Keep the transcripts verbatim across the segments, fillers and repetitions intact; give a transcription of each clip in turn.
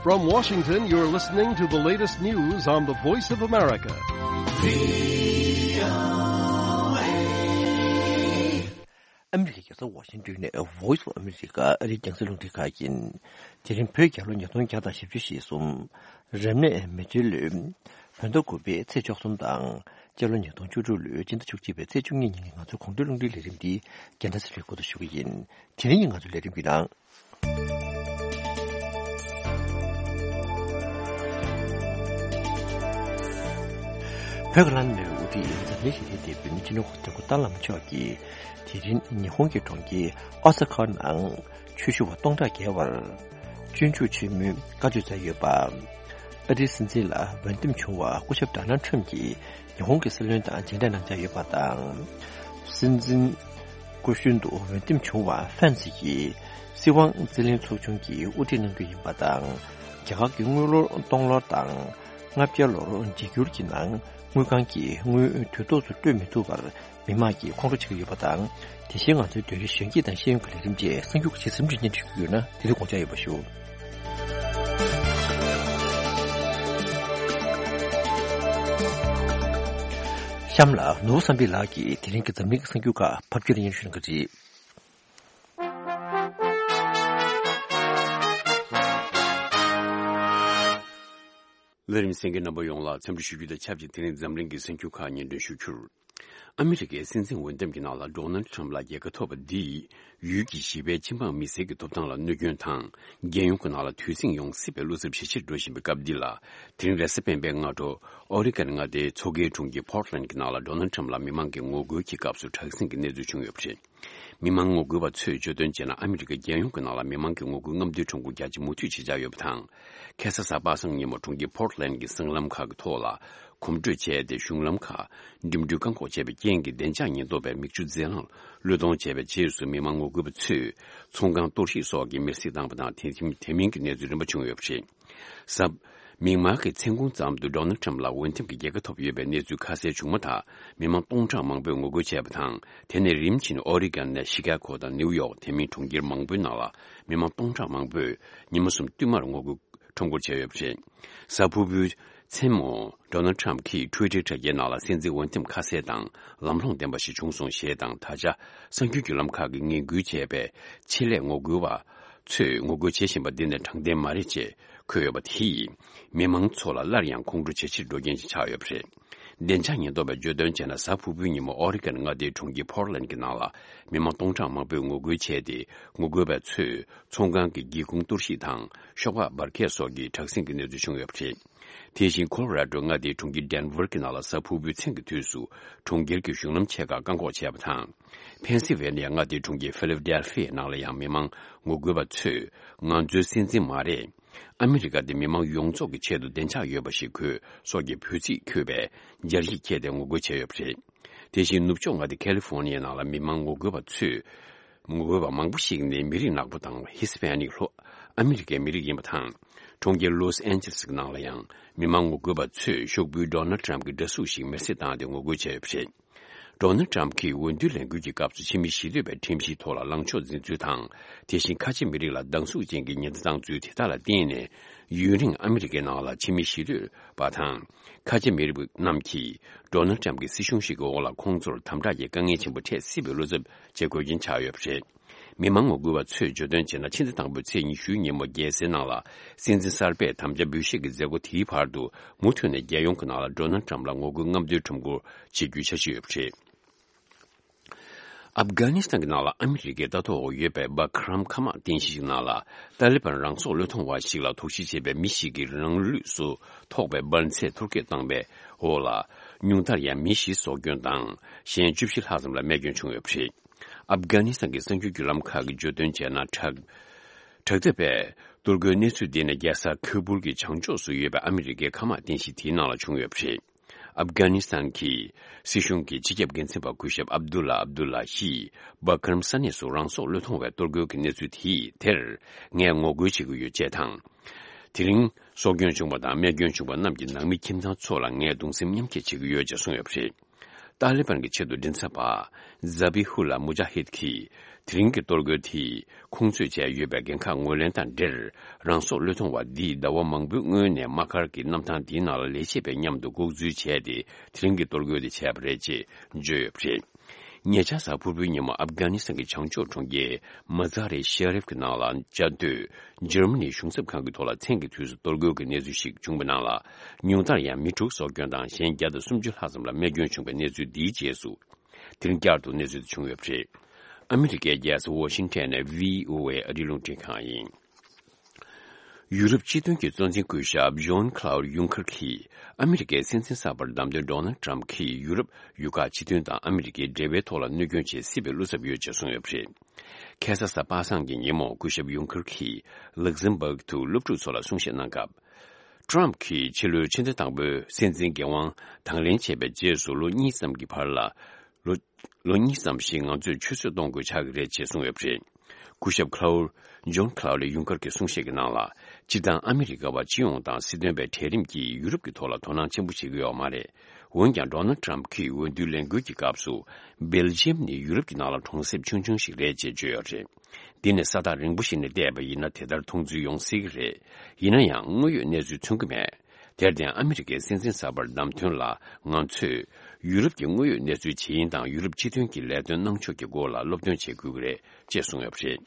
From Washington, you're listening to the latest news on the Voice of America. ཨ་མི་རི་ཀའི་རྒྱལ་ས་ཝ་ཤིང་ཏོན་ནས་Voice of America ཨ་རིའི་རྒྱང་སྲིང་རླུང་འཕྲིན་ཁང་ཡིན། དེ་རིང་བོད་རྒྱལ་ལོ་ཉིས་སྟོང་བརྒྱ་དང་བཞི་བཅུ་ཞེ་གསུམ། རབ་གནས་མེ་བྱའི་ལོའི་བོད་ཟླ་དགུ་པའི་ཚེས་བཅུ་གསུམ་དང་། སྤྱི་ལོ་ཉིས་སྟོང་བཅུ་དྲུག་ལོའི་སྤྱི་ཟླ་བཅུ་གཅིག་པའི་ཚེས་བཅུ་གཉིས་ཉིན་གྱི་ང་ཚོའི་དགོང་དྲོའི་རླུང་འཕྲིན་ལས་རིམ་འདི་རྒྱལ་མཚན་ཚེ་རིང་གིས་འགོ་འཛུགས་ཞུ་གི་ཡིན། དེ་རིང་གི་ང་ཚོའི་ལས་རིམ་གྱི་ནང་། བོད་ཀྱི་བླ་ན་མེད་པའི་དབུ་ཁྲིད་འཛམ་གླིང་ཞི་བདེའི་དེད་དཔོན་སྤྱི་ནོར་གོང་ས་སྐྱབས་མགོན་ཏཱ་ལའི་བླ་མ་མཆོག་གིས། དེ་རིང་ཉི་ཧོང་གི་གྲོང་ཁྱེར་ཨོ་ས་ཁ་ནང་ཆོས་ཞུ་བ་སྟོང་ཕྲག་བརྒལ་བར་སྤྱོད་འཇུག་ཆེན་མོའི་བཀའ་ཆོས་སྩལ་ཡོད་པ། ཨ་རིའི་སྲིད་འཛིན་ལ་འོས་འདེམས་བྱུང་བ་སྐུ་ཞབས་ཌོ་ནལ་ཁྲམ་གྱིས་ཉི་ཧོང་གི་སྲིད་བློན་དང་མཇལ་འཕྲད་གནང་འཆར་ཡོད་པ་དང་། སྲིད་འཛིན་སྐུ་གཞོན་དུ་འོས་འདེམས་བྱུང་བ་ཧྥན་སི་ཡིས་སྲིད་དབང་རྩིས་ལེན་ཚོགས་ཆུང་གི་དབུ་ཁྲིད་གནང་རྒྱུ་ཡིན་པ་དང་། རྒྱ་གར་གྱི་དངུལ་ལོར་སྟོང་ལོར་དང་། ལྔ་བརྒྱ་ལོར་འཇིགས་སྐུལ་གྱི་ནང་དངུལ་ཁང་གིས་དངུལ་དུས་ཐོག་ཏུ་སྤྲོད་མི་ཐུབ་པར་མི་མང་གིས་ཁོང་ཁྲོ་བྱེད་ཀྱི་ཡོད་པ་དང་། དེ་བཞིན་ང་ཚོའི་བོད་རིགས་གཞོན་སྐྱེས་དང་ཤེས་ཡོན་གྱི་ལས་རིམ་བཅས་གསར་འགྱུར་གྱི་ཇི་ཙམ་རིགས་སྙན་སྒྲོན་ཞུ་རྒྱུ་ཡོད་ན་དེ་ཚོ་དགོངས་འཇགས་ཡོད་པ་ཞུ། གཤམ་ལ་ནོར་བུ་བསམ་འཕེལ་ལགས་ཀྱིས་དེ་རིང་གི་འཛམ་གླིང་གི་གསར་འགྱུར་ཁག་ཕབ་སྒྱུར་སྙན་སྒྲོན་ཞུ་གནང་གི་རེད། ལས་རིམ་གསན་མཁན་རྣམ་པ་ཡོངས་ལ་འཚམས་འདྲི་ཞུ་རྒྱུ་དང་ཆབས་ཅིག་དེ་རིང་འཛམ་གླིང་གི་གསར་འགྱུར་ཁག་སྙན་སྒྲོན་ཞུ་རྒྱུར། ཨ་མི་རི་ཀའི་སྲིད་འཛིན་འོས་འདེམས་ཀྱི་ནང་ལ་ཌོ་ནལ་ཁྲམ་ལ་རྒྱལ་ཁ་ཐོབ་པ་འདིས་ཡུལ་གྱི་ཞི་བའི་སྤྱི་འབངས་མི་སེར་གྱི་ཐོབ་ཐང་ལ་གནོད་སྐྱོན་དང་། རྒྱལ་ཡོངས་ཀྱི་ནང་ལ་དུས་ཟིང་ཡོང་སྲིད་པའི་བློ་འཚབ་ཇེ་ཆེར་འགྲོ་བཞིན་པའི་སྐབས་འདི་ལ། དེ་རིང་རེས་གཟའ་སྤེན་པའི་སྔ་དྲོ་ཨོ་རི་གན་མངའ་སྡེའི་མཚོ་ཁའི་གྲོང་ཁྱེར་Portland་གྱི་ནང་ལ་ཌོ་ནལ་ཁྲམ་ལ་མི་མང་གི་ངོ་རྒོལ་གྱི་སྐབས་སུ་དྲག་ཟིང་གི་གནས་ཚུལ་བྱུང་ཡོད་པ་རེད། མི་མང་ངོ་རྒོལ་བ་ཚོས་བརྗོད་དོན་བྱས་ན། ཨ་མི་རི་ཀ་རྒྱལ་ཡོངས་ཀྱི་ནང་ལ་མི་མང་གི་ངོ་རྒོལ་རྔམ་སྟོན་ཁྲོམ་སྐོར་རྒྱ་ཆེ་མུ་མཐུད་བྱེད་འཆར་ཡོད་པ་དང་། ཁ་སང་གཟའ་པ་སངས་ཉིན་མོ་གྲོང་ཁྱེར་Portland་གྱི་སྲང་ལམ་ཁག་གི་ཐོག་ལ་གོམ་བགྲོད་བྱས་ཏེ། གཞུང་ལམ་ཁག་འགྲིམ་འགྲུལ་བཀག་འགོག་བྱས་པའི་རྐྱེན་གྱིས་བདེ་འཇགས་ཉེན་རྟོག་པས་མིག་ཆུ་རྫས་ལངས་བློས་གཏོང་བྱས་པའི་རྗེས་སུ། མི་མང་ངོ་རྒོལ་བ་ཚོས་ཚོང་ཁང་གཏོར་བཤིག་སོགས་ཀྱི་མེར་སྲེག་བཏང་བ་དང་། དེ་དེ་མིན་གྱི་གནས་ཚུལ་རིམ་པ་བྱུང་ཡོད་པ་རེད། གཟའ། མིག་དམར་གྱི་མཚན་གུང་ཙམ་དུ་ཌོ་ནལ་ཁྲམ་ལ་འོས་འདེམས་ཀྱི་རྒྱལ་ཁ་ཐོབ་ཡོད་པའི་གནས་ཚུལ་ཁ་གསལ་བྱུང་མ་ཐག་མི་མང་སྟོང་ཕྲག་མང་པོས་ངོ་རྒོལ་བྱས་པ་དང་། དེ་ནས་རིམ་བཞིན་ཨོ་རི་གན་ནས་ཤི་ཀ་གོ་དང་ནིའུ་ཡོག་དེ་མིན་གྲོང་ཁྱེར་མང་པོའི་ནང་ལ་མི་མང་སྟོང་ཕྲག་མང་པོས་ཉི་མ་གསུམ་བསྟུད་མར་ངོ་རྒོལ་ཁྲོམ་སྐོར་བྱས་ཡོད་པ་རེད། གཟའ་ཕུར་བུའི་མཚན་མོ་ཌོ་ནལ་ཁྲམ་གྱིས་ཊུའི་ཊར་དྲ་རྒྱའི་ནང་ལ། སྲིད་འཛིན་འོས་འདེམས་ཁ་གསལ་དང་ལམ་ལྷོང་ལྡན་པ་ཞིག་བྱུང་སོང་ཞེས་དང་། ད་ཆ་གསར་འགྱུར་བརྒྱུད་ལམ་ཁག་གིས་ངན་སྐུལ་བྱས་པའི་ཆེད་ལས་ངོ་རྒོལ་བ་ཚོས་ངོ་རྒོལ་བྱེད་བཞིན་པ་འདི་ནི་དྲང་བདེན་མ་རེད་ཅེས་འཁོད་ཡོད་པ་དེས། མི་མང་ཚོ་ལ་སླར་ཡང་ཁོང་ཁྲོ་ཇེ་ཆེར་འགྲོ་རྐྱེན་ཞིག་ཆགས་ཡོད་པ་རེད། བདེ་འཇགས་ཉེན་རྟོག་པས་བརྗོད་དོན་བྱས་ན། གཟའ་ཕུར་བུའི་ཉིན་མོ་ཨོ་རི་གན་མངའ་སྡེའི་གྲོང་ཁྱེར་Portland་གྱི་ནང་ལ་མི་མང་སྟོང་ཕྲག་མང་པོས་ངོ་རྒོལ་བྱས་ཏེ། ངོ་རྒོལ་བ་ཚོས་ཚོང་ཁང་གི་སྒེའུ་ཁུང་གཏོར་བཤིག་དང་། ཤོག་སྦག་འབར་གས་སོགས་ཀྱི་དྲག་ཟིང་གི་གནས་ཚུལ་བྱུང་ཡོད་པ་རེད། དེ་བཞིན་ཁོ་ལོ་ར་ཌོ་མངའ་སྡེའི་གྲོང་ཁྱེར་Denver་གྱི་ནང་ལ་གཟའ་ཕུར་བུའི་མཚན་གྱི་དུས་སུ་གྲོང་ཁྱེར་གྱི་གཞུང་ལམ་ཆེ་ཁག་བཀག་འགོག་བྱས་པ་དང་། ཕེན་སིལ་ཝེ་ནི་ཡ་མངའ་སྡེའི་གྲོང་ཁྱེར་Philadelphia་ནང་ལ་ཡང་མི་མང་ངོ་རྒོལ་བ་ཚོས། ང་ཚོའི་སྲིད་འཛིན་མ་རེད། ཨ་མི་རི་ཀ་དེ་མི་མང་ཡོངས་རྫོགས་ཀྱི་ཆེད་དུ་བདེ་འཇགས་ཡོད་པ་ཞིག་དགོས། སོགས་ཀྱི་འབོད་ཚིག་འཁོད་པའི་སྦྱར་ཡིག་འཁྱེར་ཏེ་ངོ་རྒོལ་བྱས་ཡོད་པ་རེད། དེ་བཞིན་ནུབ་ཕྱོགས་མངའ་སྡེ་California་ནང་ལ་མི་མང་ངོ་རྒོལ་བ་ཚོས། ངོ་རྒོལ་བ་མང་པོ་ཞིག་ནི་མི་རིགས་ནག་པོ་དང་Hispanic་ལྷོ་ཨ་མི་རི་ཀའི་མི་རིགས་ཡིན་པ་དང་། གྲོང་ཁྱེར་Los Angeles་གི་ནང་ལ་ཡང་མི་མང་ངོ་རྒོལ་བ་ཚོས་ཤོག་བུའི་Donald Trump་གི་འདྲ་གཟུགས་ཤིག་མེར་སྲེག་བཏང་སྟེ་ངོ་རྒོལ་བྱས་ཡོད་པ་རེད། Donald Trump་གིས་འོས་བསྡུ་ལས་འགུལ་གྱི་སྐབས་སུ་ཕྱི་མི་ཞི་གཏོད་པའི་ཁྲིམས་གཞིའི་ཐོག་ལ་ལངས་ཕྱོགས་འཛིན་ཚུལ་དང་། དེ་བཞིན་ཁ་ཆེ་མི་རིགས་ལ་སྡང་ཟུག་ཅན་གྱི་ཉེན་བརྡ་བཏང་ཚུལ་དེ་དག་ལ་བརྟེན་ནས། ཡུན་རིང་ཨ་མི་རི་ཀའི་ནང་ལ་ཕྱི་མི་ཞི་གཏོད་པ་དང་། ཁ་ཆེ་མི་རིགས་རྣམས་ཀྱིས་Donald Trump་གྱི་སྲིད་གཞུང་ཞིག་གི་འོག་ལ་ཁོང་ཚོར་དམ་དྲག་གི་དཀའ་ངལ་ཆེན་པོ་འཕྲད་སྲིད་པའི་བློ་འཚབ་བྱེད་དགོས་རྐྱེན་ཆགས་ཡོད་པ་རེད། མི་མང་ངོ་རྒོལ་བ་ཚོས་བརྗོད་དོན་བྱས་ན། ཕྱི་ཟླ་དང་པོའི་ཚེས་ཉི་ཤུའི་ཉིན་མོ་རྒྱལ་སའི་ནང་ལ་སྲིད་འཛིན་གསར་པས་དམ་བཅའ་འབུལ་བཞེས་ཀྱི་མཛད་སྒོ་དེའི་བར་དུ་མུ་མཐུད་ནས་རྒྱལ་ཡོངས་ཀྱི་ནང་ལ་Donald Trump་ལ་ངོ་རྒོལ་རྔམ་སྟོན་ཁྲོམ་སྐོར་བྱེད་རྒྱུའི་འཆར་གཞི་ཡོད་པ་རེད། ཨབ་གྷ་ནི་སི་ཐན་གྱི་ནང་ལ་ཨ་མི་རི་ཀའི་ལྟ་རྟོག་འོག་ཡོད་པའི་སྦ་ཁ་རམ་མཁའ་དམག་རྟེན་གཞི་ཞིག་ནང་ལ་ཏཱ་ལི་བན་རང་སྲོག་བློས་གཏོང་བ་ཞིག་ལ་དོགས་གཞི་བྱས་པའི་མི་ཞིག་གིས་རང་ལུས་སུ་ཐོགས་པའི་འབར་རྫས་ཐོར་སྐྱོད་བཏང་བའི་འོག་ལ་ཉུང་མཐར་ཡང་མི་བཞི་སྲོག་སྐྱོན་དང་གཞན་བཅུ་བཞི་ལྷག་ཙམ་ལ་རྨས་སྐྱོན་བྱུང་ཡོད་པ་རེད། ཨབ་གྷ་ནི་སི་ཐན་གྱི་གསར་འགྱུར་བརྒྱུད་ལམ་ཁག་གིས་བརྗོད་དོན་བྱས་ན། དྲག་དྲག་འཐབ་པས་གཏོར་རྒོལ་གནས་ཚུལ་འདི་ནི་རྒྱལ་ས་ཁ་བུལ་གྱི་བྱང་ཕྱོགས་སུ་ཡོད་པའི་ཨ་མི་རི་ཀའི་མཁའ་དམག་རྟེན་གཞི་དེའི་ནང་ལ་བྱུང་ཡོད་པ་རེད། ཨབ་གྷ་ནི་སི་ཐན་གྱི་སྲིད་གཞུང་གི་སྤྱི་ཁྱབ་འགན་འཛིན་པ་སྐུ་ཞབས་ཨབ་དུ་ལ་ཨབ་དུ་ལ་ཡིས་སྦ་ཁ་རམ་ས་གནས་སུ་རང་སྲོག་བློས་གཏོང་བའི་གཏོར་རྒོལ་གྱི་གནས་ཚུལ་དེ་དེར་ངས་ངོ་རྒོལ་བྱེད་ཀྱི་ཡོད་ཅེས་དང་། དེ་རིང་སྲོག་སྐྱོན་བྱུང་བ་དང་རྨས་སྐྱོན་བྱུང་བ་རྣམས་ཀྱི་ནང་མི་ཁྱིམ་ཚང་ཚོ་ལ་ངས་གདུང་སེམས་མཉམ་སྐྱེད་བྱེད་ཀྱི་ཡོད་ཅེས་གསུངས་ཡོད་པ་རེད། ཏཱ་ལི་བན་གྱི་ཆེད་དུ་མགྲིན་ཚབ་པ་ཛ་བི་ཧུ་ལ་མུ་ཇཱ་ཧིད་ཀྱིས། དེ་རིང་གི་གཏོར་རྒོལ་དེས་ཁོང་ཚོས་བྱས་ཡོད་པའི་འགན་ཁག་ངོས་ལེན་དང་འབྲེལ། རང་སྲོག་བློས་གཏོང་བ་འདིས་ཟླ་བ་མང་པོའི་སྔོན་ནས་དམག་སྒར་གྱི་གནམ་ཐང་དེའི་ནང་ལ་ལས་བྱེད་པའི་མཉམ་དུ་འགོག་འཛུལ་བྱས་ཏེ། དེ་རིང་གི་གཏོར་རྒོལ་དེ་བྱས་པ་རེད་ཅེས་བརྗོད་ཡོད་པ་རེད། ཉེ་ཆར་གཟའ་ཕུར་བུའི་ཉིན་མོ་ཨབ་གྷ་ནི་སི་ཐན་གྱི་བྱང་ཕྱོགས་གྲོང་ཁྱེར་མ་ཛ་རི་ཤེ་རིབ་ཀྱི་ནང་ལ་བཅའ་སྡོད་འཇར་མ་ནིའི་གཞུང་ཚབ་ཁང་གི་ཐོག་ལ་མཚན་གྱི་དུས་སུ་གཏོར་རྒོལ་གྱི་གནས་ཚུལ་ཞིག་བྱུང་བའི་ནང་ལ། ཉུང་མཐར་ཡང་མི་དྲུག་སྲོག་སྐྱོན་དང་གཞན་བརྒྱ་དང་སུམ་ཅུ་ལྷག་ཙམ་ལ་རྨས་སྐྱོན་བྱུང་བའི་གནས་ཚུལ་འདིའི་རྗེས་སུ། དེ་རིང་བསྐྱར་དུ་གནས་ཚུལ་དེ་བྱུང་ཡོད་པ་རེད། ཨ་མི་རི་ཀའི་རྒྱལ་ས་ཝ་ཤིང་ཊོན་ནས་བྷི་ཨོ་ཨེ་ཨ་རིའི་རླུང་འཕྲིན་ཁང་ཡིན། ཡུ་རོབ་སྤྱི་མཐུན་གྱི་གཙོ་འཛིན་སྐུ་ཞབས་ཇོན་ཁ་ལའུ་ཡུང་ཁར་གྱིས། ཨ་མི་རི་ཀའི་སྲིད་འཛིན་གསར་པར་བདམས་ཐོན་ཌོ་ནལ་ཊམ་གྱིས་ཡུ་རོབ་ཡུལ་ཁག་སྤྱི་མཐུན་དང་ཨ་མི་རི་ཀའི་འབྲེལ་བའི་ཐོག་ལ་གནོད་སྐྱོན་བྱེད་སྲིད་པའི་བློ་འཚབ་ཡོད་ཅེས་གསུངས་ཡོད་པ་རེད། ཁ་སང་གཟའ་པ་སངས་ཀྱི་ཉིན་མོ་སྐུ་ཞབས་ཡུང་ཁར་གྱིས་ལག་ཟིན་སྦག་ཏུ་སློབ་ཕྲུག་ཚོ་ལ་གསུང་བཤད་གནང་སྐབས། ཊམ་གྱིས་ཕྱི་ལོའི་ཕྱི་ཟླ་དང་པོའི་སྲིད་འཛིན་འགན་དབང་དང་ལེན་བྱས་པའི་རྗེས་སུ་ལོ་གཉིས་ཙམ་གྱི་བར་ལ། ལོ། ལོ་གཉིས་ཙམ་ཞིག་ང་ཚོས་ཆུད་ཟོས་གཏོང་དགོས་ཆགས་ཀྱི་རེད་ཅེས་གསུངས་ཡོད་པ་རེད། སྐུ་ཞབས་ཁ་ལའུ། ཇོན་ཁ་ལའུ་ལི་ཡུང་ཁར་གྱི་གསུང་བཤད་ཀྱི་ནང་ལ། སྤྱིར་བཏང་ཨ་མི་རི་ཀ་བ་སྤྱི་ཡོངས་དང་སྲིད་དོན་པའི་གྲལ་རིམ་གྱིས་ཡུ་རོབ་ཀྱི་ཐོག་ལ་དོ་སྣང་ཆེན་པོ་བྱེད་ཀྱི་ཡོད་མ་རེད། འོན་ཀྱང་ཌོ་ནལ་ཊམ་གྱིས་འོས་བསྡུའི་ལས་འགུལ་གྱི་སྐབས་སུ། སྦེལ་ཇི་ཡམ་ནི་ཡུ་རོབ་ཀྱི་ནང་ལ་གྲོང་གསེབ་ཆུང་ཆུང་ཞིག་རེད་ཅེས་བརྗོད་ཡོད་རེད། འདི་ནི་ས་ཐག་རིང་པོ་ཞིག་ནས་བལྟས་པ་ཡིན་ན་དེ་ལྟར་མཐོང་ཚུལ་ཡོང་སྲིད་ཀྱི་རེད། ཡིན་ན་ཡང་དངོས་ཡོད་གནས་ཚུལ་མཚོན་གྱི་མེད། དེར་བརྟེན་ཨ་མི་རི་ཀའི་སྲིད་འཛིན་གསར་པར་བདམས་ཐོན་ལ་ང་ཚོས་ཡུ་རོབ་ཀྱི་དངོས་ཡོད་གནས་ཚུལ་ཇི་ཡིན་དང་ཡུ་རོབ་སྤྱི་མཐུན་གྱི་ལས་དོན་གནང་ཕྱོགས་ཀྱི་སྐོར་ལ་སློབ་སྟོན་བྱེད་དགོས་ཀྱི་རེད་ཅེས་གསུངས་ཡོད་པ་རེད།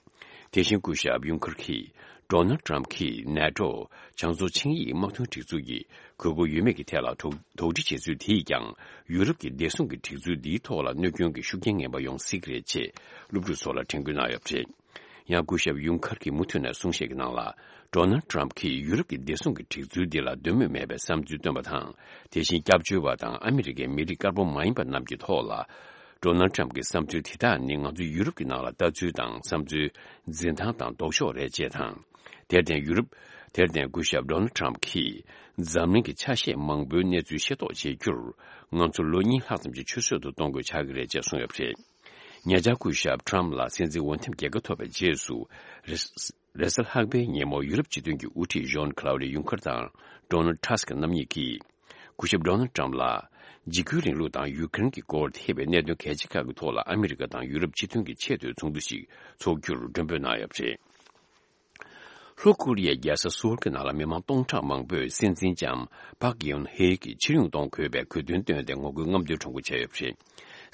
དེ་བཞིན་སྐུ་ཞབས་ཡུང་ཁར་གྱིས་ཌོ་ནལ་ཊམ་གྱིས་ནེ་ཊོ་བྱང་མཚོ་ཆིངས་ཡིག་དམག་དོན་སྒྲིག་འཛུགས་ཀྱི་དགོས་མཁོ་ཡོད་མེད་ཀྱི་ཐད་ལ་དོགས་དོགས་འདྲི་བྱེད་ཚུལ་དེས་ཀྱང་ཡུ་རོབ་ཀྱི་བདེ་སྲུང་གི་སྒྲིག་འཛུགས་འདིའི་ཐོག་ལ་གནོད་སྐྱོན་གྱི་ཤུགས་རྐྱེན་ངན་པ་ཡོང་སྲིད་ཀྱི་རེད་ཅེས་སློབ་ཕྲུག་ཚོ་ལ་དྲན་སྐུལ་གནང་ཡོད་པ་རེད། ཡང་སྐུ་ཞབས་ཡུང་ཁར་གྱིས་མུ་མཐུད་ནས་གསུང་བཤད་ཀྱི་ནང་ལ། ཌོ་ནལ་ཊམ་གྱིས་ཡུ་རོབ་ཀྱི་བདེ་སྲུང་གི་སྒྲིག་འཛུགས་འདི་ལ་འདོད་མོས་མེད་པའི་བསམ་ཚུལ་བཏོན་པ་དང་། དེ་བཞིན་སྐྱབས་བཅོལ་བ་དང་ཨ་མི་རི་ཀའི་མི་རིགས་དཀར་པོ་མ་ཡིན་པ་རྣམས་ཀྱི་ཐོག་ལ། ཌོ་ནལ་ཊམ་གྱི་བསམ་ཚུལ་དེ་དག་ནི་ང་ཚོ་ཡུ་རོབ་ཀྱི་ནང་ལ་ལྟ་ཚུལ་དང་བསམ་ཚུལ་འཛིན་སྟངས་དང་ལྡོག་ཕྱོགས་རེད་ཅེས་དང་། དེར་བརྟེན་ཡུ་རོབ། དེར་བརྟེན་སྐུ་ཞབས་ཌོ་ནལ་ཊམ་གྱིས་འཛམ་གླིང་གི་ཆ་ཤས་མང་པོའི་གནས་ཚུལ་ཤེས་རྟོགས་བྱེད་རྒྱུར། ང་ཚོ་ལོ་གཉིས་ལྷག་ཙམ་གྱི་ཆུད་ཟོས་སུ་གཏོང་དགོས་ཆགས་ཀྱི་རེད་ཅེས་གསུངས་ཡོད་པ་རེད། ཉེ་ཆར་སྐུ་ཞབས་ཊམ་ལ་སྲིད་འཛིན་འོས་འདེམས་རྒྱལ་ཁ་ཐོབ་པའི་རྗེས་སུ། རེས། རེས་གཟའ་ལྷག་པའི་ཉིན་མོ་ཡུ་རོབ་སྤྱི་མཐུན་གྱི་དབུ་ཁྲིད་ཇོན་ཁ་ལའུ་ཌི་ཡུང་ཁར་དང་ཌོ་ནལ་ཊ་སྐ་རྣམ་གཉིས་ཀྱིས། སྐུ་ཞབས་ཌོ་ནལ་ཊམ་ལ། འཇིགས་སྐུལ་རིང་ལུགས་དང་ཡུ་ཀེ་རེན་གྱི་སྐོར་ཐེ་བའི་གནད་དོན་གལ་ཆེ་ཁག་གི་ཐོག་ལ་ཨ་མི་རི་ཀ་དང་ཡུ་རོབ་སྤྱི་མཐུན་གྱི་ཆེས་མཐོའི་ཚོགས་འདུ་ཞིག་འཚོགས་རྒྱུར་མགྲོན་འབོད་གནང་ཡོད་པ་རེད། ལྷོ་ཀོ་རི་ཡའི་རྒྱལ་ས་སོལ་གྱི་ནང་ལ་མི་མང་སྟོང་ཕྲག་མང་པོས་སྲིད་འཛིན་ལྕམ་པག་གི་ཡོན་ཧེ་ཡི་ཕྱིར་ཡོང་གཏོང་དགོས་པའི་གོ་སྟོན་བཏོན་ཏེ་ངོ་རྒོལ་རྔམ་སྟོན་ཁྲོམ་སྐོར་བྱས་ཡོད་པ་རེད།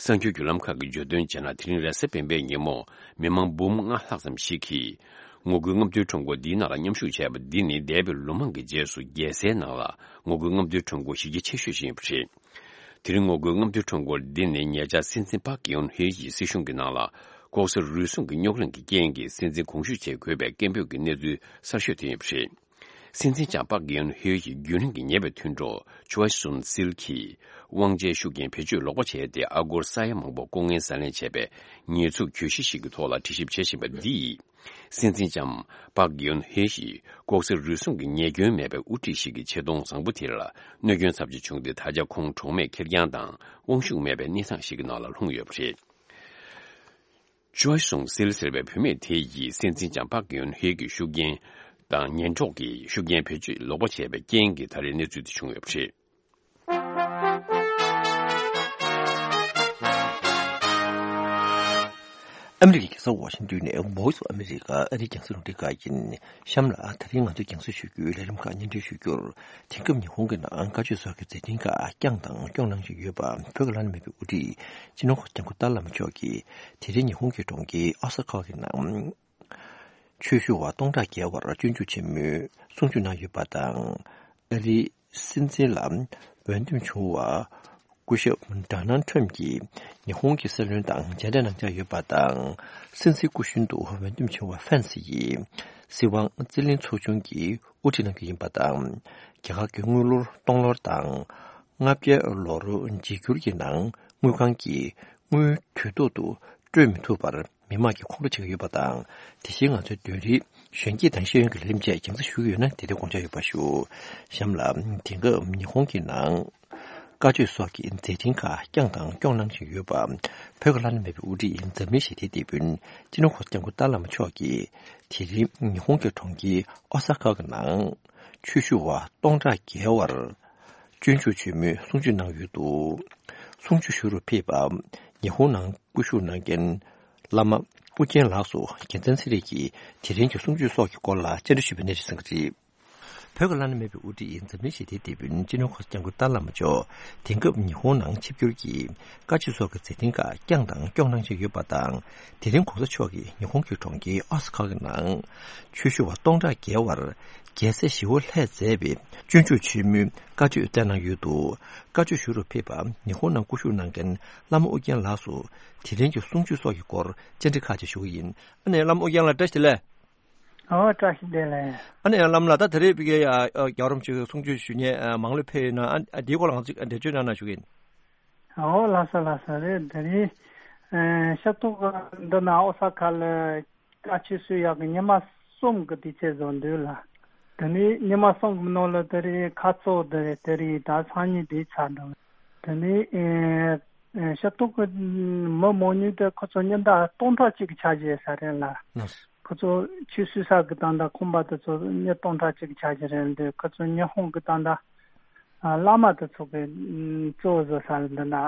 གསར་འགྱུར་བརྒྱུད་ལམ་ཁག་གིས་བརྗོད་དོན་བྱས་ན། དེ་རིང་རེས་གཟའ་སྤེན་པའི་ཉིན་མོ་མི་མང་འབུམ་ལྔ་ལྷག་ཙམ་ཞིག་གིས་ངོ་རྒོལ་རྔམ་སྟོན་ཁྲོམ་སྐོར་འདིའི་ནང་ལ་མཉམ་ཞུགས་བྱས་པ་འདི་ནི་འདས་པའི་ལོ་མང་གི་རྗེས་སུ་རྒྱལ་སའི་ནང་ལ་ངོ་རྒོལ་རྔམ་སྟོན་ཁྲོམ་སྐོར་གཞི་རྒྱ་ཆེ་ཤོས་ཤིག་ཡིན་པ་རེད། དེ་རིང་ངོ་རྒོལ་རྔམ་སྟོན་ཁྲོམ་སྐོར་འདི་ནི་ཉེ་ཆར་སྲིད་འཛིན་པག་གི་ཡོན་ཧེ་ཡི་སྲིད་གཞུང་གི་ནང་ལ་ལྐོག་ཟ་རུལ་སུངས་ཀྱི་རྙོག་གླེང་གི་རྐྱེན་གྱིས་སྲིད་འཛིན་དགོངས་ཞུ་བྱེད་དགོས་པའི་སྐད་འབོད་ཀྱི་གནས་ཚུལ་གསར་ཤོས་དེ་ཡིན་པ་རེད། སྲིད་འཛིན་ལྕམ་པག་གི་ཡོན་ཧེ་ཡི་རྒྱུན་རིང་གི་ཉེ་བའི་མཐུན་གྲོགས་ཆུའེ་སུན་སིལ་གྱིས་དབང་ཆའི་ཤུགས་རྐྱེན་བེད་སྤྱོད་ལོག་པ་བྱས་ཏེ། ཨ་སྒོར་ས་ཡ་མང་པོ་ལྐོག་རྔན་ཟ་ལེན་བྱས་པའི་ཉེས་འཛུགས་གྱོད་གཞི་ཞིག་གི་ཐོག་ལ་དྲི་ཞིབ་བྱེད་བཞིན་པ་འདིས། སྲིད་འཛིན་ལྕམ་པག་གི་ཡོན་ཧེ་ཡིས་ལྐོག་ཟ་རུལ་སུངས་ཀྱི་ཉེས་སྐྱོན་མེད་པའི་དབུ་ཁྲིད་ཞིག་གི་ཆེ་མཐོང་བཟང་པོ་དེ་ལ་གནོད་སྐྱོན་ཚབས་ཆེ་བྱུང་སྟེ། ད་ཆ་ཁོང་གྲོགས་མེད་ཁེར་རྐྱང་དང་དབང་ཤུགས་མེད་པའི་གནས་སྟངས་ཤིག་གི་ནང་ལ་ལྷུང་ཡོད་པ་རེད། ཅོའི་སུང་སིལ་ཟེར་བའི་བུད་མེད་དེ་ཡིས་སྲིད་འཛིན་ལྕམ་པག་གི་ཡོན་ཧེ་ཡི་ཤུགས་རྐྱེན་དང་ཉེན་རྟོག་གི་ཤུགས་རྐྱེན་བེད་སྤྱོད་ལོག་པ་བྱས་པའི་རྐྱེན་གྱིས་ད་རེས་གནས་ཚུལ་དེ་བྱུང་ཡོད་པ་རེད། ཨ་མི་རི་ཀའི་རྒྱལ་ས་ཝ་ཤིང་ཏོན་ནས་Voice of America ཨ་རིའི་རྒྱང་སྲིང་རླུང་འཕྲིན་ཁང་ཡིན། གཤམ་ལ་དེ་རིང་ང་ཚོས་རྒྱང་སྲིང་ཞུ་རྒྱུའི་ལས་རིམ་ཁག་སྙན་སྒྲོན་ཞུ་རྒྱུར། དེང་སྐབས་ཉི་ཧོང་གི་ནང་བཀའ་ཆོས་སོགས་ཀྱི་མཛད་འཕྲིན་ཁག་བསྐྱངས་དང་སྐྱོང་གནང་བཞིན་ཡོད་པ་བོད་ཀྱི་བླ་ན་མེད་པའི་དབུ་ཁྲིད་སྤྱི་ནོར་༧གོང་ས་༧སྐྱབས་མགོན་ཏཱ་ལའི་བླ་མ་མཆོག་གིས་དེ་རིང་ཉི་ཧོང་གི་གྲོང་ཁྱེར་ཨོ་ས་ཀ་གི་ནང་ཆོས་ཞུ་བ་སྟོང་ཕྲག་བརྒལ་བར་སྤྱོད་འཇུག་ཆེན་མོའི་གསུང་ཆོས་གནང་ཡོད་པ་དང་། ཨ་རིའི་སྲིད་འཛིན་ལ་འོས་འདེམས་བྱུང་བ་སྐུ་ཞབས་ཌོ་ནལ་ཁྲམ་གྱིས་ཉི་ཧོང་གི་སྲིད་བློན་དང་མཇལ་འཕྲད་གནང་འཆར་ཡོད་པ་དང་། སྲིད་འཛིན་སྐུ་གཞོན་དུ་འོས་འདེམས་བྱུང་བ་ཕན་སི་ཡིས་སྲིད་དབང་རྩིས་ལེན་ཚོགས་ཆུང་གི་དབུ་ཁྲིད་གནང་རྒྱུ་ཡིན་པ་དང་། རྒྱ་གར་གྱི་དངུལ་ལོར་སྟོང་ལོར་དང་ལྔ་བརྒྱ་ལོར་འཇིགས་འགྱུར་གྱི་ནང་དངུལ་ཁང་གིས་དངུལ་དུས་ཐོག་ཏུ་སྤྲོད་མི་ཐུབ་པར། མི་མང་གིས་ཁོང་ཁྲོ་བྱེད་ཀྱི་ཡོད་པ་དང་། དེ་བཞིན་ང་ཚོའི་བདུན་རིག་གཞོན་སྐྱེས་དང་ཤེས་ཡོན་གྱི་ལས་རིམ་བཅས་རྒྱང་སྲིང་ཞུ་གི་ཡོད་ན་དེ་དུས་དགོངས་འཆར་ཡོད་པ་ཞུ། གཤམ་ལ་དེང་སྐབས་ཉི་ཧོང་གི་ནང་བཀའ་ཆོས་སོགས་ཀྱི་མཛད་འཕྲིན་ཁག་བསྐྱངས་དང་སྐྱོང་གནང་བཞིན་ཡོད་པ་བོད་ཀྱི་བླ་ན་མེད་པའི་དབུ་ཁྲིད་འཛམ་གླིང་ཞི་བདེའི་དེད་དཔོན་སྤྱི་ནོར་༧གོང་ས་༧སྐྱབས་མགོན་ཏཱ་ལའི་བླ་མ་མཆོག་གིས་དེ་རིང་ཉི་ཧོང་གི་གྲོང་ཁྱེར་ཨོ་ས་ཀ་གི་ནང་ཆོས་ཞུ་བ་སྟོང་ཕྲག་བརྒལ་བར། སྤྱོད་འཇུག་ཆེན་མོའི་གསུང་ཆོས་གནང་ཡོད་འདུག་གསུང་ཆོས་ཞུ་རུ་ཕེབས་པ། ཉི་ཧོང་ནང་སྐུ་བཞུགས་གནང་མཁན་བླ་མ་ཨུ་རྒྱན་ལགས་སུ་རྒྱལ་མཚན་ཚེ་རིང་གིས་དེ་རིང་གི་གསུང་ཆོས་སོགས་ཀྱི་སྐོར་ལ་བཅར་འདྲི་ཞུས་པའི་གནས་ཚུལ་གསན་གྱི་རེད། བོད་ཀྱི་བླ་ན་མེད་པའི་དབུ་ཁྲིད་འཛམ་གླིང་ཞི་བདེའི་དེད་དཔོན་སྤྱི་ནོར་གོང་ས་སྐྱབས་མགོན་ཏཱ་ལའི་བླ་མ་མཆོག་དེང་སྐབས་ཉི་ཧོང་ནང་ཆིབས་བསྒྱུར་གྱིས་བཀའ་ཆོས་སོགས་ཀྱི་མཛད་འཕྲིན་ཁག་བསྐྱངས་དང་སྐྱོང་གནང་བཞིན་ཡོད་པ་དང་། དེ་རིང་གོང་ས་མཆོག་གིས་ཉི་ཧོང་གི་གྲོང་ཁྱེར་ཨོ་ས་ཀ་གི་ནང་ཆོས་ཞུ་བ་སྟོང་ཕྲག་བརྒལ་བར་རྒྱལ་སྲས་ཞི་བ་ལྷས་མཛད་པའི་སྤྱོད་འཇུག་ཆེན་མོའི་བཀའ་ཆོས་བསྩལ་གནང་ཡོད་འདུག་བཀའ་ཆོས་ཞུ་རུ་ཕེབས་པ་ཉི་ཧོང་ནང་སྐུ་བཞུགས་གནང་མཁན་བླ་མ་ཨུ་རྒྱན་ལགས་སུ་དེ་རིང་གི་གསུང་ཆོས་སོགས་ཀྱི་སྐོར་བཅར་འདྲི་ཁག་ཅིག་ཞུ་གི་ཡིན། ཨ་ནེ་བླ་མ་ཨུ་རྒྱན་ལགས་བཀྲ་ཤིས་བདེ་ལེགས། ཨོ་བཀྲ་ཤིས་བདེ་ལེགས། ཨ་ནེ་བླ་མ་ལགས་ད་ད་རེས་བི་གའི་རྒྱལ་བ་རིན་པོ་ཆེ་གསུང་ཆོས་ཞུ་མཁན་མང་ལོས་ཕེབས་ཡོད་ན། ཨ་འདིའི་སྐོར་ལ་ང་ཚོས་འགྲེལ་བརྗོད་གནང་ན་ཞུ་གི་ཡིན། ཨོ་ལགས་སོ་ལགས་སོ། རེད། དེ་རིང་ཤར་ཏོག་འདི་ན་ཨོ་ས་ཁ་ལ་བཀའ་ཆོས་ཞུ་ཡག་གི་ཉི་མ་གསུམ་གི་དུས་ཚོད་བཟོ་འདུག་ལ། དེ་ནས་ཉི་མ་གསུམ་གི་ནང་ལ་དེ་རིང་ཁ་རྩོད་དེ་རེད། དེ་རིང་ད་སང་ཉིན་དེ་ཚར་འགྲོ། དེ་ནས་ཤར་ཏོག་གི་མི་མང་ཉུང་དེ་ཁོ་ཚོ་ཉིན་ལྟར་སྟོང་ཕྲག་གཅིག་གི་ཆ་བཞག་ས་རེད་ལ། ཁོ་ཚོ་ཆོས་ཞུ་ས་གི་ད་ལྟ་ཁང་པ་དེ་ཚོ་མི་སྟོང་ཕྲག་གཅིག་གི་ཆ་བཞག་རེད་འདུག་ཁོ་ཚོ་ཉི་ཧོང་གི་ད་ལྟ་ཨ་བླ་མ་དེ་ཚོ་གི་ཨམ་གཙོ་བོ་བཟོ་ས་འདི་ན། ཨ་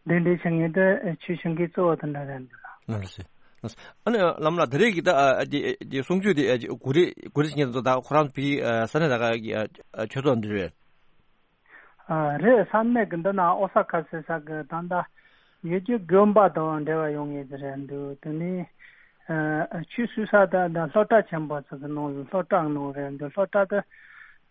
གདན་འདྲེན་བྱེད་མཁན་དེ་ཆོས་ཞུ་མཁན་གཙོ་བོ་དེ་འདྲ་རེད་འདུག་ལགས་སོ། ལགས་སོ། ཨ་ནི་བླ་མ་ལགས་ད་རེས་ཀྱི་ད་ཨ་འདི་འདི་གསུང་ཆོས་འདི་ཨ་གུ་རི་གུ་རི་ཟེར་མཁན་དེ་ཚོ་ད་ཁོ་རང་ཚོ་ཕ་གི་ཨ་ས་གནས་ད་ག་གི་ཨ་ཆོས་ཚོགས་འདི་རེད། ཨ་རེད། ས་གནས་ཀྱི་འདི་ན་ཨོ་ས་ཀ་ཟེར་ས་གི་ད་ལྟ་ཡུལ་གྱི་དགོན་པ་དང་འབྲེལ་བ་ཡོད་ངེས་ཀྱི་རེད་འདུག་དེ་ནས་ཨ་ཆོས་ཞུ་ས་ད་ད་སློབ་གྲྭ་ཆེན་པོ་ཚོ་གི་ནང་ལ་སློབ་གྲྭ་གི་ནང་རེད་འདུག་སློབ་གྲྭ་དེ་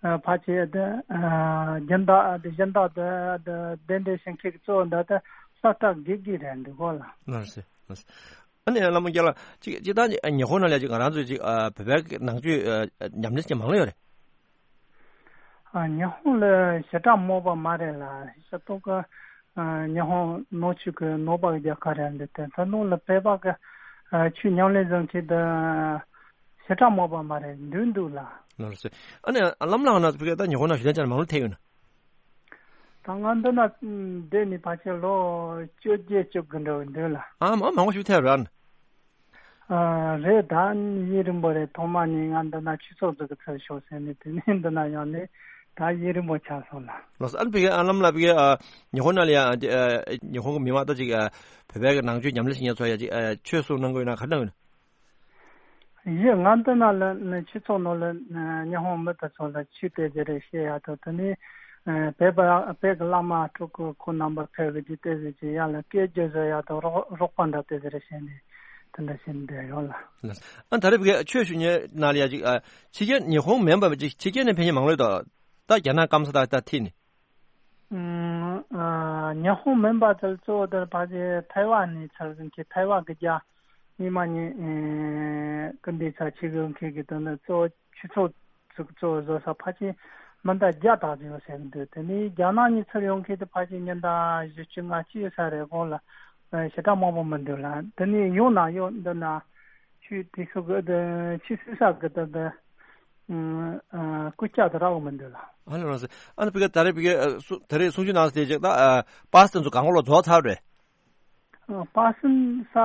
ཨ་ཕལ་ཆེར་དེ་ཨ་སྦྱིན་བདག་དེ་སྦྱིན་བདག་དེ་དེ་གདན་འདྲེན་བྱེད་མཁན་གྱི་གཙོ་བོ་འདི་དེ་སློབ་གྲྭ་དགེ་རྒན་རེད་འདུག་གོ་ལགས། ལགས་སོ། ལགས་སོ། ཨ་ནི་བླ་མ་རྒྱལ་ལགས་ཅིག་ཅིག་ད་ཉི་ཧོང་ནང་ལ་ཅིག་ང་རང་ཚོ་ཅིག་ཨ་བོད་པའི་ནང་ཆོས་ཨ་ཉམས་ལེན་བྱེད་མཁན་མང་ལོས་ཡོད་རེད། ཨ་ཉི་ཧོང་ལ་ཞེ་དྲག་མང་པོ་མ་རེད་ལགས། ཤར་ཏོག་གི་ཨ་ཉི་ཧོང་ནང་ཆོས་ཀྱི་ནང་པ་གི་རྒྱལ་ཁབ་རེད་འདུག་དེ་ཚོ་ནང་ལ་བོད་པ་གི་ཨ་ཆོས་ཉམས་ལེན་བྱེད་མཁན་དེ་ཞེ་དྲག་མང་པོ་མ་རེད། འདུག་འདུག་ལགས། ལགས་སོ། ཨ་ནི་བླ་མ་ལགས་ན་བོད་ད་ཉི་ཧོང་ནང་ཞུ་ལན་ཅན་མང་ལོས་ཐེབས་ཡོད་ན། ད་ང་འདི་ན་བསྡད་ནས་ཕལ་ཆེར་ལོ་བཅོ་བརྒྱད་བཅོ་དགུ་འདྲ་བོ་འདུག་ལགས། ཨ་མ་མང་པོ་ཞིག་ཐེབས་རན། ཨ་རེད། ད་ཡུན་རིང་པོ་རེད། ཐོག་མ་ནས་ང་འདི་ན་ཆོས་ཚོགས་འཛུགས་གི་ཚུལ་ཤོག་ཟེར་ནས་དེ་ནས་འདི་ན་ཡོང་ནས་ད་ཡུན་རིང་པོ་ཆགས་སོང་ལགས། ལགས་སོ། ཨ་ནི་བི་གའི་ཨ་བླ་མ་ལགས་བི་གའི་ཨ་ཉི་ཧོང་ནང་ལ་ཡ་ཨ་ཉི་ཧོང་གི་མི་མང་ད་ཅིག་ཨ་བོད་པའི་གི་ནང་ཆོས་ཉམས་ལེན་བྱེད་མཁན་ཚོ་ཡ་ཅིག་ཨ་ཆོས་གསུང་གནང་གི་ཡོད་ན་ག་རེ་གནང་གི་ཡོད་ན། ཡིན། ང་འདི་ན་ལ་ནི་ཆོས་ཚོགས་ནང་ལ་ཉི་ཧོང་མི་དེ་ཚོ་ལ་ཆོས་དེ་ཟེར་རེ་བཤད་ཡ་དང་། དེ་ནས་བོད་པ་བོད་ཀྱི་བླ་མ་སྤྲུལ་སྐུ་ཁོང་རྣམ་པ་ཕེབས་གི་ཅིག་དེ་ཟེར་ཅིག་ཡ་ལ་སྐད་བརྗོད་བཟོ་ཡ་དང་རོགས་རོགས་པ་འདྲ་དེ་ཟེར་རེ་བཤད་ནས་དེ་འདྲ་བཤད་ནས་བསྡད་ཡོད་ལགས། ཨ་ད་རེས་བོད་ཆོས་ཞུ་མཁན་ནང་ལ་ཡ་ཅིག་ཨ་ཕྱི་རྒྱལ་ཉི་ཧོང་མིན་པ་ཅིག་ཕྱི་རྒྱལ་ནས་ཕེབས་མཁན་མང་ལོས་དང་། ད་རྒྱ་ནག་སྐམ་ས་ད་ད་ཐིག་ནས། ཨུམ། ཨ་ཉི་ཧོང་མིན་པ་དེ་གཙོ་བོ་དེར་ཕལ་ཆེར་ཐའེ་ཝན་ནས་ཚུར་ཟིན་གྱི་ཐའེ་ཝན་གྱི་རྒྱ་མི་མང་ཉིད་ཨེ་སྐུ་མདུན་ཚ་ཆེ་གི་མཁན་གྱི་དོན་དུ་གཙོ་བོ་ཆོས་ཚོགས་ཚུགས་གཙོ་བོ་བཟོ་ས་ཕལ་ཆེར་མི་འདྲ་བརྒྱ་དག་ཅིག་ཡོད་ཟེར་གི་འདུག་དེ་ནས་རྒྱ་ནག་ནས་ཚུར་ཡོང་མཁན་དེ་ཕལ་ཆེར་ཉི་ཟླ་བཞི་བཅུ་ལྔ་བཅུ་ཡོད་ས་རེད། གོང་ལ་ཨེ་ཞེ་དྲག་མང་པོ་མི་འདུག་ལ། དེ་ནས་ཡོང་ན་ཡོད་འདི་ན། ཆོས་དེ་ཚོ་གི་དེ་ཆོས་སྲིད་ས་གི་དེ་དེ་ཨ་སྐུ་ལྕགས་དེ་རག་མི་འདུག་ལ། ཨ་ལ་རང་སེ། ཨ་ནི་བི་ག་ད་རེས་བི་ག་ཨ་སུ་ད་རེས་གསུང་ཆོས་གནང་སྟེ་ཅིག་ད་ཨ་པ་སེ་ཚོ་གང་ག་ལོ་རྫོགས་ཚར་རེད། ཨ་པ་སེ་ས་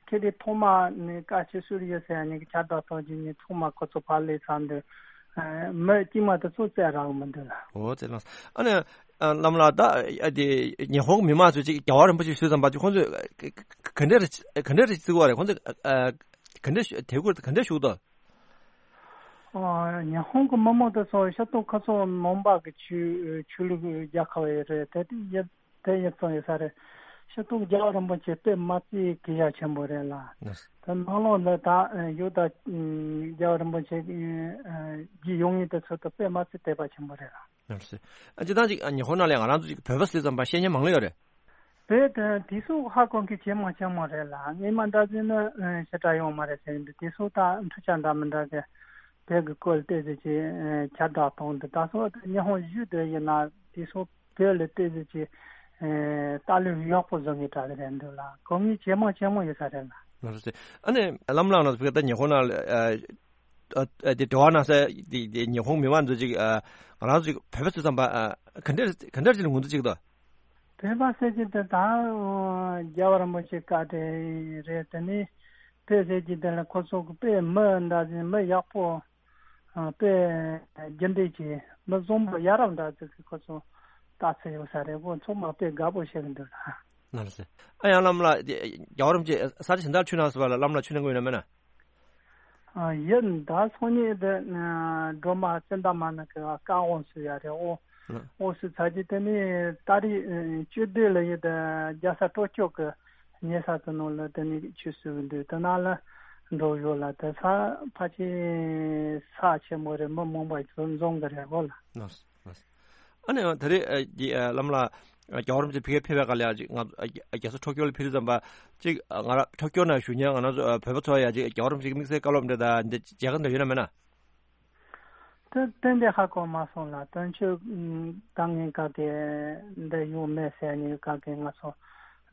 ཁེ་དེ་ཐོག་མ་ནས་བཀའ་ཆོས་ཞུ་ཡོད་ཟེར་ནས་ཁྱབ་བསྒྲགས་གཏོང་རྒྱུ་ནི་ཚང་མ་ཁོ་ཚོ་ཕར་ལས་ཚར་འདུག་ཨ་མི་དཀྱུས་མ་དེ་ཚོ་བཙལ་རག་མི་འདུག་ལ། འོ་དེ་ལ་ཨ་ནི། ཨ་བླ་མ་ལགས་ད་ཨ་དེ་ཉི་ཧོང་གི་མི་མང་ཚོས་ཅིག་རྒྱལ་བ་རིན་པོ་ཆེ་ཞུས་ཙམ་པ་ཅིག་ཁོང་ཚོས་ག་ག་འདྲ་རེ་ག་འདྲ་རེ་བརྩི་གི་ཡོད་རེད། ཁོང་ཚོས་ཨ་ག་འདྲ་ཞུ་དད་གུས་ག་འདྲ་ཞུ་གི་འདུག་ཨ་ཉི་ཧོང་གི་མི་མང་དེ་ཚོ་ཤར་ཏོག་ཁ་སང་ནང་པ་གི་ཆོས་ཆོས་ལུགས་རྒྱལ་ཁབ་ཡོད་རེད། དེ་དེ་ཡིན་དེ་ཡིན་ཙང་ཡོད་ས་རེད། ཤར་ཏོག་རྒྱལ་བ་རིན་པོ་ཆེ་དཔེ་མ་བརྩི་གི་ཡ་ཆེན་པོ་རེད་ལ། དེ་ནང་ལོགས་ལ་ད་ཡོད་ད་རྒྱལ་བ་རིན་པོ་ཆེ་གི་རྗེས་ཡོང་མཁན་དེ་ཚོ་དེ་དཔེ་མ་བརྩི་དད་པ་ཆེན་པོ་རེད་ལ། ཨ་ཅེ་ད་ཅིག་ཉི་ཧོང་ནང་ལ་ང་རང་ཚོ་ཅིག་བོད་པ་ཟེར་ཙམ་པ་ཤེས་མཁན་མང་ལོས་ཡོད་རེད། བོད་དེ་དེ་ཚོ་ཧ་གོ་མཁན་ཇེ་མང་ཇེ་མང་རེད་ལ། སྔོན་མ་འདྲ་ཟིན་ནི་ཞེ་དྲག་ཡོང་མ་རེད་ཟེར་གི་འདུག་དེ་ཚོ་ད་འཕྲུལ་ཆ་འདྲ་མི་འདྲ་གི་བོད་ཀྱི་སྐོར་ལ་བལྟས་ཟེར་གྱི་ཁྱབ་བསྒྲགས་གཏོང་འདུག་ད་སོ་ཉི་ཧོང་བཞུགས་དེ་ཡིན་ན་དེ་ཚོ་བོད་ལ་བལྟས་ཟེར་གྱི་ལྟ་ལུགས་ཡག་པོ་བཟོ་མཁན་འདྲ་གི་རེད་འདུག་ལ། གོ་མཁན་ཇེ་མང་ཇེ་མང་ཡོད་ས་རེད་ལ། ལགས་སོ། ཨ་ནི་བླ་མ་ལགས་ན་བོད་ད་ཉི་ཧོང་ནང་ལ་ཨ་ཨ་དེ་འབྲེལ་བ་གནང་ས་དེ་དེ་ཉི་ཧོང་མི་མང་ཚོ་ཅིག་ཨ་ང་རང་ཚོ་ཅིག་བོད་པ་ཚོ་ཙམ་པ་ཨ་ག་འདྲ་ག་འདྲ་ཅིག་ལ་ངོས་འཛིན་ཅིག་དང་། བོད་པ་ཟེར་གྱི་དེ་ད་རྒྱལ་བ་རིན་པོ་ཆེ་བཀའ་དྲིན་རེད། དེ་ནས་བོད་ཟེར་གྱི་དེ་ལ་ཁོ་ཚོ་གི་དཔེ་མི་འདྲ་ཟིན་མི་ཡག་པོ་ཨ་དཔེ་རྒྱུ་འབྲས་ཀྱི་མི་བཟང་པོ་ཡ་རབས་འདྲ་ཟིག་གི་ཁོ་ཚོ་ ལྟ་ཚུལ་ཡོད་ས་རེད། ཁོ་ཚང་མ་དཔེ་དགའ་པོ་བྱེད་ཀྱི་འདུག་ལ། ལགས་སོ། ཨ་ཡང་བླ་མ་ལགས་རྒྱལ་བ་རིན་པོ་ཆེ་ས་ཆ་གཞན་དག་ཆོས་གནང་སོང་བ་ལ་བླ་མ་ལགས་ཆོས་གནང་གི་ཡོད་ན་མེད་ན། ཨ་ཡིན་ད་སང་ཉིན་དེ་སྒྲོལ་མ་ཙན་དན་མ་ན་གི་བཀའ་དབང་ཞུ་ཡ་རེད། དབང་དབང་ཞུ་ཚར་རྗེས་དེ་ནས་ཏ་རིག་བཅུ་བདུན་ལ་ཡིན་དེ་རྒྱལ་ས་ཊོ་ཀྱོ་གི་ཉེ་ས་དེ་ནང་ལ་དེ་ནས་ཆོས་ཞུ་གི་འདུག་དེ་ན་ལ་འགྲོ་ཡོད་ལ། དེ་ས་ཕལ་ཆེར་ས་ཆེན་མོ་རེད། མི་མང་པོ་ཞིག་འཛོམས་གི་རེད་གོ་ལ། ལགས་སོ། ལགས་སོ། ཨ་ནི་ད་རེས་ཨ་ཀྱི་ཨ་བླ་མ་ལགས་ཨ་རྒྱལ་བ་རིན་པོ་ཆེ་ཕ་གིར་ཕེབས་པའི་སྐབས་ལ་ཡ་ཅིག་ང་ཚོ་ཨ་རྒྱ་རྒྱལ་ས་ཊོ་ཀྱོ་ལ་ཕེབས་དུས་ཙམ་པ་ཅིག་ང་རང་ཊོ་ཀྱོ་ནང་བཞུགས་མཁན་ང་རང་ཚོ་ཨ་བོད་པ་ཚོ་ཡ་ཅིག་རྒྱལ་བ་རིན་པོ་ཆེ་གི་དམིགས་བསལ་བཀའ་སློབ་འདྲ་དང་འདི་མཇལ་ཁ་འདྲ་ཡོད་ན་མེད་ན། དེ་ཏན་ཏན་ཧ་གོ་མ་སོང་ལ། དོན་གཅོད་ད་ངས་ག་གེ་འདི་ཡོང་མེད་ཟེར་ནས་ག་གེ་ང་ཚོ་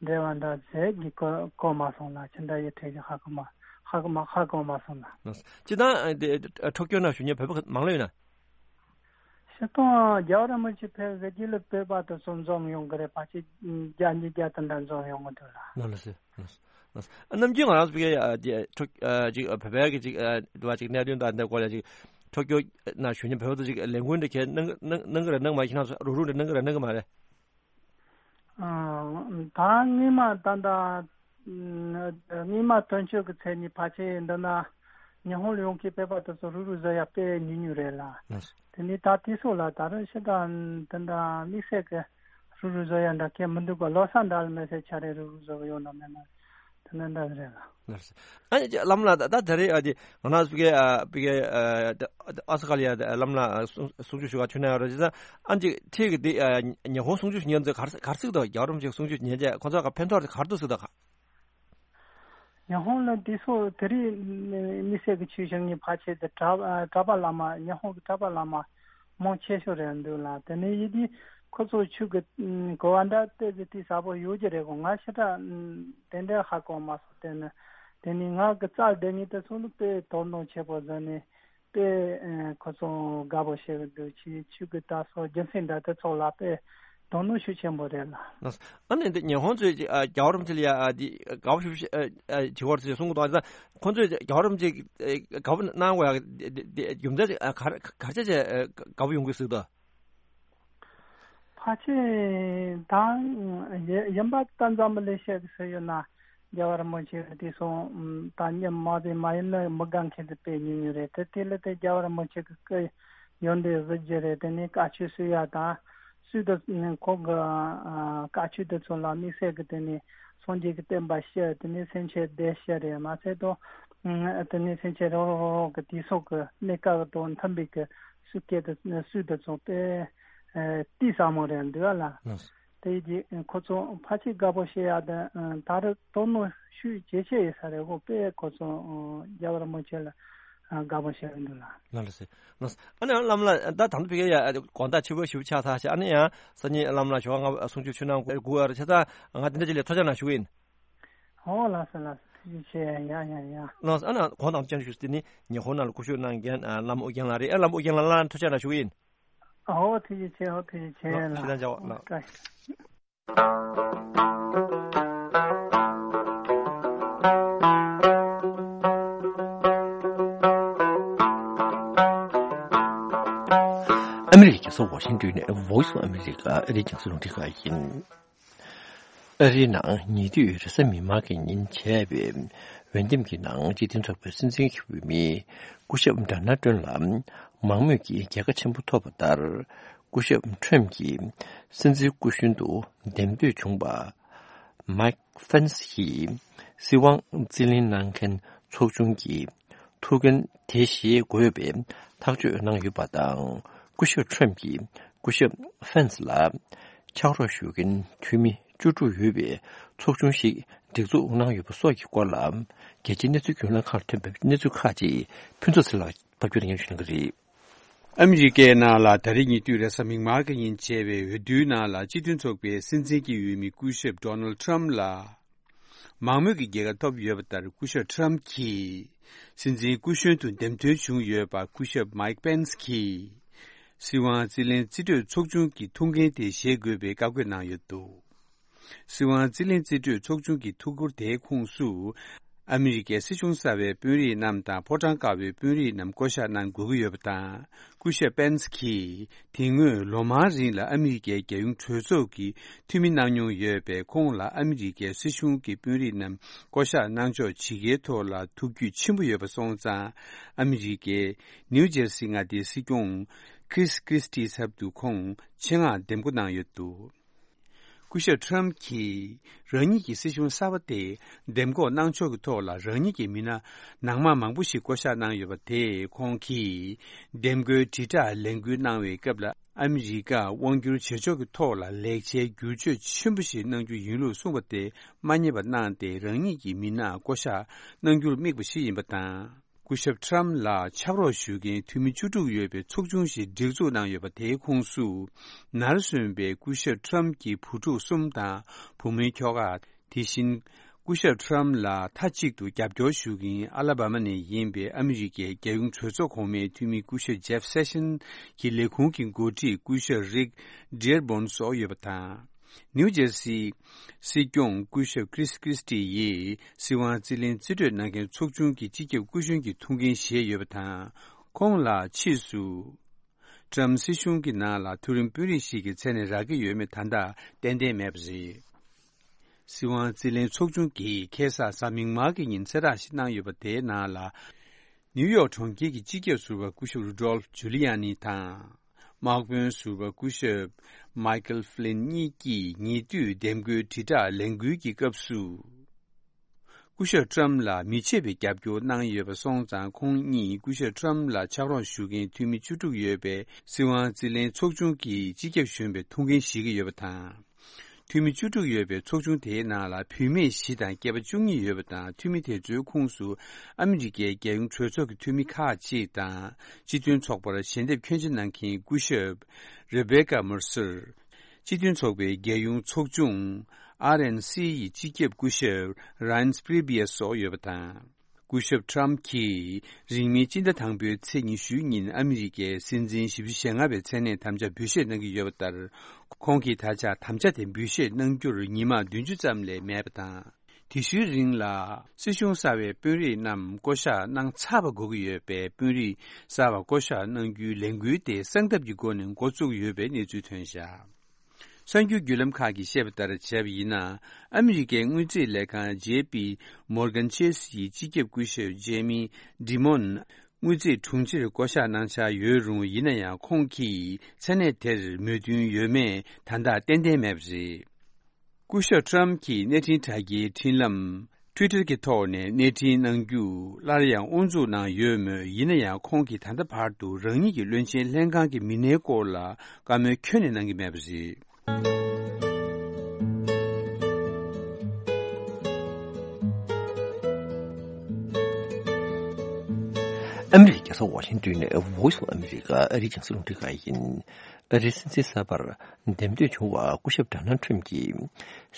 འབྲེལ་བ་འདྲ་ཟེར་གི་གོ་གོ་མ་སོང་ལ། ཅི་འདྲ་ཡི་ཁྲེལ་གི་ཧ་གོ་མ་ཧ་གོ་མ་ཧ་གོ་མ་སོང་ལ། སྤྱིར་བཏང་ཨ་དེ་ཊོ་ཀྱོ་ནང་བཞུགས་མཁན་བོད་པ་མང་ལོས་ཡོད་ན། སྤྱིར་བཏང་རྒྱལ་བ་རིན་པོ་ཆེ་ཕེབས་ཟེར་གྱི་ལ་བོད་པ་དེ་ཚོ་འཛོམས་ཡོང་གི་རེད། ཕལ་ཆེར་བརྒྱ་ཉིས་བརྒྱ་དེ་འདྲ་འཛོམས་ཡོང་གི་འདུག་ལ། ལགས་སོ། ལགས་སོ། ནམ་རྒྱུན་ང་རང་ཚོ་ཕ་གིའི་ཨ་དེ་ཕྲུ་ཨ་ཅིག་བོད་པའི་གི་ཅིག་ཨ་འདུ་བ་ཅིག་གནད་དོན་དང་འདི་སྐོར་ལ་ཅིག་ཊོ་ཀྱོ་ནང་བཞུགས་མཁན་བོད་པ་ཚོ་ཅིག་ལས་འགུལ་འདི་གས་གནང་གནང་གནང་གི་རེད་གནང་མ་རེད། ཁྱེད་རང་ཚོ་རུག་རུག་འདི་གནང་གི་རེད་གནང་གི་མ་རེད། ཨ་ད་སྔོན་མ་ད་ལྟ་སྔོན་མ་དོན་གཅོད་ཀྱི་ཚེ་ནི་ཕལ་ཆེར་འདི་ན་ཉི་ཧོང་ལ་ཡོང་མཁན་བོད་པ་དེ་ཚོ་རུག་རུག་བཟོ་ཡ་དཔེ་ཉུང་ཉུང་རེད་ལ། ལགས་སོ། དེ་ནི་ད་དེ་སོགས་ལ་ད་རུང་ཤི་ད་དེ་འདྲ་དམིགས་བསལ་གྱི་རུག་རུག་བཟོ་ཡ་འདྲ་གས་མི་འདུག་ག་ལོ་གསར་འདྲ་ལ་མེད་ཚེ་ཆ་རེ་རུག་རུག་བཟོ་གི་ཡོད་ན་མེད་ན་དེ་འདྲ་འདྲ་རེད་ལ། ལགས་སོ། ཨ་ནི་བླ་མ་ལགས་ད་ད་རེས་ཨ་དེ་ང་རང་ཚོ་གི་ཨ་བི་གེ་ཨ་ཨ་ས་ཀ་ལ་ཡ་བླ་མ་ལགས་གསུང་གསུང་ཆོས་ཞུ་ག་ཆོས་ན་ཡ་རོ་ཅི་ད་ཨ་ཅིག་ཁྲིད་གི་དེ་ཨ་ཉི་ཧོང་གསུང་ཆོས་ཞུ་མཁན་ཚོས་ག་རེ་ག་རེ་ཟེར་གི་འདུག་རྒྱལ་བ་རིན་པོ་ཆེ་གསུང་ཆོས་ཉན་རྗེས་ཁོ་ཚོ་ག་ཕན་ཐོགས་ག་རེ་འདུག་ཟེར་གི་འདུག་ཉི་ཧོང་ལ་དེ་སོགས་དེ་རིང་དམིགས་བསལ་གྱི་ཆོས་བྱེད་མཁན་ཕལ་ཆེར་དེ་གྲྭ་གྲྭ་པ་བླ་མ་ཉི་ཧོང་གི་གྲྭ་པ་བླ་མ་མང་ཆེ་ཤོས་རེད་འདུག་ལ། དེ་ནས་ཡིན་དུས་ཁོ་ཚོ་ཆོས་ཀྱི་གོ་བ་འདྲ་ཏོག་ཙམ་དེ་ཟབ་པོ་ཡོད་ཀྱི་རེད་གོ་ང་ཞེ་དྲག་དེ་འདྲ་ཧ་གོ་མ་སོང་། དེ་ནི་དེ་ནི་ང་གི་རྩ་དེ་ནི་དེ་ཚོ་ནི་དཔེ་དོ་སྣང་ཆེ་པོ་བཟོས་ནས། དཔེ་ཨེ་ཁོ་ཚོ་དགའ་པོ་བྱེད་ཀྱི་འདུག་ཆི་ཆོས་ཀྱི་ལྟ་སོགས་རྒྱུ་མཚན་འདྲ་དེ་ཚོ་ལ་དཔེ་དོ་སྣང་ཤུགས་ཆེན་པོ་རེད་ལ། ལགས་སོ། ཨ་ནི་འདི་ཉི་ཧོང་ཚོས་ཀྱི་ཨ་རྒྱལ་བ་རིན་པོ་ཆེ་ལ་ཡ་ཨ་འདི་དགའ་པོ་ཞུ་ཨ་ཨ་བྱེད་བར་ཚོས་གསུང་གི་འདུག་ཨ་ནི་ཁོ་ཚོས་རྒྱལ་བ་རིན་པོ་ཆེ་ཨ་དགའ་པོ་གནང་དགོས་ཡ་འདི་འདི་རྒྱུ་མཚན་ཨ་ག་རེ་ག་རེ་བྱས་བྱས་ཨ་དགའ་པོ་ཡོང་གི་ཟེར་འདུག་ཕལ་ཆེར་ད་ཡིན་པ་ལྟ་འཛམ་བུ་གླིང་ཤེས་ཀྱི་སུ་ཡོད་ན་རྒྱལ་བ་རིན་པོ་ཆེ་གི་དེ་སོང་ད་ཉམས་མ་བདེ་མ་ཡིན་ན་མི་དགའ་མཁན་དེ་དཔེ་ཉུང་ཉུང་རེད། དེ་དེ་ལ་དེ་རྒྱལ་བ་རིན་པོ་ཆེ་གི་སྐུ་ཡོན་ཏན་གཟི་བརྗིད་རེད། དེ་ནས་བཀའ་ཆོས་སུ་ཡ་དང་སུ་དུ་ཁོང་གི་བཀའ་ཆོས་དེ་ཚོ་ལ་དམིགས་བསལ་གི་དེ་ནས་སངས་རྒྱས་ཀྱི་བསྟན་པ་སྤྱི་དེ་ནས་སེམས་ཅན་བདེ་སྤྱི་རེད་མ་ཚད་དོ། དེ་ནས་སེམས་ཅན་རོགས་རོགས་རོགས་རོགས་ཀྱི་དུས་སོགས་ཀྱི་གནས་སྐབས་དང་མཐུན་པའི་གི་སུ་སྐད་དུ་སུས་དུ་ཚོགས་པས་ཏི་ས་མོ་རེད་འདུག་ལ། དེ་ཡི་ཁོ་ཚོ་ཕལ་ཆེར་དགའ་པོ་བྱེད་ཡ་དེ་ད་རུང་དོ་སྣང་ཤུགས་ཇེ་ཆེ་ཡོད་ས་རེད། འོ་དཔེ་ཁོ་ཚོ་རྒྱལ་བ་རིན་པོ་ཆེ་ལ་དགའ་པོ་བྱེད་འདུག་ལ། ལགས་ལགས་སེ། ལགས། ཨ་ནི་བླ་མ་ལགས་ད་དང་པོ་ཕ་གི་ཡ་དགོང་དག་ཕྱི་པོ་ཞིབ་ཆགས་ཚར་ཤག་ཨ་ནི་ཡང་སང་ཉིན་བླ་མ་ལགས་ཞོགས་ང་གསུང་ཆོས་ཆོས་གནང་དགོས་ཨ་རེད། བྱས་ཙང་ང་དེ་འདྲ་ཅིག་ལས་ཐུགས་རྗེ་གནང་ཞུ་གི་ཡིན། ཨོ་ལགས་སོ་ལགས་སོ། ཐུགས་རྗེ་ཆེ། ཡ་ཡ་ཡ། ལགས་སོ། ཨ་ནི་གོང་དང་ཅན་ཞུས་ཏེ་ནི་ཉི་ཧོང་ནང་ལ་སྐུ་ཞབས་གནང་མཁན་ཨ་བླ་མ་ཨོ་རྒྱན་ལགས་རེད། ཨ་བླ་མ་ཨོ་རྒྱན་ལགས་ལ་ཐུགས་རྗེ་གནང་ཞུ་གི་ཡིན། ཨོ་ཐུགས་རྗེ་ཆེ། ཨོ་ཐུགས་རྗེ་ཆེ་ལགས། ལགས་ཞེ་དྲག་མཇལ་བ་ལགས། བཀྲ་ཤིས། ཨ་མི་རི་ཀའི་རྒྱལ་ས་ཝ་ཤིང་ཏོན་ནས་Voice of America ཨ་རིའི་རྒྱང་སྲིང་རླུང་འཕྲིན་ཁང་ཡིན། ཨ་རིའི་ནང་ཉེ་དུས་རེས་གཟའ་མིག་དམར་གྱི་ཉིན་བྱས་པའི་འོས་འདེམས་ཀྱི་ནང་སྤྱི་མཐུན་ཚོགས་པའི་སྲིད་འཛིན་གྱི་འོས་མི་སྐུ་ཞབས་ཌོ་ནལ་ཊམ་ལ་མང་མོས་ཀྱིས་རྒྱལ་ཁ་ཆེན་པོ་ཐོབ་པ་ལྟར། སྐུ་ཞབས་ཊམ་གྱིས་སྲིད་འཛིན་སྐུ་གཞོན་དུ་འདེམས་ཐོན་བྱུང་བ། མའིག་ཕེན་སི་ཡིས་སྲིད་དབང་རྩིས་ལེན་གནང་མཁན་ཚོགས་ཆུང་གི་ཐུགས་འགན་དེ་བཞེས་དགོས་པའི་ཐག་གཅོད་གནང་ཡོད་པ་དང་། སྐུ་ཞབས་ཊམ་གྱིས་སྐུ་ཞབས་ཕེན་སི་ལ་ཕྱག་རོགས་ཞུ་མཁན་འཐུས་མི་བཅུ་དྲུག་ཡོད་པའི་ཚོགས་ཆུང་ཞིག་སྒྲིག་འཛུགས་གནང་ཡོད་པ་སོགས་ཀྱི་སྐོར་ལ། རྒྱལ་སྤྱིའི་གནས་ཚུལ་བརྒྱུད་ལམ་ཁག་ལ་ཐོན་པའི་གནས་ཚུལ་ཁག་ཅིག་ཕུན་ཚོགས་ཚེ་ལགས་ཕབ་སྒྱུར་སྙན་ཞུ་གནང་གི་རེད། ཨ་མི་རི་ཀའི་ནང་ལ་ད་རེས་ཉེ་དུས་རེས་གཟའ་མིག་དམར་གྱི་ཉིན་བྱས་པའི་འོས་བསྡུའི་ནང་ལ་སྤྱི་མཐུན་ཚོགས་པའི་སྲིད་འཛིན་གྱི་འོས་མི་སྐུ་ཞབས་ཌོ་ནལ་ཊམ་ལ་མང་མོས་ཀྱི་རྒྱལ་ཁ་ཐོབ་ཡོད་པ་ལྟར། སྐུ་ཞབས་ཊམ་གྱིས་སྲིད་འཛིན་སྐུ་གཞོན་དུ་འདེམས་ཐོན་བྱུང་ཡོད་པ་སྐུ་ཞབས་མའིག་པེན་སི་གྱིས་སྲིད་དབང་རྩིས་ལེན་རྩིས་སྤྲོད་ཚོགས་ཆུང་གི་ཐུགས་འགན་དེ་བཞེས་དགོས་པའི་བཀའ་བཀོད་གནང་ཡོད་འདུག་སྲིད་དབང་རྩིས་ལེན་རྩིས་སྤྲོད་ཚོགས་ཆུང་གི་ཐུགས་ཁུར་དེའི་ཁོངས་སུ། ཨ་མི་རི་ཀའི་སྲིད་གཞུང་གསར་བའི་དཔོན་རིགས་རྣམས་དང་ཕོ་བྲང་དཀར་པོའི་དཔོན་རིགས་རྣམས་བསྐོ་གཞག་གནང་དགོས་ཀྱི་ཡོད་པ་དང་། སྐུ་ཞབས་པེན་སི་གྱིས་དེ་སྔོན་ལོ་མང་རིང་ལ་ཨ་མི་རི་ཀའི་རྒྱལ་ཡོངས་གྲོས་ཚོགས་ཀྱི་འཐུས་མི་གནང་མྱོང་ཡོད་པས། ཁོང་ལ་ཨ་མི་རི་ཀའི་སྲིད་གཞུང་གི་དཔོན་རིགས་རྣམས་བསྐོ་གཞག་གནང་ཕྱོགས་ཇི་དགེའི་ཐོག་ལ་ཐུགས་རྒྱུས་ཆེན་པོ་ཡོད་པ་སོང་ཙང་། ཨ་མི་རི་ཀའི་ནིའུ་ཇེར་སི་མངའ་སྡེའི་སྲིད་སྐྱོང་ཁྲིས་ཁྲིས་ཊིའི་ཚབ་ཏུ་ཁོང་ཆེད་མངགས་འདེམས་བསྐོ་གནང་ཡོད་འདུག་སྐུ་ཞབས་ཊྲམ་གྱིས་རང་ཉིད་ཀྱི་སྲིད་གཞུང་གསར་པ་དེ་འདེམས་བསྐོ་གནང་ཕྱོགས་ཀྱི་ཐོག་ལ་རང་ཉིད་ཀྱི་མི་སྣ་ནང་མ་མང་པོ་ཞིག་བསྐོ་གཞག་གནང་ཡོད་པ་དེས། ཁོང་གིས་འདེམས་བསྐོའི་དྲིལ་བསྒྲགས་ལས་འགུལ་གནང་བའི་སྐབས་ལ། ཨ་མི་རི་ཀར་དབང་བསྒྱུར་བྱེད་ཕྱོགས་ཀྱི་ཐོག་ལ་ལེགས་ཆའི་བསྒྱུར་བཅོས་ཆེན་པོ་ཞིག་གནང་རྒྱུ་ཡིན་ལུགས་གསུངས་པ་དེ་མ་ཉེས་པ་གནང་སྟེ། རང་ཉིད་ཀྱི་མི་སྣ་བསྐོ་གཞག་གནང་རྒྱུར་དམིགས་པ་ཞིག་ཡིན་པ་དང་། སྐུ་ཞབས་ཊྲམ་ལ་ཕྱག་རོགས་ཞུ་མཁན་འཐུས་མི་བཅུ་དྲུག་ཡོད་པའི་ཚོགས་ཆུང་ཞིག་སྒྲིག་འཛུགས་གནང་ཡོད་པ། དེའི་ཁོངས་སུ་ནར་སོན་པའི་སྐུ་ཞབས་ཊྲམ་གྱི་བུ་ཕྲུག་གསུམ་དང་བུ་མོའི་ཁྱོ་ག། དེ་བཞིན་སྐུ་ཞབས་ཊྲམ་ལ་མཐའ་གཅིག་ཏུ་རྒྱབ་སྐྱོར་ཞུ་མཁན་ཨ་ལ་བྷ་མ་ནས་ཡིན་པའི་ཨ་མི་རི་ཀའི་རྒྱལ་ཡོངས་གྲོས་ཚོགས་གོང་མའི་འཐུས་མི་སྐུ་ཞབས་ཇེབ་སེ་ཤན་གྱི་ལས་ཁུངས་ཀྱི་འགོ་ཁྲིད་སྐུ་ཞབས་རིག་ཌི་ཡར་བོན་སོགས་ཡོད་པ་དང་། ནིའུ་ཇེར་སི་སྲིད་སྐྱོང་སྐུ་ཞབས་ཁྲིས་ཁྲིས་ཊི་ཡིས་སྲིད་དབང་རྩིས་ལེན་རྩིས་སྤྲོད་གནང་མཁན་ཚོགས་ཆུང་གི་སྤྱི་ཁྱབ་སྐུ་གཞོན་གྱི་ཐུགས་འགན་བཞེས་ཡོད་པ་དང་། ཁོང་ལ་ཕྱིས་སུ་ཊྲམ་སྲིད་གཞུང་གི་ནང་ལ་མཐོ་རིམ་དཔོན་རིགས་ཤིག་གི་མཚན་གནས་རག་གི་ཡོད་མེད་ད་ལྟ་ཏན་ཏན་མེད་པ་རེད། སྲིད་དབང་རྩིས་ལེན་ཚོགས་ཆུང་གིས་ཁ་སང་གཟའ་མིག་དམར་གྱི་ཉིན་གསལ་བསྒྲགས་ཤིག་གནང་ཡོད་པ། དེའི་ནང་ལ། ནིའུ་ཡོག་གྲོང་ཁྱེར་གྱི་སྤྱི་ཁྱབ་ཟུར་པ་སྐུ་ཞབས་རུ་ཌོལ་ཇུ་ལི་ཡ་ནི་དང་། དམག་དཔོན་ཟུར་པ་སྐུ་ཞབས་མའི་ཀལ་ཧྥི་ལིན་གཉིས་ཀྱིས་ཉེ་དུས་འདེམས་བསྐོའི་དྲིལ་བསྒྲགས་ལས་འགུལ་གྱི་སྐབས་སུ། སྐུ་ཞབས་ཊྲམ་ལ་མི་ཕྱེད་པའི་རྒྱབ་སྐྱོར་གནང་ཡོད་པ་སོང་ཙང་། ཁོང་གཉིས་སྐུ་ཞབས་ཊྲམ་ལ་ཕྱག་རོགས་ཞུ་མཁན་འཐུས་མི་བཅུ་དྲུག་ཡོད་པའི་སྲིད་དབང་རྩིས་ལེན་ཚོགས་ཆུང་གི་སྤྱི་ཁྱབ་གཞོན་པའི་ཐུགས་འགན་བཞེས་ཀྱི་ཡོད་པ་དང་། འཐུས་མི་བཅུ་དྲུག་ཡོད་པའི་ཚོགས་ཆུང་དེའི་ནང་ལ་བུད་མེད་བཞི་དང་སྐྱེས་པ་བཅུ་གཉིས་ཡོད་པ་དང་། འཐུས་མི་དེ་ཚོའི་ཁོངས་སུ་ཨ་མི་རི་ཀའི་རྒྱལ་ཡོངས་གྲོས་ཚོགས་ཀྱི་འཐུས་མི་ཁག་ཅིག་དང་། སྤྱི་མཐུན་ཚོགས་པར་ཞལ་འདེབས་ཁྱོན་ཆེ་གནང་མཁན་སྐུ་ཞབས་རེ་བེ་ཀ་མར་སར། སྤྱི་མཐུན་ཚོགས་པའི་རྒྱལ་ཡོངས་ཚོགས་ཆུང་ཨར་ཨེན་སི་ཡི་སྤྱི་ཁྱབ་སྐུ་ཞབས་རཱན་སྤྲི་བྷི་ཡ་སོགས་ཡོད་པ་དང་། སྐུ་ཞབས་ཊྲམ་གྱིས་རིང་མིན་སྤྱི་ཟླ་དང་པོའི་ཚེས་ཉི་ཤུའི་ཉིན་ཨ་མི་རི་ཀའི་སྲིད་འཛིན་ཞེ་པོ་ཅིག་ཞེ་ལྔ་པའི་མཚན་གནས་དམ་བཅའ་འབུལ་བཞེས་གནང་གི་ཡོད་པ་ལྟར། ཁོང་གིས་ད་ཆ་དམ་བཅའ་དེ་འབུལ་བཞེས་གནང་རྒྱུར་ཉི་མ་བདུན་ཅུ་ཙམ་ལས་མེད་པ་དང་། དེ་ཤུལ་རིང་ལ་སྲིད་གཞུང་གསར་བའི་དཔོན་རིགས་རྣམས་བསྐོ་གཞག་གནང་ཚར་བ་དགོས་ཀྱི་ཡོད་པས། དཔོན་རིགས་གསར་བ་བསྐོ་གཞག་གནང་རྒྱུའི་ལས་འགུལ་དེ་གསང་ཐབས་ཀྱི་སྒོ་ནས་འགོ་བཙུགས་ཡོད་པའི་གནས་ཚུལ་ཐོན་བཞག་གསར་འགྱུར་བརྒྱུད་ལམ་ཁག་གིས་བཤད་པ་ལྟར་བྱས་པ་ཡིན་ན། ཨ་མི་རི་ཀའི་དངུལ་རྩིས་ལས་ཁང་ཇེ་པི་མོར་གན་ཆེས་ཡི་སྤྱི་ཁྱབ་སྐུ་ཞབས་ཇེ་མི་ཌི་མོན་དངུལ་རྩིས་དྲུང་ཆེར་བསྐོ་གཞག་གནང་འཆར་ཡོད་རུང་། ཡིན་ན་ཡང་ཁོང་གིས་མཚན་གནས་དེར་མོས་མཐུན་ཡོད་མེད་ད་ལྟ་ཏན་ཏན་མེད་པ་རེད། སྐུ་ཞབས་ཊྲམ་གྱི་གནས་འཕྲིན་དྲ་རྒྱའི་འཕྲིན་ལམ་ཊུའི་ཊར་གྱི་ཐོག་ནས་གནས་འཕྲིན་གནང་རྒྱུ་སླར་ཡང་དབུ་འཛུགས་གནང་ཡོད་མོད། ཡིན་ན་ཡང་ཁོང་གིས་ད་ལྟ་བར་དུ་རང་ཉིད་ཀྱི་བློན་ཆེན་ལྷན་ཁང་གི་མི་སྣའི་སྐོར་ལ་བཀའ་མོལ་ཁྱོན་ནས་གནང་གི་མེད་པ་རེད། ཨ་མི་རི་ཀའི་རྒྱལ་ས་ཝ་ཤིང་ཏོན་ནས་Voice of America ཨ་རིའི་རྒྱང་སྲིང་རླུང་འཕྲིན་ཁང་ཡིན། ཨ་རིའི་སྲིད་འཛིན་གསར་པར་འདེམས་ཐོན་བྱུང་བ་སྐུ་ཞབས་ཌོ་ནལ་ཊྲམ་གྱིས་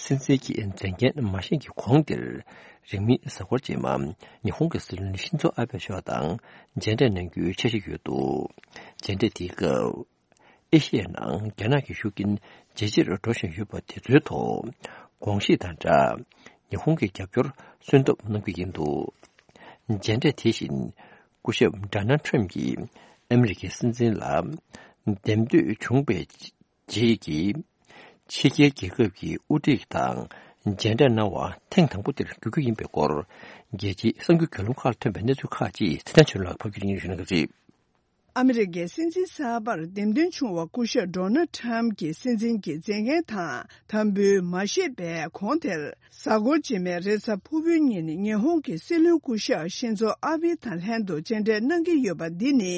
སྲིད་འཛིན་གྱི་མཛད་འགན་མ་བཞེས་ཀྱི་གོང་དེར། རིང་མིན་གཟའ་འཁོར་རྗེས་མ་ཉི་ཧོང་གི་སྲིད་བློན་ཤིན་ཛོ་ཨ་བྷེ་མཆོག་དང་མཇལ་འཕྲད་གནང་རྒྱུའི་འཆར་གཞི་ཡོད་འདུག་མཇལ་འཕྲད་དེའི་སྐབས། ཨེ་ཤི་ཡའི་ནང་རྒྱ་ནག་གི་ཤུགས་རྐྱེན་ཇེ་ཆེར་འགྲོ་བཞིན་ཡོད་པ་དེ་ཚོའི་ཐོག་དགོངས་བཞེས་དང་སྦྲགས། ཉི་ཧོང་གི་རྒྱབ་སྐྱོར་སོན་ཐབས་གནང་རྒྱུ་ཡིན་འདུག་མཇལ་འཕྲད་དེ་བཞིན་སྐུ་ཞབས་ཌོ་ནལ་ཊྲམ་གྱིས་ཨ་མི་རི་ཀའི་སྲིད་འཛིན་ལ་འདེམས་ཐོན་བྱུང་བའི་རྗེས་ཀྱི་ཕྱི་རྒྱལ་རྒྱལ་ཁབ་ཀྱི་དབུ་ཁྲིད་དང་མཇལ་འཕྲད་གནང་བ་ཐེངས་དང་པོ་དེར་གྱུར་རྒྱུ་ཡིན་པའི་སྐོར། རྒྱལ་སྤྱིའི་གསར་འགྱུར་བརྒྱུད་ལམ་ཁག་ལ་ཐོན་པའི་གནས་ཚུལ་ཁག་ཅིག་ཚེ་བརྟན་ཆོས་ལགས་ཕབ་སྒྱུར་གྱིས་སྙན་སྒྲོན་ཞུ་གནང་གི་རེད། ཨ་མི་རི་ཀའི་སྲིད་འཛིན་གསར་པར་འདེམས་ཐོན་བྱུང་བ་སྐུ་ཞབས་ཌོ་ནལ་ཊྲམ་གྱི་སྲིད་འཛིན་གྱི་མཛད་འགན་དང་དམ་འབུལ་མ་བཞེས་པའི་གོང་དེར། གཟའ་འཁོར་རྗེས་མའི་རེས་གཟའ་ཕུར་བུའི་ཉིན་ཉི་ཧོང་གི་སྲིད་བློན་སྐུ་ཞབས་ཤིན་ཛོ་ཨ་བྷེ་དང་ལྷན་དུ་མཇལ་འཕྲད་གནང་གི་ཡོད་པ་འདི་ནི།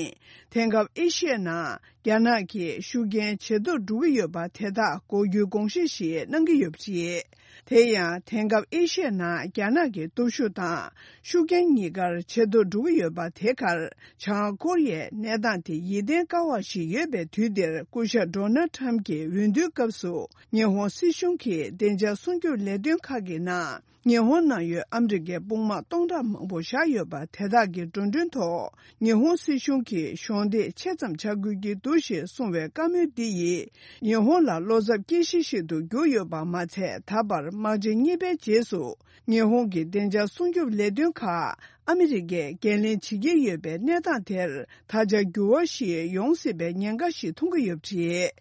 དེང་སྐབས་ཨེ་ཤི་ཡའི་ནང་རྒྱ་ནག་གི་ཤུགས་རྐྱེན་ཇེ་མཐོར་འགྲོ་གི་ཡོད་པ་དེ་དག་འགོག་རྒྱུའི་དགོངས་བཞེས་ཤིག་གནང་གི་ཡོད་པ་རེད། དེ་ཡང་དེང་སྐབས་ཨེ་ཤི་ཡའི་ནང་རྒྱ་ནག་གི་སྟོབས་ཤུགས་དང་ཤུགས་རྐྱེན་གཉིས་ཀར་ཇེ་མཐོར་འགྲོ་གི་ཡོད་པ་དེ་གར། བྱང་ཀོ་རི་ཡའི་གནས་སྟངས་དེ་ཡིད་བརྟན་དཀའ་བ་ཞིག་ཡོད་པའི་དུས་འདིར། སྐུ་ཞབས་ཌོ་ནལ་ཊྲམ་གྱིས་འོས་བསྡུའི་སྐབས་སུ་ཉི་ཧོང་སྲིད་གཞུང་གི་བདེ་འཇགས་སྲུང་སྐྱོབ་ལས་དོན་ཁག་གི་ནང་ ཉི་ཧོང་ནང་ཡོད་ཨ་མི་རི་ཀའི་དཔུང་དམག་སྟོང་ཕྲག་མང་པོ་བཞག་ཡོད་པ་དེ་དག་གི་འགྲོ་གྲོན་ཐོག་ཉི་ཧོང་སྲིད་གཞུང་གིས་གཞོགས་འདེགས་ཆེ་ཙམ་བྱ་དགོས་ཀྱི་འདུག་ཞེས་གསུངས་པའི་བཀའ་མོལ་འདི་ཡིས་ཉི་ཧོང་ལ་བློ་འཚབ་སྐྱེ་གཞི་ཞིག་ཏུ་གྱུར་ཡོད་པ་མ་ཚད། ད་བར་དམག་ཆེན་གཉིས་པའི་རྗེས་སུ་ཉི་ཧོང་གི་བདེ་འཇགས་སྲུང་སྐྱོབ་ལས་དོན་ཁག་ཨ་མི་རི་ཀས་འགན་ལེན་བྱེད་ཀྱི་ཡོད་པའི་གནས་སྟངས་དེར་ད་ཆ་འགྱུར་བ་ཞིག་ཡོང་སྲིད་པའི་ཉེན་ཁ་ཞིག་མཐོང་གི་ཡོད་པ་རེད།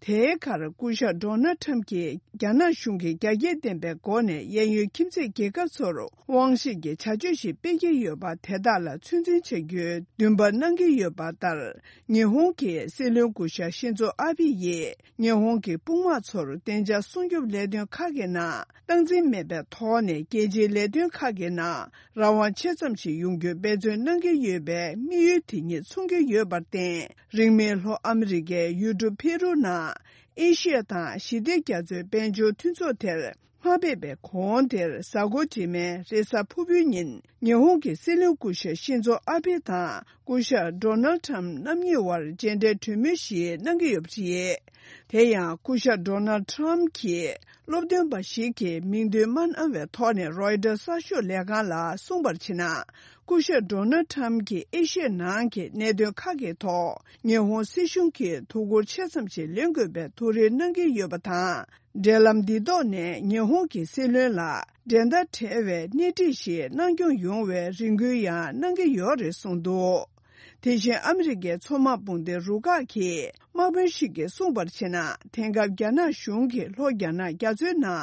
དེའི་ཁར་སྐུ་ཞབས་ཌོ་ནལ་ཁྲམ་གྱིས་རྒྱ་ནག་གཞུང་གིས་རྒྱ་སྐྱེད་ལྡན་པའི་སྒོ་ནས་གཡས་གཡོན་ཁྱིམ་མཚེས་རྒྱལ་ཁབ་ཚོར་དབང་ཤེད་ཀྱི་བྱ་སྤྱོད་ཞིག་སྤེལ་གྱི་ཡོད་པ་དེ་དག་ལ་ཚོད་འཛིན་བྱ་རྒྱུའི་འདུན་པ་གནང་གི་ཡོད་པ་ལྟར། ཉི་ཧོང་གི་སྲིད་བློན་སྐུ་ཞབས་ཤིན་ཛོ་ཨ་བྷེ་ཡིས་ཉི་ཧོང་གི་དཔུང་དམག་ཚོར་བདེ་འཇགས་སྲུང་སྐྱོབ་ལས་དོན་ཁག་གི་ནང་སྟངས་འཛིན་མེད་པའི་ཐོག་ནས་རྒྱལ་སྤྱིའི་ལས་དོན་ཁག་གི་ནང་རང་དབང་ཆེ་ཙམ་ཞིག་ཡོང་རྒྱུའི་འབད་བརྩོན་གནང་གི་ཡོད་པའི་དམིགས་ཡུལ་དེ་ཉིད་མཚོན་གྱི་ཡོད་པར་བརྟེན། རིང་མིན་ལྷོ་ཨ་མི་རི་ཀའི་ཡུལ་གྲུ་ཕེ་རུ་ནང་ཨེ་ཤི་ཡ་དང་ཞི་བདེ་རྒྱ་མཚོའི་དཔལ་འབྱོར་མཐུན་ཚོགས་དེར་མ་ཕེབས་པའི་གོང་དེར་གཟའ་འཁོར་རྗེས་མའི་རེས་གཟའ་ཕུར་བུའི་ཉིན་ཉི་ཧོང་གི་སྲིད་བློན་སྐུ་ཞབས་ཤིན་ཛོ་ཨ་བྷེ་དང་སྐུ་ཞབས་ཌོ་ནལ་ཁྲམ་རྣམ་གཉིས་དབར་མཇལ་འཕྲད་གྲོས་མོལ་ཞིག་གནང་གི་ཡོད་པ་རེད། དེ་ཡང་སྐུ་ཞབས་ཌོ་ནལ་ཁྲམ་གྱིས་སློབ་སྟོན་པ་ཞིག་གི་མིང་འདོན་མ་གནང་བའི་ཐོག་ནས་རོའི་ཊར་གསར་ཤོག་ལས་ཁང་ལ་གསུངས་པར་བྱས་ན། སྐུ་ཞབས་ཌོ་ནལ་ཁྲམ་གྱིས་ཨེ་ཤི་ཡའི་ནང་གི་གནད་དོན་ཁག་གི་ཐོག་ཉི་ཧོང་སྲིད་གཞུང་གིས་ཐུགས་ཁུར་ཆེ་ཙམ་ཞིག་ལེན་དགོས་པའི་ཐུགས་རེ་གནང་གི་ཡོད་པ་དང་། འབྲེལ་ལམ་འདི་ཐོག་ནས་ཉི་ཧོང་གི་སྲིད་བློན་ལ་འགྲན་ཟླ་བྲལ་བའི་སྣེ་ཁྲིད་ཞིག་གནང་སྐྱོང་ཡོང་བའི་རེ་སྐུལ་ཡང་གནང་གི་ཡོད་རེད་གསུངས་འདུག་དེ་བཞིན་ཨ་མི་རི་ཀའི་མཚོ་དམག་དཔུང་སྡེ་རུ་ཁག་གི་དམག་དཔོན་ཞིག་གིས་གསུངས་པར་བྱས་ན། དེང་སྐབས་རྒྱ་ནག་གཞུང་གིས་ལྷོ་རྒྱ་ནག་རྒྱ་མཚོའི་ནང་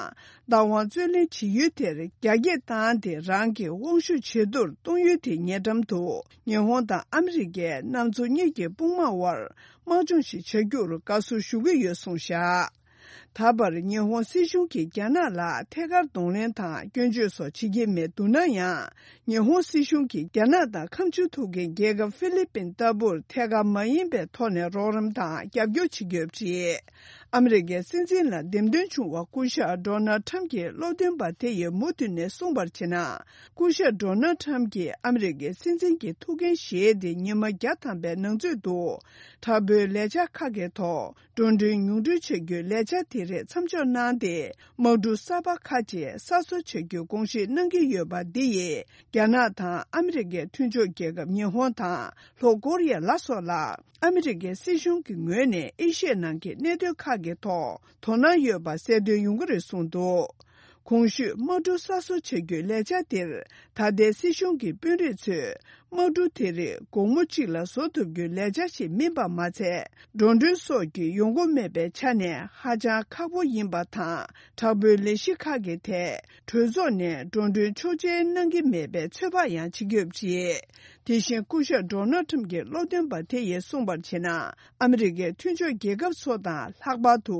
བདག་དབང་རྩོད་ལེན་བྱེད་ཡུལ་དེར་རྒྱ་སྐྱེད་བཏང་སྟེ་རང་གི་དབང་ཤུགས་ཇེ་མཐོར་གཏོང་ཡུལ་དེ་ཉེ་འགྲམ་དུ་ཉི་ཧོང་དང་ཨ་མི་རི་ཀའི་གནམ་མཚོ་གཉིས་ཀྱི་དཔུང་དམག་དབར་དམག་སྦྱོང་ཞིག་བྱ་རྒྱུར་དགའ་བསུ་ཞུ་གི་ཡོད་གསུངས་བཞག་ད་བར་ཉི་ཧོང་སྲིད་གཞུང་གིས་རྒྱ་ནག་ལ་ཐད་ཀར་གདོང་ལེན་དང་སྐྱོན་བརྗོད་སོགས་བྱེད་ཀྱི་མེད་འདུག་ན་ཡང་། ཉི་ཧོང་སྲིད་གཞུང་གིས་རྒྱ་ནག་དང་ཁ་མཆུ་ཐུག་མཁན་རྒྱལ་ཁབ་ཧྥི་ལི་པིན་ལྟ་བུར་ཐད་ཀར་མ་ཡིན་པའི་ཐོག་ནས་རོགས་རམ་དང་རྒྱབ་སྐྱོར་བྱེད་ཀྱི་ཡོད་པ་རེད། ཨ་མི་རི་ཀའི་སྲིད་འཛིན་ལ་འདེམས་ཐོན་བྱུང་བ་སྐུ་ཞབས་ཌོ་ནལ་ཁྲམ་གྱིས་སློབ་སྟོན་པ་དེ་ཡི་མུ་མཐུད་ནས་གསུངས་པར་བྱས་ན། སྐུ་ཞབས་ཌོ་ནལ་ཁྲམ་གྱིས་ཨ་མི་རི་ཀའི་སྲིད་འཛིན་གྱི་ཐུགས་འགན་བཞེས་ཏེ་ཉི་མ་བརྒྱ་ཐམ་པའི་ནང་ཚུད་དུ་དྲག་པོའི་ལས་འཆར་ཁག་གི་ཐོག་འགྲོ་གྲོན་ཉུང་འཕྲི་བྱ་རྒྱུའི་ལས་འཆར་དེ་རིགས་མཚམས་འཇོག་གནང་སྟེ། དམག་གྲུ་གསར་པ་ཁག་ཅིག་གསར་བཟོ་བྱ་རྒྱུའི་དགོངས་བཞེས་གནང་གི་ཡོད་པ་འདི་ཡིས། རྒྱ་ནག་དང་ཨ་མི་རི་ཀའི་མཐུན་ཕྱོགས་རྒྱལ་ཁབ་ཉི་ཧོང་དང་ལྷོ་ཀོ་རི་ཡ་ལ་སོགས་ལ། ཨ་མི་རི་ཀའི་སྲིད་གཞུང་གི་ངོས་ནས་ཨེ་ཤི་ཡའི་ནང་གི་གནད་དོན་ཁག་གི་ཐོག་དོ་སྣང་ཡོད་པ་གསལ་སྟོན་ཡོང་གི་རེད་གསུངས་འདུག་གོང་ཞུས་དམག་གྲུ་གསར་བཟོ་བྱ་རྒྱུའི་ལས་འཆར་དེར། ད་ལྟའི་སྲིད་གཞུང་གི་དཔོན་རིགས་ཚོས། དམག་གྲུ་དེ་རིགས་དགོང་མོ་གཅིག་ལ་བཟོ་ཐུབ་རྒྱུའི་ལས་འཆར་ཞིག་མིན་པ་མ་ཚད། འགྲོ་གྲོན་སོགས་ཀྱི་ཡོང་སྒོ་མེད་པའི་ཆ་ནས་ཧ་ཅང་ཁག་པོ་ཡིན་པ་དང་། དྲག་པོའི་ལས་གཞི་ཁག་གི་ཐད། གྲོས་ཚོགས་ནས་འགྲོ་གྲོན་ཆོག་མཆན་གནང་གི་མེད་པའི་ཚོད་དཔག་ཡང་བྱེད་ཀྱི་ཡོད་པ་རེད། དེ་བཞིན་སྐུ་ཞབས་ཌོ་ནལ་ཁྲམ་གྱི་སློབ་སྟོན་པ་དེ་ཡིས་གསུངས་པར་བྱས་ན། ཨ་མི་རི་ཀའི་མཐུན་ཕྱོགས་རྒྱལ་ཁབ་ཚོ་དང་། ལྷག་པར་དུ་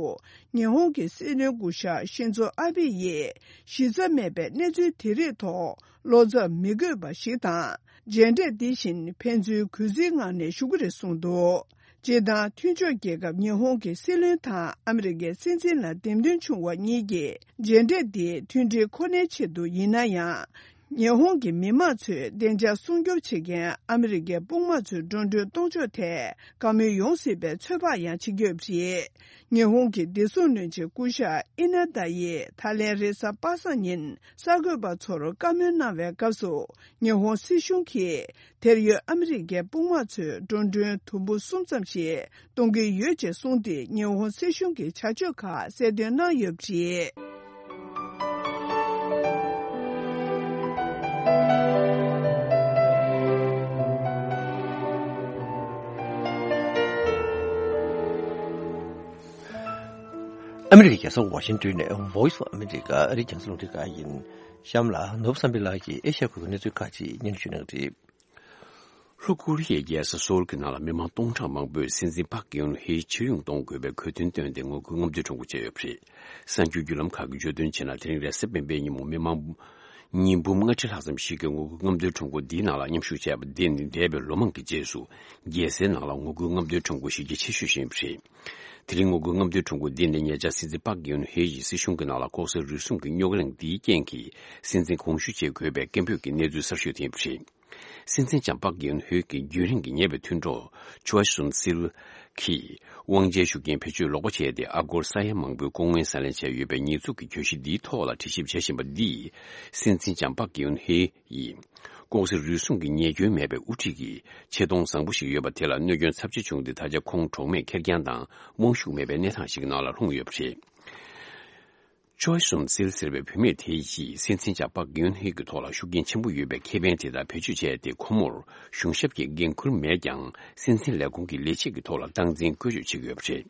ཉི་ཧོང་གི་སྲིད་བློན་སྐུ་ཞབས་ཤིན་ཛོ་ཨ་བྷེ་ཡིས་གཞི་རྩ་མེད་པའི་གནས་ཚུལ་དེ་རིགས་ཐོག་བློ་འཚབ་མི་དགོས་པ་ཞིག་དང་། མཇལ་འཕྲད་འདི་བཞིན་ཕན་ཚུན་གུས་བརྩིའི་ངང་ནས་ཞུ་གི་རེད་གསུངས་འདུག་སྤྱིར་བཏང་མཐུན་ཕྱོགས་རྒྱལ་ཁབ་ཉི་ཧོང་གི་སྲིད་བློན་དང་ཨ་མི་རི་ཀའི་སྲིད་འཛིན་ལ་འདེམས་ཐོན་བྱུང་བ་གཉིས་ཀྱིས་མཇལ་འཕྲད་འདི་མཐུན་སྒྲིལ་ཁོ་ནའི་ཆེད་དུ་ཡིན་ན་ཡང་། ཉི་ཧོང་གི་མི་དམངས་ཚོས་བདེ་འཇགས་སྲུང་སྐྱོབ་བྱེད་མཁན་ཨ་མི་རི་ཀའི་དཔུང་དམག་ཚོའི་འགྲོ་གྲོན་གཏོང་ཕྱོགས་ཐད་བཀའ་མོལ་ཡོང་སྲིད་པའི་ཚོད་དཔག་ཡང་བྱེད་ཀྱི་ཡོད་པ་རེད། ཉི་ཧོང་གི་བདེ་སྲུང་བློན་ཆེན་སྐུ་ཞབས་ཨི་ན་ད་ཡིས་ད་ལན་རེས་གཟའ་པ་སངས་ཉིན་གསར་འགོད་པ་ཚོར་བཀའ་མོལ་གནང་བའི་སྐབས་སུ། ཉི་ཧོང་སྲིད་གཞུང་གིས་དེར་ཡོད་ཨ་མི་རི་ཀའི་དཔུང་དམག་ཚོའི་འགྲོ་གྲོན་དུམ་བུ་གསུམ་ཙམ་ཞིག་གཏོང་གི་ཡོད་ཅེས་གསུངས་ཏེ། ཉི་ཧོང་སྲིད་གཞུང་གི་བྱ་སྤྱོད་ཁག་གསལ་སྟོན་གནང་ཡོད་པ་རེད། ཨ་མི་རི་ཀའི་རྒྱལ་ས་ཝ་ཤིང་ཏོན་ནས་Voice of America ཨ་རིའི་རྒྱང་སྲིང་རླུང་འཕྲིན་ཁང་ཡིན། གཤམ་ལ་ནོར་བུ་བསམ་འཕེལ་ལགས་ཀྱིས་ཨེ་ཤ་ཡ་ཁུལ་གྱི་གནས་ཚུལ་ཁག་ཅིག་སྙན་སྒྲོན་ཞུ་གནང་གི་རེད། ལྷོ་ཀོ་རི་ཡའི་རྒྱལ་ས་སོལ་གྱི་ནང་ལ་མི་མང་སྟོང་ཕྲག་མང་པོས་སྲིད་འཛིན་པཱག་གིན་ཧེའི་ཕྱིར་ཡོང་གཏོང་དགོས་པའི་གོ་སྟོན་བཏོན་ཏེ་ངོ་རྒོལ་རྔམ་སྟོན་ཁྲོམ་སྐོར་བྱས་ཡོད་པ་རེད། གསར་འགྱུར་བརྒྱུད་ལམ་ཁག་གིས་བརྗོད་དོན་བྱས་ན། དེ་རིང་རེས་གཟའ་སྤེན་པའི་ཉིན་མོ་མི་མང་ཉིས་འབུམ་ལྔ་ཁྲི་ལྷག་ཙམ་ཞིག་གིས་ངོ་རྒོལ་རྔམ་སྟོན་ཁྲོམ་སྐོར་འདིའི་ནང་ལ་མཉམ་ཞུགས་བྱས་པ་འདི་ནི་འདས་པའི་ལོ་མང་གི་རྗེས་སུ་རྒྱལ་སའི་ནང་ལ་ངོ་རྒོལ་རྔམ་སྟོན་ཁྲོམ་སྐོར་གཞི་རྒྱ་ཆེ་ཤོས་ཤིག་ཡིན་པ་རེད། དེ་རིང་ངོ་རྒོལ་རྔམ་སྟོན་ཁྲོམ་སྐོར་འདི་ནི་ཉེ་ཆར་སྲིད་འཛིན་པཱག་གིན་ཧེ་ཡིས་སྲིད་གཞུང་གི་ནང་ལ་ལྐོག་ཟ་རུལ་སུངས་ཀྱི་རྙོག་གླེང་འདིའི་རྐྱེན་གྱིས་སྲིད་འཛིན་དགོངས་ཞུ་བྱེད་དགོས་པའི་སྐད་འབོད་ཀྱི་གནས་ཚུལ་གསར་ཤོས་དེ་ཡིན་པ་རེད། སྲིད་འཛིན་ལྕམ་པཱག་གིན་ཧེ་ཀྱིས་རྒྱུན་རིང་གི་ཉེ་བའི་མཐུན་གྲོགས་ཆུའ་སུན་སིལ། གིས་དབང་ཆའི་ཤུགས་རྐྱེན་བེད་སྤྱོད་ལོག་པ་བྱས་ཏེ། ཨ་སྒོར་ས་ཡ་མང་པོའི་ལྐོག་དངུལ་ཟ་ལེན་བྱས་ཡོད་པའི་ཉེས་འཛུགས་ཀྱི་གྱོད་གཞི་འདིའི་ཐོག་ལ་དྲི་ཞིབ་བྱེད་བཞིན་པ་འདིས། སྲིད་འཛིན་ལྕམ་པག་གིའུན་ཧེ་ཡིས་ལྐོག་ཟ་རུལ་སུངས་ཀྱི་ཉེས་སྐྱོན་མེད་པའི་དབུ་ཁྲིད་ཀྱི་ཆེ་མཐོང་བཟང་པོ་ཞིག་ཡོད་པ་དེ་ལ་གནོད་སྐྱོན་ཚབས་ཆེ་བྱུང་སྟེ། ད་ཆ་ཁོང་གྲོགས་མེད་ཁེར་རྐྱང་དང་དབང་ཤུགས་མེད་པའི་གནས་སྟངས་ཤིག་གི་ནང་ལ་ལྷུང་ཡོད་པ་རེད། ཅོའི་སུན་སིལ་ཟེར་བའི་བུད་མེད་དེ་ཡིས་སྲིད་འཛིན་ལྕམ་པག་གིའུན་ཧེ་གི་ཐོག་ལ་ཤུགས་རྐྱེན་ཆེན་པོ་ཡོད་པའི་ཁེ་ཕན་དེ་དག་བེད་སྤྱོད་བྱས་ཏེ། ཁོ་མོར་གཞུང་ཞབས་ཀྱི་འགན་ཁུར་མེད་ཀྱང་། སྲིད་འཛིན་ལས་ཁུངས་ཀྱི་ལས་བྱེད་ཀྱི་ཐོག་ལ་སྟངས་འཛིན་བཀོལ་སྤྱོད་བྱེད་ཀྱི་ཡོད་པ་རེད།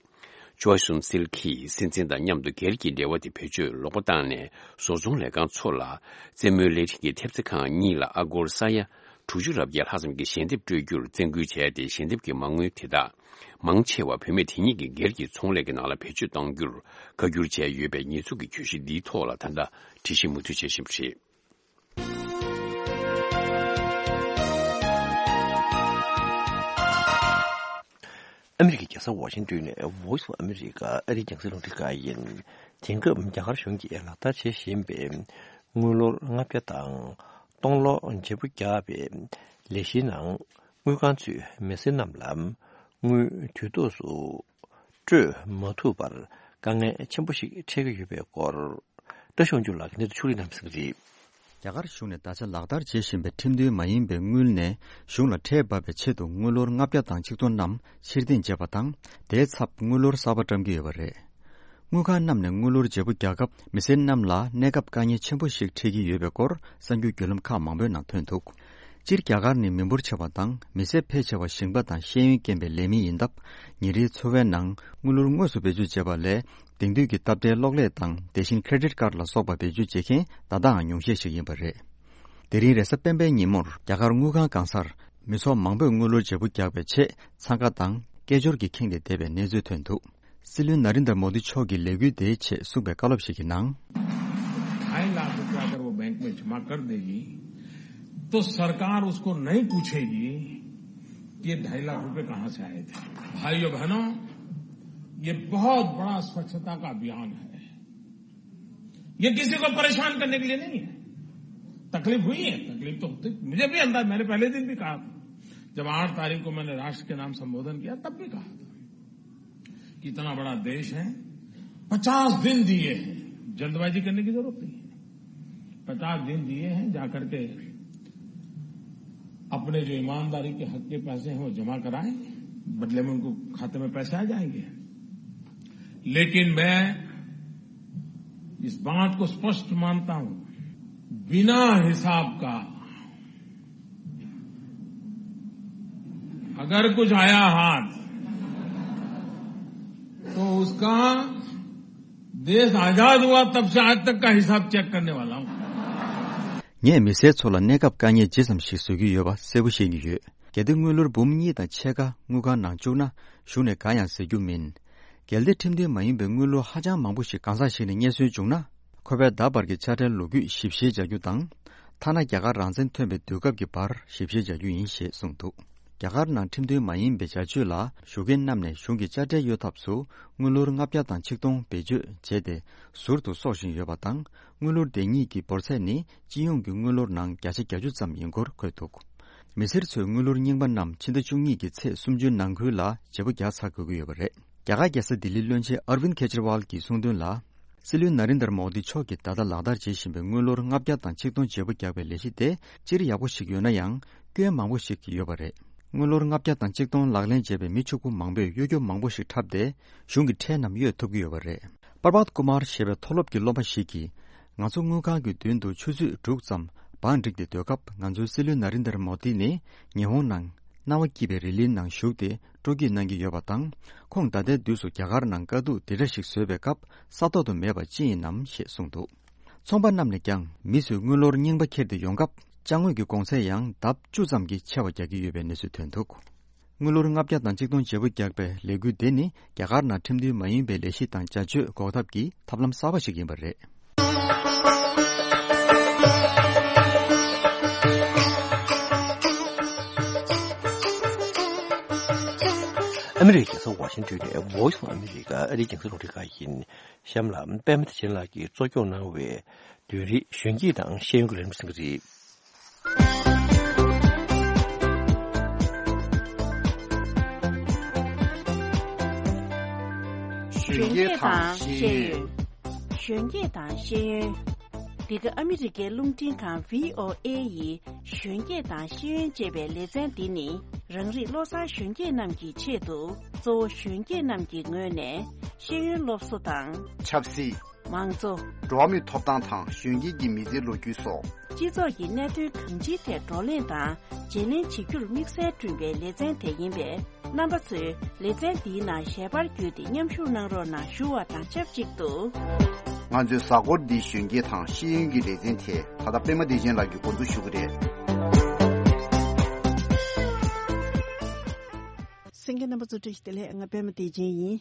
ཅོའི་སུན་སིལ་གྱིས་སྲིད་འཛིན་དང་མཉམ་དུ་སྒེར་གྱི་འབྲེལ་བ་དེ་བེད་སྤྱོད་ལོག་པ་བཏང་ནས། བཟོ་ཚོང་ལས་ཁང་ཚོ་ལ་རྩེད་མོའི་ལས་རིགས་ཀྱི་ཐེབས་རྩ་ཁང་གཉིས་ལ་ཨ་སྒོར་ས་ཡ་དྲུག་ཅུ་རེ་བརྒྱད་ལྷག་ཙམ་གྱི་ཞལ་འདེབས་སྤྲོད་རྒྱུར་བཙན་སྐུལ་བྱས་ཏེ། ཞལ་འདེབས་ཀྱི་མ་དངུལ་དེ་དག་མང་ཆེ་བ་བུད་མེད་དེ་ཉིད་ཀྱི་སྒེར་གྱི་ཚོང་ལས་ཀྱི་ནང་ལ་བེད་སྤྱོད་གཏོང་རྒྱུར་བཀའ་བསྒྱུར་བྱས་ཡོད་པའི་ཉེས་འཛུགས་ཀྱི་གྱོད་གཞི་འདིའི་ཐོག་ལ་ད་ལྟ་དྲི་ཞིབ་མུ་མཐུད་བྱེད་བཞིན་པ་རེད། ཨ་མི་རི་ཀའི་རྒྱལ་ས་ཝ་ཤིང་ཏོན་ནས་Voice of America ཨ་རིའི་རྒྱང་སྲིང་རླུང་འཕྲིན་ཁང་ཡིན། དེང་སྐབས་རྒྱ་གར་གཞུང་གིས་ལག་བསྟར་བྱེད་བཞིན་པའི་དངུལ་ལོར་ལྔ་བརྒྱ་དང་སྟོང་ལོ་བརྗེ་པོ་རྒྱག་པའི་ལས་གཞིའི་ནང་། དངུལ་ཁང་ཚོས་མི་སེར་རྣམས་ལ་དངུལ་དུས་ཐོག་ཏུ་སྤྲོད་མ་ཐུབ་པར་དཀའ་ངལ་ཆེན་པོ་ཞིག་འཕྲད་ཀྱི་ཡོད་པའི་སྐོར། བཀྲ་ཤིས་དབང་ཕྱུག་ལགས་ཀྱིས་གནས་ཚུལ་ཕྱོགས་སྒྲིག་གནང་གནང་གི་རེད། རྒྱ་གར་གཞུང་ནས་ད་ཆ་ལག་བསྟར་བྱེད་བཞིན་པའི་ཁྲིམས་མཐུན་མ་ཡིན་པའི་དངུལ་ནས་གཞུང་ལ་ཁྲལ་འབབ་པའི་ཆེད་དུ་དངུལ་ལོར་ལྔ་བརྒྱ་དང་ཆིག་སྟོང་རྣམས་ཕྱིར་འཐེན་བྱས་པ་དང་། དེའི་ཚབ་དངུལ་ལོར་གསར་པ་བཀྲམ་གྱི་ཡོད་པ་རེད། དངུལ་ཁང་རྣམས་ནས་དངུལ་ལོར་བརྗེ་པོ་རྒྱག་སྐབས། མི་སེར་རྣམས་ལ་གནས་སྐབས་དཀའ་ངལ་ཆེན་པོ་ཞིག་འཕྲད་ཀྱི་ཡོད་པའི་སྐོར་གསར་འགྱུར་བརྒྱུད་ལམ་ཁག་མང་པོའི་ནང་ཐོན་འདུག་སྤྱིར་རྒྱ་གར་ནི་མི་འབོར་ཆེ་བ་དང་། མི་སེར་ཕལ་ཆེ་བ་ཞིང་པ་དང་ཤེས་ཡོན་ལྡན་པའི་ལས་མི་ཡིན་སྟབས། ཉིན་རེའི་འཚོ་བའི་ནང་དངུལ་ལོར་དངོས་སུ་བེད་སྤྱོད་བྱེད་པ་ལས། དེང་དུས་ཀྱི་སྟབས་བདེའི་གློག་ཀླད་དང་། དེ་བཞིན་ཁེ་རེ་ཌིཊ་ཀཌ་ལ་སོགས་པ་བེད་སྤྱོད་བྱེད་མཁན་ད་ལྟའང་ཉུང་ཤས་ཤིག་ཡིན་པ་རེད། དེ་རིང་རེས་གཟའ་སྤེན་པའི་ཉིན་མོར་རྒྱ་གར་དངུལ་ཁང་གང་སར་མི་ཚོགས་མང་པོས་དངུལ་ལོར་བརྗེ་པོ་རྒྱག་པའི་ཆེད་འཚང་ཁ་དང་སྐད་ཅོར་གྱིས་ཁེངས་ཏེ་བསྡད་པའི་གནས་ཚུལ་ཐོན་འདུག་སྲིད་བློན་ནཱ་རེན་དར་མོ་དི་མཆོག་གིས་ལས་འགུལ་དེའི་ཆེད་གསུངས་པའི་བཀའ་སློབ་ཞིག་གི་ནང་། ढाई लाख रुपया अगर वो बैंक में जमा कर देगी, तो सरकार उसको नहीं पूछेगी कि ये ढाई लाख रुपए कहाँ से आए थे। भाइयों बहनों, ये बहुत बड़ा स्वच्छता का अभियान है। ये किसी को परेशान करने के लिए नहीं है। तकलीफ हुई है, तकलीफ तो होती, मुझे भी अंदाज, मैंने पहले दिन भी कहा था, जब आठ तारीख को मैंने राष्ट्र के नाम संबोधन किया, तब भी कहा था कि इतना बड़ा देश है, पचास दिन दिए हैं, जल्दबाजी करने की जरूरत नहीं है। पचास दिन दिए हैं, जाकर के अपने जो ईमानदारी के हक के पैसे हैं, वो जमा कराएं, बदले में उनको खाते में पैसे आ जाएंगे। लेकिन मैं इस बात को स्पष्ट मानता हूं, बिना हिसाब का अगर कुछ आया हाथ, तो उसका देश आजाद हुआ तब से आज तक का हिसाब चेक करने वाला हूं। ངས་མི་སེར་ཚོ་ལ་གནས་སྐབས་དཀའ་ངལ་ཇི་ཙམ་ཞིག་བཟོ་རྒྱུ་ཡོད་པ་གསལ་པོ་ཤེས་ཀྱི་ཡོད། གལ་ཏེ་དངུལ་ལོར་འབུམ་གཉིས་དང་ཕྱེད་ཀ་དངུལ་ཁང་ནང་བཅུག་ན། གཞུང་ནས་གང་ཡང་ཟེར་རྒྱུ་མིན། གལ་ཏེ་ཁྲིམས་མཐུན་མ་ཡིན་པའི་དངུལ་ལོར་ཧ་ཅང་མང་པོ་ཞིག་གང་ཟག་ཞིག་ནས་རྙེད་སོན་བྱུང་ན། ཁོ་པས་ད་བར་གྱི་དཔྱ་ཁྲལ་ལོ་རྒྱུས་ཞིབ་བཤེར་བྱ་རྒྱུ་དང་། ཐ་ན་རྒྱ་གར་རང་བཙན་ཐོན་པའི་དུས་སྐབས་ཀྱི་བར་ཞིབ་བཤེར་བྱ་རྒྱུ་ཡིན་ཞེས་གསུངས་འདུག་རྒྱ་གར་ནང་ཁྲིམས་མཐུན་མ་ཡིན་པའི་བྱ་སྤྱོད་ལ་ཞུགས་མཁན་རྣམས་ནས་གཞུང་གི་དཔྱ་ཁྲལ་གཡོལ་ཐབས་སུ་དངུལ་ལོར་ལྔ་བརྒྱ་དང་ཆིག་སྟོང་བེད་སྤྱོད་བྱས་ཏེ་ཟུར་དུ་གསོག་བཞིན་ཡོད་པ་དང་། དངུལ་ལོར་དེ་ཉིད་ཀྱི་འབོར་ཚད་ནི་སྤྱི་ཡོངས་ཀྱི་དངུལ་ལོར་ནང་བརྒྱ་ཆ་གྱ་དྲུག་ཙམ་ཡིན་སྐོར་འཁོད་འདུག་མི་སེར་ཚོས་དངུལ་ལོར་རྙིང་པ་རྣམས་ཕྱི་ཟླ་བཅུ་གཉིས་ཀྱི་ཚེས་སུམ་ཅུའི་ནང་ཁུལ་ལ་བརྗེ་པོ་རྒྱག་ཚར་དགོས་ཀྱི་ཡོད་པ་རེད། རྒྱ་གར་རྒྱལ་ས་ལྡི་ལིའི་བློན་ཆེན་ཨར་ཝིན་ཁེ་ཇི་རི་ཝལ་གྱིས་གསུངས་དོན་ལ། སྲིད་བློན་ནཱ་རེན་དར་མོ་དི་མཆོག་གིས་ད་ལྟ་ལག་བསྟར་བྱེད་བཞིན་པའི་དངུལ་ལོར་ལྔ་བརྒྱ་དང་ཆིག་སྟོང་བརྗེ་པོ་རྒྱག་པའི་ལས་གཞི་དེ་སྤྱིར་ཡག་པོ་ཞིག་ཡོད་ན་ཡང་། སྐྱོན་མང་པོ་ཞིག་ཡོད་པ་རེད། དངུལ་ལོར་ལྔ་བརྒྱ་དང་ཆིག་སྟོང་ལག་ལེན་བྱས་པའི་མི་ཕྱུག་པོ་མང་པོས་གཡོ་སྒྱུ་མང་པོ་ཞིག་འཁྲབ་སྟེ། གཞུང་གི་ཁྲལ་རྣམས་གཡོལ་ཐུབ་ཀྱི་ཡོད་པ་རེད། པར་བཏ་ཀུ་མར་ཞེས་པའི་མཐོ་སློབ་ཀྱི་སློབ་མ་ཞིག་གིས། ང་ཚོ་དངུལ་ཁང་གི་མདུན་དུ་ཆུ་ཚོད་དྲུག་ཙམ་བང་བསྒྲིགས་ཏེ་སྡོད་སྐབས། ང་ཚོའི་སྲིད་བློན་ནཱ་རེན་དར་མོ་དི་ནི་ཉི་ཧོང་ནང་སྣང་བ་སྐྱིད་པའི་རི་ལིའི་ནང་བཞུགས་ཏེ་སྤྲོ་སྐྱིད་གནང་གི་ཡོད་པ་དང་། ཁོང་ད་ལྟའི་དུས་སུ་རྒྱ་གར་ནང་དཀའ་སྡུག་འདི་འདྲ་ཞིག་བཟོས་པའི་སྐབས་ས་ཐོག་ཏུ་མེད་པ་ཅི་ཡིན་ནམ་ཞེས་གསུངས་འདུག་ཚོང་པ་རྣམས་ནས་ཀྱང་མི་ཚོས་དངུལ་ལོར་རྙིང་པ་འཁྱེར་ཏེ་ཡོང་སྐབས། ཅ་དངོས་ཀྱི་གོང་ཚད་ཡང་ལྡབ་བཅུ་ཙམ་གྱིས་ཆེ་བ་རྒྱག་གི་ཡོད་པའི་གནས་ཚུལ་ཐོན་འདུག་དངུལ་ལོར་ལྔ་བརྒྱ་དང་ཆིག་སྟོང་བརྗེ་པོ་རྒྱག་པའི་ལས་འགུལ་དེ་ནི་རྒྱ་གར་ནང་ཁྲིམས་མཐུན་མ་ཡིན་པའི་ལས་གཞི་དང་བྱ་སྤྱོད་འགོག་ཐབས་ཀྱི་ཐབས་ལམ་གསར་པ་ཞིག་ཡིན་པ་རེད། ཨ་མི་རི་ཀའི་རྒྱལ་ས་ཝ་ཤིང་ཏོན་ནས་Voice of America ཨ་རིའི་རྒྱང་སྲིང་རླུང་འཕྲིན་ཁང་ཡིན། གཤམ་ལ་པད་མ་བདེ་ཆེན་ལགས་ཀྱིས་གཙོ་སྐྱོང་གནང་བའི་བདུན་རེའི་གཞོན་སྐྱེས་དང་ཤེས་ཡོན་གྱི་ལས་རིམ་གསན་གྱི་རེད། གཞོན་སྐྱེས་དང་ཤེས་ཡོན། གཞོན་སྐྱེས་དང་ཤེས་ཡོན། འདི་ག་ཨ་མི་རི་ཀའི་རླུང་འཕྲིན་ཁང་V O A ཡི་གཞོན་སྐྱེས་དང་ཤེས་ཡོན་ཅེས་པའི་ལེ་ཚན་འདི་ནི་རང་རིགས་བློ་བཟང་གཞོན་སྐྱེས་རྣམས་ཀྱི་ཆེད་དུ་གཙོ་བོ་གཞོན་སྐྱེས་རྣམས་ཀྱི་ངོས་ནས་ཤེས་ཡོན་སློབ་གསོ་དང་། ཆབ་སྲིད། མང་གཙོ། འགྲོ་བ་མིའི་ཐོབ་ཐང་དང་གཞོན་སྐྱེས་ཀྱི་མི་ཚེའི་ལོ་རྒྱུས་སོགས། སྤྱི་ཚོགས་ཀྱི་གནད་དོན་གང་ཅིའི་ཐད་བགྲོ་གླེང་དང་བརྗེ་ལེན་བྱེད་རྒྱུར་དམིགས་བསལ་བསྐྲུན་པའི་ལེ་ཚན་དེ་ཡིན་པས། རྣམ་པ་ཚོས་ལེ་ཚན་འདིའི་ནང་ཞལ་པར་བརྒྱུད་དེ་མཉམ་ཞུགས་གནང་རོགས་གནང་ཞུ་བ་དང་ཆབས་ཅིག་ཏུ། ང་ཚོའི་གཟའ་འཁོར་འདིའི་གཞོན་སྐྱེས་དང་ཤེས་ཡོན་གྱི་ལེ་ཚན་དེ་ད་ལྟ་པད་མ་བདེ་ཆེན་ལགས་ཀྱིས་འགོ་འཛུགས་ཞུ་གི་རེད། གསན་མཁན་རྣམ་པ་ཚོ་བཀྲ་ཤིས་བདེ་ལེགས། ང་པད་མ་བདེ་ཆེན་ཡིན།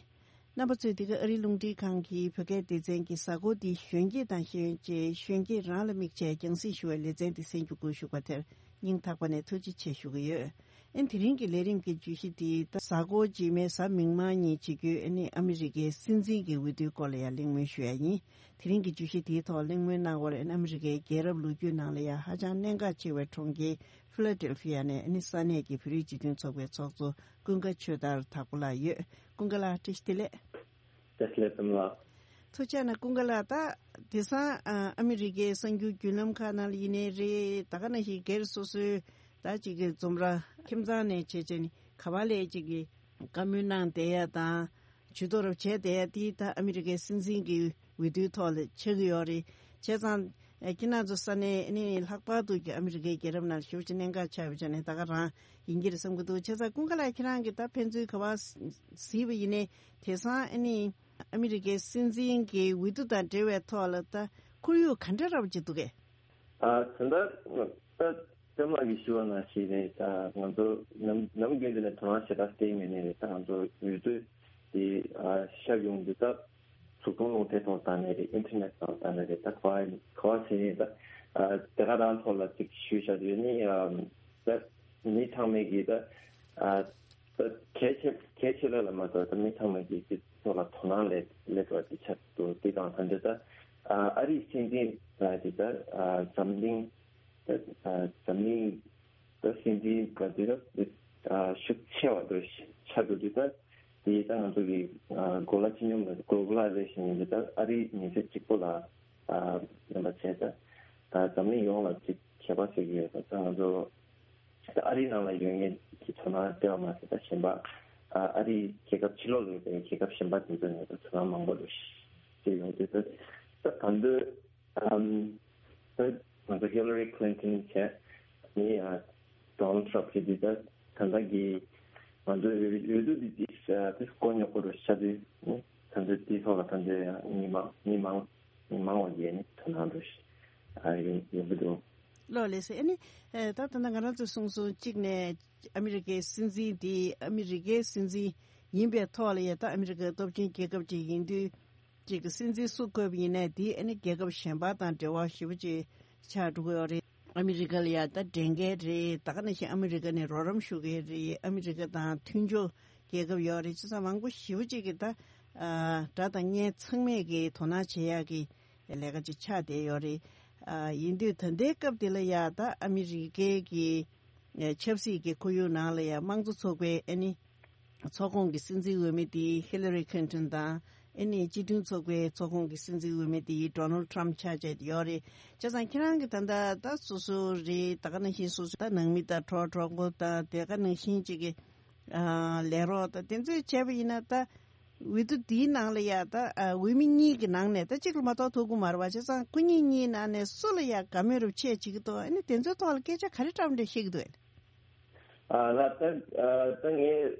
རྣམ་པ་ཚོས་འདི་ག་ཨ་རིའི་རླུང་འཕྲིན་ཁང་གི་བོད་སྐད་སྡེ་ཚན་གྱི་གཟའ་འཁོར་འདིའི་གཞོན་སྐྱེས་དང་ཤེས་ཡོན་ཅེས་གཞོན་སྐྱེས་རང་ལ་དམིགས་བྱས་རྒྱང་སྲིང་ཞུ་བའི་ལེ་ཚན་འདི་གསན་རྒྱུ་དགོངས་ཞུ་བ་དེར་སྙིང་ཐག་པ་ནས་ཐུགས་རྗེ་ཆེ་ཞུ་གི་ཡོད། ཨན་དེ་རིང་གི་ལས་རིམ་གྱི་བརྗོད་གཞི་འདི་ད་གཟའ་འཁོར་རྗེས་མའི་གཟའ་མིག་དམར་ཉིན་བྱེད་རྒྱུའི་ཨ་ནི་ཨ་མི་རི་ཀའི་སྲིད་འཛིན་གྱི་འོས་བསྡུའི་སྐོར་ལ་ཡང་གླེང་མོལ་ཞུ་ཡ་ཡིན། དེ་རིང་གི་བརྗོད་གཞི་དེའི་ཐོག་གླེང་མོལ་གནང་བར་ཨ་མི་རི་ཀའི་རྒྱལ་རབས་ལོ་རྒྱུས་ནང་ལ་ཡང་ཧ་ཅང་གནད་འགག་ཆེ་བའི་གྲོང་ཁྱེར་ཕི་ལ་ཌེལ་ཕི་ཡ་ནས་ཨ་ནི་ས་གནས་ཀྱི་བོད་རིགས་སྤྱི་མཐུན་ཚོགས་པའི་ཚོགས་གཙོ་ཀུན་དགའ་ཆོས་དར་དྭགས་པོ་ལགས་ཡོད། ཀུན་དགའ་ལགས་བཀྲ་ཤིས་བདེ་ལེགས། བཀྲ་ཤིས་བདེ་ལེགས་པད་མ་ལགས། ཐུགས་རྗེ་གནང་། ཀུན་དགའ་ལགས། ད་དེང་སང་ཨ་ཨ་མི་རི་ཀའི་གསར་འགྱུར་བརྒྱུད་ལམ་ཁག་ནང་ལ་ཡིན་ནའི་རེད། ད་ག་ནང་བཞིན་སྒེར་སོ་སོའི་ད་ཅིག་གི་འཛོམས་ར་ཁྱིམ་ཚང་ནས་བྱས་བྱས་ནས་ག་བ་ལས་ཅིག་གི་བཀའ་མོལ་གནང་བསྡད་ཡ་དང་། ཇུས་གཏོགས་རབ་བྱས་བསྡད་ཡ་དེ་ད་ཨ་མི་རི་ཀའི་སྲིད་འཛིན་གྱི་འོས་བསྡུའི་ཐོག་ལ་ཆགས་ཀྱི་ཡོད་རེད། བྱས་ཙང་ཁྱེད་རང་ཚོ་ས་གནས་ཨ་ནི་ལྷག་པར་དུ་གི་ཨ་མི་རི་ཀའི་རྒྱལ་རབས་ནང་ཞེ་པོ་ཅིག་གནད་འགག་ཆགས་པའི་ཆ་ནས་ད་ག་རང་ཡིན་གྱི་རེད་བསམ་གྱི་འདུག་བྱས་ཙང་ཀུན་དགའ་ལགས་ཁྱེད་རང་གིས་ད་ཕན་ཚུན་ག་བ་གཟིགས་པ་ཡིན་ནའི་དེང་སང་ཨ་ནི་ཨ་མི་རི་ཀའི་སྲིད་འཛིན་གྱི་འོས་བསྡུ་དང་འབྲེལ་བའི་ཐོག་ལ་ད་ཁོར་ཡུག་ག་འདྲ་རབ་ཅིག་འདུག་གས། ཨ་ད་ལྟ་ད་ལྟ་མ་གི་ཞུ་བ་ནང་བཞིན་རེད། ད་ང་ཚོ་ནམ་ནམ་རྒྱུན་དུ་ནས་དོ་སྣང་ཞེ་དྲག་སྟེར་མེད་ནས་རེད། ད་ང་ཚོ་འོས་བསྡུ་དེ་ཨ་ཤར་ཡོང་དུས་ད་གཟུགས་མཐོང་རླུང་རྟའི་ཐོག་ད་ནས་རེད། ཨིན་ཊར་ནེཊ་ཐོག་ད་ནས་རེད། ད་ག་བ་ག་བ་ཟེར་ནས་ད་ཨ་དེ་ག་རང་ཐོག་ལ་ཅིག་ཞུས་བཞག་དུས་ནི་ཨ་ད་མི་ཚང་མས་ཀྱི་ད་ཨ་ད་གལ་ཆེ་གལ་ཆེ་ལ་ལ་མ་གཏོགས་ད་མི་ཚང་མས་ཀྱི་དེ་ཐོག་ལ་དོ་སྣང་ལས་ལས་པ་དེ་ཆགས་འདུག་དེ་དང་ད་འདི་ད་ཨ་ཨ་རིའི་སྲིད་འཛིན་ལ་དེ་ད་ཨ་འཛམ་གླིང་ད་ཨ་འཛམ་གླིང་ད་སྲིད་འཛིན་ག་དུས་ད་ཨ་ཤུགས་ཆེ་བ་དུ་ཆགས་འདུག་དུས་ད་དེ་ད་ང་ཚོ་གི་ཨ་གོ་ལ་སྤྱི་སྙོམས་ལ་གོ་གོ་ལ་རེ་བཞིན་ཡིན་དུས་ད་ཨ་རིའི་མི་སེར་གཅིག་པོ་ལ་ཨ་ཡིན་པ་བྱས་ད་ད་འཛམ་གླིང་ཡོངས་ལ་ཅིག་ཁྱད་པར་ཟེར་གྱི་ཡོད་ད། ད་ང་ཚོ་ད་ཨ་རིའི་ནང་ལ་ཡོད་མཁན་གྱི་ཚོར་སྣང་སྟེར་བ་མ་ཟད་ད་གཞན་པ་ཨ་ཨ་རིའི་རྒྱལ་ཁབ་ཕྱི་ལོགས་ལ་ཡོད་པའི་རྒྱལ་ཁབ་གཞན་པ་དེ་ཚོ་ནས་ད་ཚོར་སྣང་མང་པོ་རེ་ཞིག་ཡོང་དུས་ད་ད་ད་འདོད། ཨམ། ད་ང་ཚོ་ཧི་ལ་རི་ཁི་ལིན་ཊོན་བྱས་ནི་ཨ་ཌོ་ནལ་ཊམ་བྱས་དུས་ད་ད་ལྟ་གི་ང་ཚོའི་འོས་འོས་བསྡུ་འདི་ཏིས་ཏིས་དཀོན་ཉོག་པོ་རུ་ཆགས་དུས་ནི་ད་ཚོད་དེའི་ཐོག་ལ་ད་ཚོད་མི་མང་མི་མང་མི་མང་བ་ཡས་ནི་ད་ནང་དུ་ཨ་ཡོང་ཡོང་གི་འདུག་ལོ་ལེ་སེ་ཨ་ནི་ད་ད་ལྟ་ང་རང་ཚོས་གསུངས་སོང་གཅིག་ནས་ཨ་མི་རི་ཀའི་སྲིད་འཛིན་དེ་ཨ་མི་རི་ཀའི་སྲིད་འཛིན་ཡིན་པའི་ཐོག་ལ་ཡ་ད་ཨ་མི་རི་ཀའི་སྟོབས་ཆེན་རྒྱལ་ཁབ་ཅིག་ཡིན་དུས། ཅིག་གི་སྲིད་འཛིན་སུ་བསྐོས་པ་ཡིན་ནའི་དེ་ཨ་ནི་རྒྱལ་ཁབ་གཞན་པ་དང་འབྲེལ་བ་ཞེ་པོ་ཅིག་ཆགས་འགྲོ་གི་ཡོད་རེད། ཨ་མི་རི་ཀ་ལ་ཡ་ད་འགྲན་མཁན་རེད། ད་ག་ནང་བཞིན་ཨ་མི་རི་ཀ་ནས་རོགས་རམ་ཞུ་མཁན་རེད། ཨ་མི་རི་ཀ་དང་མཐུན་ཕྱོགས་རྒྱལ་ཁབ་ཡོད་རེད། བྱས་ཙང་མང་པོ་ཞེ་པོ་ཅིག་གིས་ད་ཨ་དགྲ་དང་གཉེན་ཚང་མས་ཀྱི་དོ་སྣང་བྱེད་ཡག་གི་ལས་ཀ་ཅིག་ཆགས་བསྡད་ཡོད་རེད། ཨ་ཡིན་དུས་ད་ལྟའི་སྐབས་འདི་ལ་ཡ་ད་ཨ་མི་རི་ཀའི་གི་ཆབ་སྲིད་ཀྱི་ཁོར་ཡུག་ནང་ལ་ཡ་དམངས་གཙོ་ཚོགས་པའི་ཨ་ནི། ཚོགས་ཁོངས་ཀྱི་སྲིད་འཛིན་འོས་མི་དེ་ཧི་ལ་རི་ཁི་ལིན་ཊོན་དང་ཨ་ནི་སྤྱི་མཐུན་ཚོགས་པའི་ཚོགས་ཁོངས་ཀྱི་སྲིད་འཛིན་འོས་མི་དེ་ཌོ་ནལ་ཊམ་ཆགས་བྱས་ཡོད་རེད། བྱས་ཙང་ཁྱེད་རང་གིས་ད་ལྟ་ད་སོ་སོ་རེད། ད་ག་ནང་བཞིན་སོ་སོ་ད་ནང་མི་དང་གྲོགས་གྲོགས་པོ་དང་དེ་ག་ནང་བཞིན་ཅིག་གི་ཨ་ལས་རོགས་དང་དེ་ཚོས་བྱས་པ་ཡིན་ན་ད་འོས་བསྡུ་འདིའི་ནང་ལ་ཡ་ད་ཨ་འོས་མི་གཉིས་ཀྱི་ནང་ནས་ད་གཅིག་ལ་མ་གཏོགས་ཐོབ་ཀྱི་མ་རེད་པ། བྱས་ཙང་ཁོ་གཉིས་གཉིས་ནང་ནས་སུ་ལ་ཡ་དགའ་མོས་རབ་བྱས་བྱེད་ཀྱི་འདུག་ཨ་ནི་དེ་ཚོའི་ཐོག་ལ་སྐད་ཆ་ག་རེ་བཀྲམ་འདྲ་བཤད་ཀྱི་འདུག་ཨ། ཨ་ལ་ད་ཨ་ད་ངས་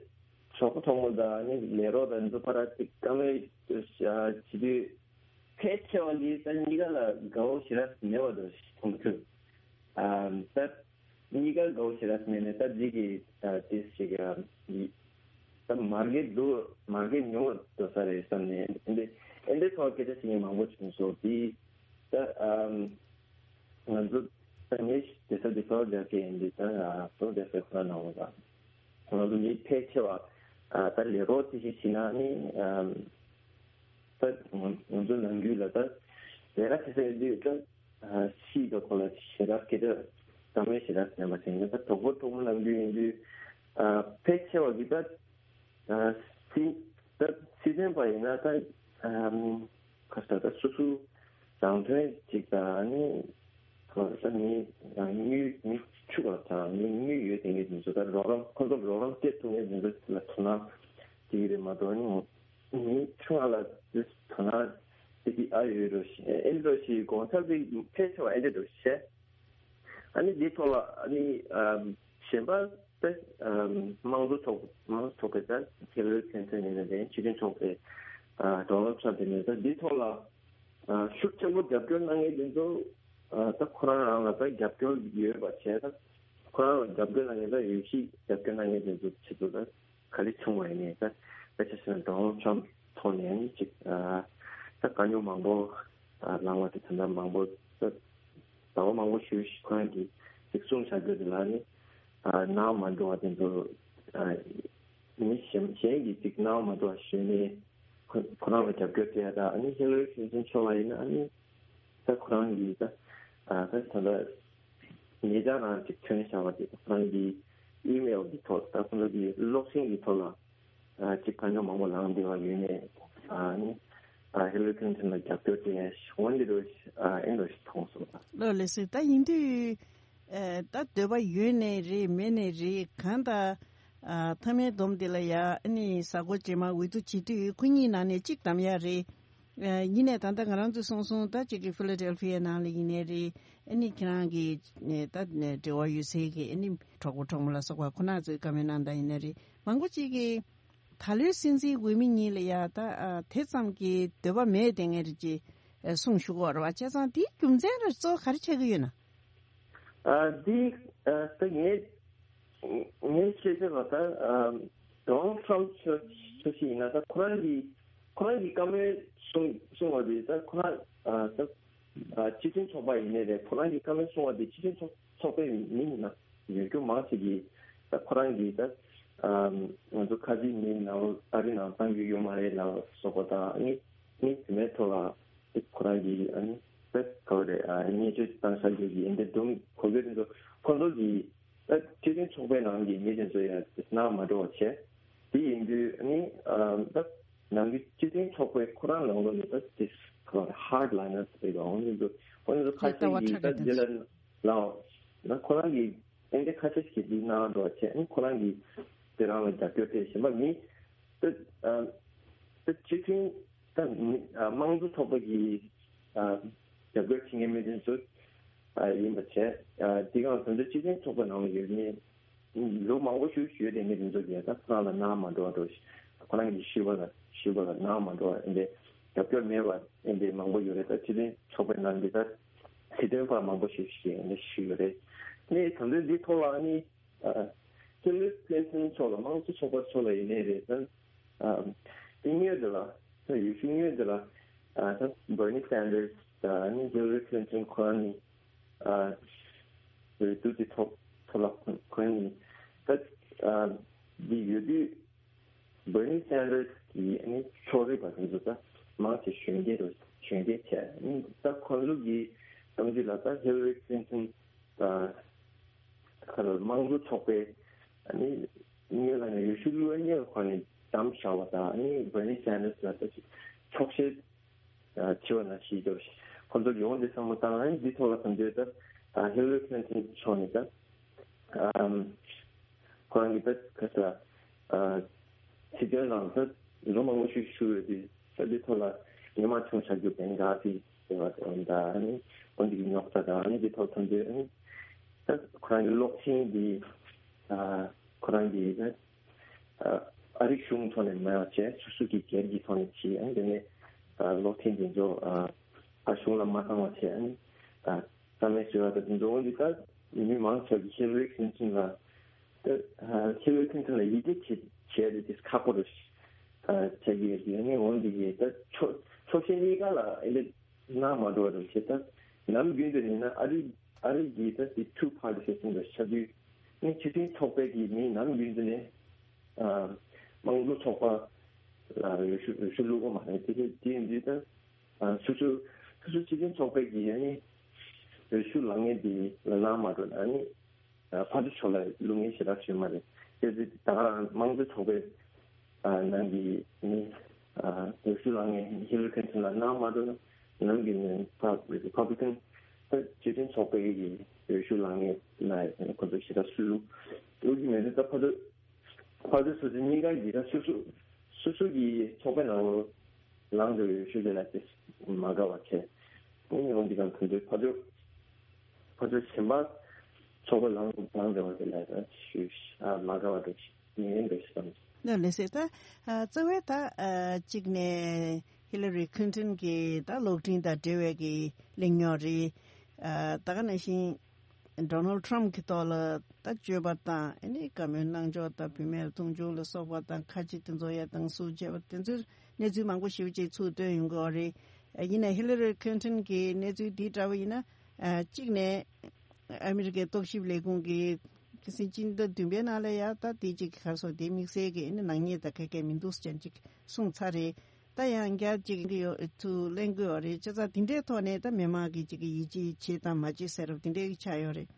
གྲོགས་པོ་གྲོགས་མོ་དང་ནི་ལས་རོགས་དང་འདུག་པ་ར་ཅིག་བཀའ་མོལ་བྱེད་དུས་ཕལ་ཆེ་བ་འདི་ད་གཉིས་ཀ་ལ་དགའ་བོ་ཞེ་དྲག་མེད་པ་འདུག་མཐོང་ཐུབ། ཨ་ད་གཉིས་ཀ་དགའ་བོ་ཞེ་དྲག་མེད་ནས་ད་འདི་གི་ད་ཏིས་ཞིག་ད་མར་གེ་འདུག་མར་གེ་ཉུང་བ་འདུག་ས་རེད་བསམ་ནས་ཨེ་འདི་ཨེ་འདི་ཐོག་སྐད་ཆ་བཤད་མཁན་མང་པོ་བྱུང་སོང་། འདི་ད་ཨ། ང་ཚོ་ད་ངས་དེ་ཚོ་དེ་ཚོ་རྒྱག་གི་ཡིན་དུས་ད་ང་ཚོ་དེ་ཚོ་ཁོ་ན་ནང་ལ་ང་ཚོ་མི་ཕལ་ཆེ་བ་ད་ལས་རོགས་དེ་ཞིག་བྱེད་ན་ནི་ད་ང་ཚོ་ནང་ཁུལ་ལ་ད་ལས་ཀ་བྱེད་ས་ཡོད་དུས་ད་སྲིད་དང་ཁོ་ལ་ཞེ་དྲག་སྐད་ཆ་གཏམ་མེད་ཞེ་དྲག་ཟེར་བ་བྱས་ན་ད་གྲོགས་པོ་གྲོགས་མོ་ནང་ཁུལ་ཡིན་དུས་ཕལ་ཆེ་བ་གི་ད་སྲིད། ད་སྲིད་དོན་པ་ཡིན་ན་ད་ཨམ་ཁ་ས་ད་སོ་སོ་རང་དོན་གཅིག་དང་ནི་ཁ་ས་མི་རང་དངུལ་མི་ཕྱུག་པ་དང་ནི་དངུལ་ཡོད་དེ་ངེས་དེ་ཚོ་ད་རོགས་རམ་ཁོ་ཚོར་རོགས་རམ་སྤྲད་ཐུབ་ངེས་དེ་ཚོ་ལ་དོ་སྣང་དེ་གི་རེད་མ་གཏོགས་ནི་མི་ཆུང་བ་ལ་དེ་དོ་སྣང་དེ་གི་ཨ་ཡོད་རོ་ཞེས་ཨེ་འགྲོ་ཞེས་དགོངས་འཆར་དེ་ཕལ་ཆེ་བ་ཨེ་འདྲ་འགྲོ་ཞེས། ཨ་ནི་འདི་ཐོག་ལ་ཨ་ནི་ཨམ་གཞན་པ་དེ་ཨམ་དམངས་གཙོ་ཚོགས་དམངས་གཙོ་ཚོགས་པའི་ད་ཧི་ལ་རི་ཁི་ལིན་ཊོན་ཡིན་ནའི་རེད། སྤྱི་མཐུན་ཚོགས་པའི་ཨ་ཌོ་ནལ་ཊམ་ཡིན་ནའི་ད་འདི་ཐོག་ལ་ཨ་ཤུགས་ཆེན་པོ་རྒྱབ་སྐྱོར་གནང་མཁན་དེ་ཚོ་ཨ་ད་ཁོ་རང་རང་ལ་ད་རྒྱབ་སྐྱོར་ཡོད་པ་བྱས། ད་ཁོ་རང་ལ་རྒྱབ་སྐྱོར་གནང་མཁན་ད་ཡོད་ཤིག་རྒྱབ་སྐྱོར་གནང་མཁན་དེ་ཚོ་ཆེད་དུ་ད་ག་ལེ་བྱུང་བ་ཡིན་ནའི་ད་ད་ཆ་བཞག་ན་ཌོ་ནལ་ཊམ་ཐོག་ནས་ཨ་ནི་ཅིག་ཨ་ད་དཀའ་རྙོག་མང་པོ་ཨ་ལངས་པ་དེ་ད་ལྟ་མང་པོ་ད། ཟླ་བ་མང་པོ་ཞིག་ཁོ་རང་གིས་ཅིག་གསུངས་བཞག་རྒྱུ་དེ་ལ་ནི་ཨ་སྣང་མ་འགྲོ་བ་དེ་ཚོ་ཨ་མི་གཞན་གཞན་གྱིས་ཅིག་སྣང་མ་འགྲོ་བ་ཞུས་ནས་ཁོ་ཁོ་རང་ལ་རྒྱབ་སྐྱོར་སྤྲད་ཡ་དང་ཨ་ནི་ཧི་ལ་རི་ཁི་ལིན་ཊོན་མཆོག་ལ་ཡིན་ན་ཨ་ནི་ད་ཁོ་རང་གིས་ད་ཨ་ད་ད་ལྟ་ཉེ་ཆར་རང་ཅིག་ཐོན་བཞག་པ་དེ་ཁོ་རང་གིས་ཨི་མེལ་གྱི་ཐོག་ད་ཁོ་རང་གིས་གློག་འཕྲིན་གྱི་ཐོག་ལ། ཨ་ཅིག་དཀའ་རྙོག་མང་པོ་ལངས་བསྡད་པ་ཡོད་ནས་ཨ་ནི་ཨ་ཧི་ལ་རི་ཁི་ལིན་ཊོན་ལ་རྒྱབ་སྐྱོར་དེ་འོན་ཏེ་རུ་ཨ་ཨེ་འགྲོ་ཞིག་མཐོང་སོང་ལ། ལགས་ལགས་སོ། ད་ཡིན་དུས་ཨ་ད་འདོད་པ་ཡོད་ནས་རེད་མེད་ནས་རེད། གང་ལྟར་ཨ་མཐའ་མའི་སྡོམ་དེ་ལ་ཡ་ཨ་ནི་གཟའ་འཁོར་རྗེས་མ་འོས་བསྡུ་བྱེད་དུས་ཁོ་གཉིས་ནང་ནས་གཅིག་བདམས་ཡ་རེད། ཨ་ཡིན་ནས་ད་ལྟ་ང་རང་ཚོས་གསུངས་སོང་། ད་གཅིག་གི་ཕི་ལ་ཌེལ་ཕི་ཡ་ནང་ལ་ཡིན་ནའི་རེད། ཨ་ནི་ཁྱེད་རང་གི་ཨ་ད་འབྲེལ་བ་ཡོད་སའི་གི་ཨ་ནི་གྲོགས་པོ་གྲོགས་མོ་ལ་སོགས་པ་ཁོ་ན་ཚོས་བཀའ་མོལ་གནང་སྟངས་ཡིན་ནའི་རེད། མང་པོ་ཅིག་གིས་ད་ལོའི་སྲིད་འཛིན་འོས་མི་གཉིས་ལ་ཡ་ད་ཨ་དེ་ཙམ་གྱི་འདོད་པ་མེད་དེ་ངས་རེད་ཅེས་ཨ་གསུངས་བཞུགས་ཡོད་རེད་བ། བྱས་ཙང་དེའི་རྒྱུ་མཚན་ལ་གཙོ་བོ་ག་རེ་ཆགས་ཀྱི་ཡོད་ན། ཨ་འདི་ཨ་ད་ངས་ངས་བཤད་ཚོད་ལ་ད་ཨ་ཌོ་ནལ་ཊམ་ཆོས་ཆོས་ཤིག་ཡིན་ན་ད་ཁོ་རང་གི་ཁོ་རང་གི་བཀའ་མོལ་གསུང་གསུང་བ་དེ་ད་ཁོ་རང་ཨ་ད་ཨ་སྤྱི་མཐུན་ཚོགས་པ་ཡིན་ནའི་རེད། ཁོ་རང་གི་བཀའ་མོལ་གསུང་བ་དེ་སྤྱི་མཐུན་ཚོགས་ཚོགས་པའི་མི་ཡིན་ན་ཡོད་རྒྱུ་མང་ཆེ་གིས་ད་ཁོ་རང་གིས་ད་ཨ་ང་ཚོ་ཁ་ཆེ་མི་ནང་ཨ་རི་ནང་གཏང་རྒྱུ་ཡོད་མ་རེད་ལ་སོགས་པ་དང་ཨ་ནི་ཨ་ནི་དེ་མའི་ཐོག་ལ་ཁོ་རང་གིས་ཨ་ནི་ད་ག་བ་རེད་ཨ་བརྙས་བཅོས་བཏང་བཞག་རྒྱུ་གི་ཨེ་འདྲ་སྒྲུང་གོ་རྒྱུ་དེ་ཚོ་ཁོ་ཚོ་གིས་ད་སྤྱི་མཐུན་ཚོགས་པའི་ནང་གི་མི་དེ་ཚོ་ཡང་སྣང་མ་འགྲོ་བ་བྱས། དེ་ཡིན་དུས་ཨ་ནི་ཨ་ད་ནང་གི་སྤྱི་མཐུན་ཚོགས་པའི་ཁོ་རང་ནང་ལོགས་ནས་ད་དེ་ཁོ་རང་ཧར་ཌི་ལའི་ནར་ཟེར་བ་འོང་གི་འདུག་ཁོ་ཚོ་ཁ་ཤས་ཀྱིས་ད་དེ་ལ་ལའོ་ན་ཁོ་རང་གི་ཨེ་འདྲ་ཁ་ཤས་ཤིག་འདི་གནང་འགྲོ་བྱས་ཨ་ནི་ཁོ་རང་གིས་དེ་རང་ལ་རྒྱབ་སྐྱོར་སྤྲད་བཞིན་པ་མི་ད་ཨ་ད་སྤྱི་མཐུན་ད་མི་ཨ་དམངས་གཙོ་ཚོགས་པ་གི་ཨ་རྒྱབ་སྐྱོར་བྱེད་མཁན་མི་དེ་ཚོ་ཨ་ཡིན་པ་བྱས། ཨ་དེ་གང་དོན་དུ་སྤྱི་མཐུན་ཚོགས་པའི་ནང་ལ་ཡོད་མཁན་ལོ་མང་པོ་ཞིག་ཡོད་དེ་མི་དེ་ཚོ་གིས་ད་ཁོ་རང་ལ་སྣང་མ་འགྲོ་བ་འགྲོ་ཞིག་ཁོ་རང་གི་ཞུས་པ་ལ་ཞུས་པ་ལ་སྣང་མ་འགྲོ་བ་ཨེ་འདྲའི་རྒྱབ་སྐྱོར་མེད་པ་ཨེ་འདྲའི་མང་པོ་ཡོད་རེད། ད་སྤྱི་མཐུན་ཚོགས་པའི་ནང་གི་ད་སྲིད་དོན་པ་མང་པོ་ཞིག་ཞིག་ཨེ་འདྲ་ཞུས་ཡོད་རེད། ནས་དོན་དུ་འདི་ཐོག་ལ་ཨ་ནི། ཨ་ཧི་ལ་རི་ཀླིན་ཊོན་མཆོག་ལ་དམངས་གཙོ་ཚོགས་པ་མཆོག་ལ་ཡིན་ནའི་རེད་ད། ཨ་དེ་སྔོན་དེ་ལ་ད་ཡུལ་ཤུལ་སྔོན་དེ་ལ་ཨ་ད་བར་ནི་སན་ཌར་སི་དང་ཨ་ནི་ཧི་ལ་རི་ཀླིན་ཊོན་ཁོ་རང་གཉིས་ཨ་འོས་བསྡུ་དེ་ཐོག་ཐོག་ལ་ཁོ་རང་གཉིས་ད་ཨ་འདི་ཡོད་དུས་བར་ནི་སན་ཌར་སི་གིས་ཨ་ནི་ཕྱོགས་རིས་པ་དེ་ཚོ་ད་མང་ཆེ་གཞོན་སྐྱེས་རུ་གཞོན་སྐྱེས་བྱས་ཨ་ནི་ད་ཁོང་ཚོ་གི་བསམ་ཚུལ་ལ་ད་ཧི་ལ་རི་ཀླིན་ཊོན་ད། ཁ་ལ་དམངས་གཙོ་ཚོགས་པའི་ཨ་ནི་སྔོན་ལ་ནས་ཡུལ་ཤུལ་གློ་བའི་གནས་ལ་ཁོ་ནས་བདམས་བཞག་པ་དང་ཨ་ནི་བར་ནི་སན་ཌར་སི་ལ་ད་ཅིག་ཆོག་ཤེས་ཆེ་བ་ན་ཞིག་འདུག་ཁོ་ཚོ་ཡོང་དེ་བསམ་བློ་བཏང་ཨ་ནི་འདི་ཐོག་ལ་དམ་འདོད་ད་ཧི་ལ་རི་ཀླིན་ཊོན་མཆོག་ནས་ད་ཁོ་རང་གི་ད་ག་ས་སྲིད་དོན་ནང་ད་ལོ་མང་པོ་ཞིག་བཞུགས་ཡོད་དུས་ད་འདི་ཐོག་ལ་ཉི་མ་ཆུང་བྱ་རྒྱུ་བན་ག་དེ་ཟེར་བ་དེ་འོན་ད་ཨ་ནི་འོན་འདི་གི་རྙོག་དྲ་དང་ཨ་ནི་འདི་ཐོག་ཐོན་དུས་ཨ་ནི། ད་ཁོ་རང་གི་གློག་ཆེན་འདི་ཨ་ཁོ་རང་གི་ཨ་ཨ་རིའི་གཞུང་ཐོག་ནས་མ་བྱས་སོ་སོ་གི་སྒེར་གྱི་ཐོག་ནས་བྱས་ཨ་དེ་ནས་ཨ་གློག་ཆེན་འདི་ཚོ་ཨ་ཨ་གཞུང་ལ་མ་བཏང་བ་བྱས་ཨ་ཨ་རྩ་མེད་བཟོས་པ་ད་དེ་ཚོ་འོན་ཏེ་ད་མི་མང་ཆེ་བ་གི་ཧི་ལ་རི་ཀླིན་ཊོན་ལ་ད་ཨ་ཧི་ལ་རི་ཀླིན་ཊོན་ལ་ཡིད་ཆེས་བྱས་བྱས་ཏེ་དེ་ཁག་པོ་རེད་ཨ་བྱས་ཀྱི་ཡོད་དེ་ནས་འོན་ཏེ་གི་ད་ཕྱོགས་ཕྱོགས་གཞན་གཉིས་ཀ་ལ་ཨེ་འདྲ། སྣང་མ་འགྲོ་བ་རེད་ཅེས་ད་ནམ་རྒྱུན་དུ་ཡིན་ན་ཨ་རི་ཨ་རི་གི་ད་དེ་ཊུ་པར་ཊི་སི་སི་ཊེམ་ལ་ཆགས་དུས་ནི་སྤྱི་མཐུན་ཚོགས་པའི་གི་མི་ནམ་རྒྱུན་དུ་ནས་ཨ་དམངས་གཙོ་ཚོགས་པ་ལ་འོས་ཤོག་འོས་ཤོག་བླུག་གི་མ་རེད། དེ་དེ་དེ་ཡིན་དུས་ད་ཨ་སོ་སོ་སོ་སོ་སྤྱི་མཐུན་ཚོགས་པའི་གི་ཨ་ནི་འོས་ཤོག་ལངས་མཁན་དེ་ལ་སྣང་མ་འགྲོ་ན་ཨ་ནི་ཕར་ཕྱོགས་ལ་བླུག་མཁན་ཞེ་དྲག་ཞིག་མ་རེད། དེ་ཚོ་ད་ག་རང་དམངས་གཙོ་ཚོགས་པའི་ ནང་གི་ནི་འོས་ཤོག་ལེན་མཁན་ཧི་ལ་རི་ཁིན་ཊོན་ལ་གནང་མ་ཐུབ་ན། ནང་གི་ནི་ཕ་རི་ཕབ་ལི་ཀན་ད་སྤྱི་མཐུན་ཚོགས་པའི་གི་འོས་ཤོག་ལེན་མཁན་ལ་ཁོ་ཚོ་ཞེ་དྲག་སུ་ལུག་ལུག་གི་མེད་དུས། ད་ཕ་དུ་ཕ་དུ་སོ་སོ་གཉིས་ཀ་གི་ད་སོ་སོ་སོ་སོ་གི་ཚོགས་པའི་ནང་ལོ་ལངས་འགྲོ་བའི་ཤུགས་ལྡན་ལ་དེ་མ་དགའ་བ་བྱས། ཨུ་ཡོང་འདི་གང་ཐུབ་འདོད་ཕ་ཚོ་ཕ་ཚོ་གཞན་པ་ཚོགས་པ་ལངས་ལངས་འགྲོ་བ་དེ་ལ་ད་ཤུགས་ཨ་མ་དགའ་བ་འགྲོ་ཞིག་ཡིན་འགྲོ་ཞིག་བསམ། ལ་ལས་ཟེར་ད་ཨ་རྩ་བའི་ད་ཨ་གཅིག་ནས་ཧི་ལ་རི་ཁིན་ཊོན་གྱི་ད་གློག་འཕྲིན་དང་འབྲེལ་བའི་གི་གླེང་རྙོག་རེད། ཨ་ད་ག་ནང་བཞིན་ཌོ་ནལ་ཊམ་གྱི་ཐོག་ལ་ད་སྤྱོད་པ་དང་ཨ་ནི་བཀའ་མོལ་གནང་ཕྱོགས་དང་བུད་མེད་ལ་མཐོང་ཆུང་ལ་སོགས་པ་དང་ཁ་ཆེ་དེ་ཚོ་ཡ་དང་སུ་བྱས་པ་དེ་ཚོའི་གནས་ཚུལ་མང་པོ་ཞེ་པོ་ཅིག་ཚུར་བཏོན་ཡོང་གི་ཡོད་རེད། ཡིན་ནའི་ཧི་ལ་རི་ཁིན་ཊོན་གྱི་གནས་ཚུལ་འདི་འདྲ་བ་ཡིན་ན་ཨ་གཅིག་ནས་ཨ་མི་རི་ཀའི་རྟོག་ཞིབ་ལས་ཁུངས་ཀྱི་ཁ་སང་སྤྱི་ཟླ་བདུན་པའི་ནང་ལ་ཡ་ད་དེ་གཅིག་ག་རེ་ཟེར་དེ་དམིགས་བསལ་གྱི་ཨ་ནི་ནག་ཉེས་དང་ག་གེ་མི་འདུག་ཟེར་ཅིག་གསུངས་ཚར་རེད། ད་ཡང་བསྐྱར་ཅིག་འདི་ཡོད་ཚུལ་གླེང་དགོས་པ་རེད། བྱས་ཙང་དེ་འདྲའི་ཐོག་ནས་ད་མི་མང་གིས་ཅིག་གི་ཡིད་ཆེས་བྱེད་དང་མ་བྱེད་ཟེར་བ་དེ་འདྲའི་ཆགས་ཡོད་རེད།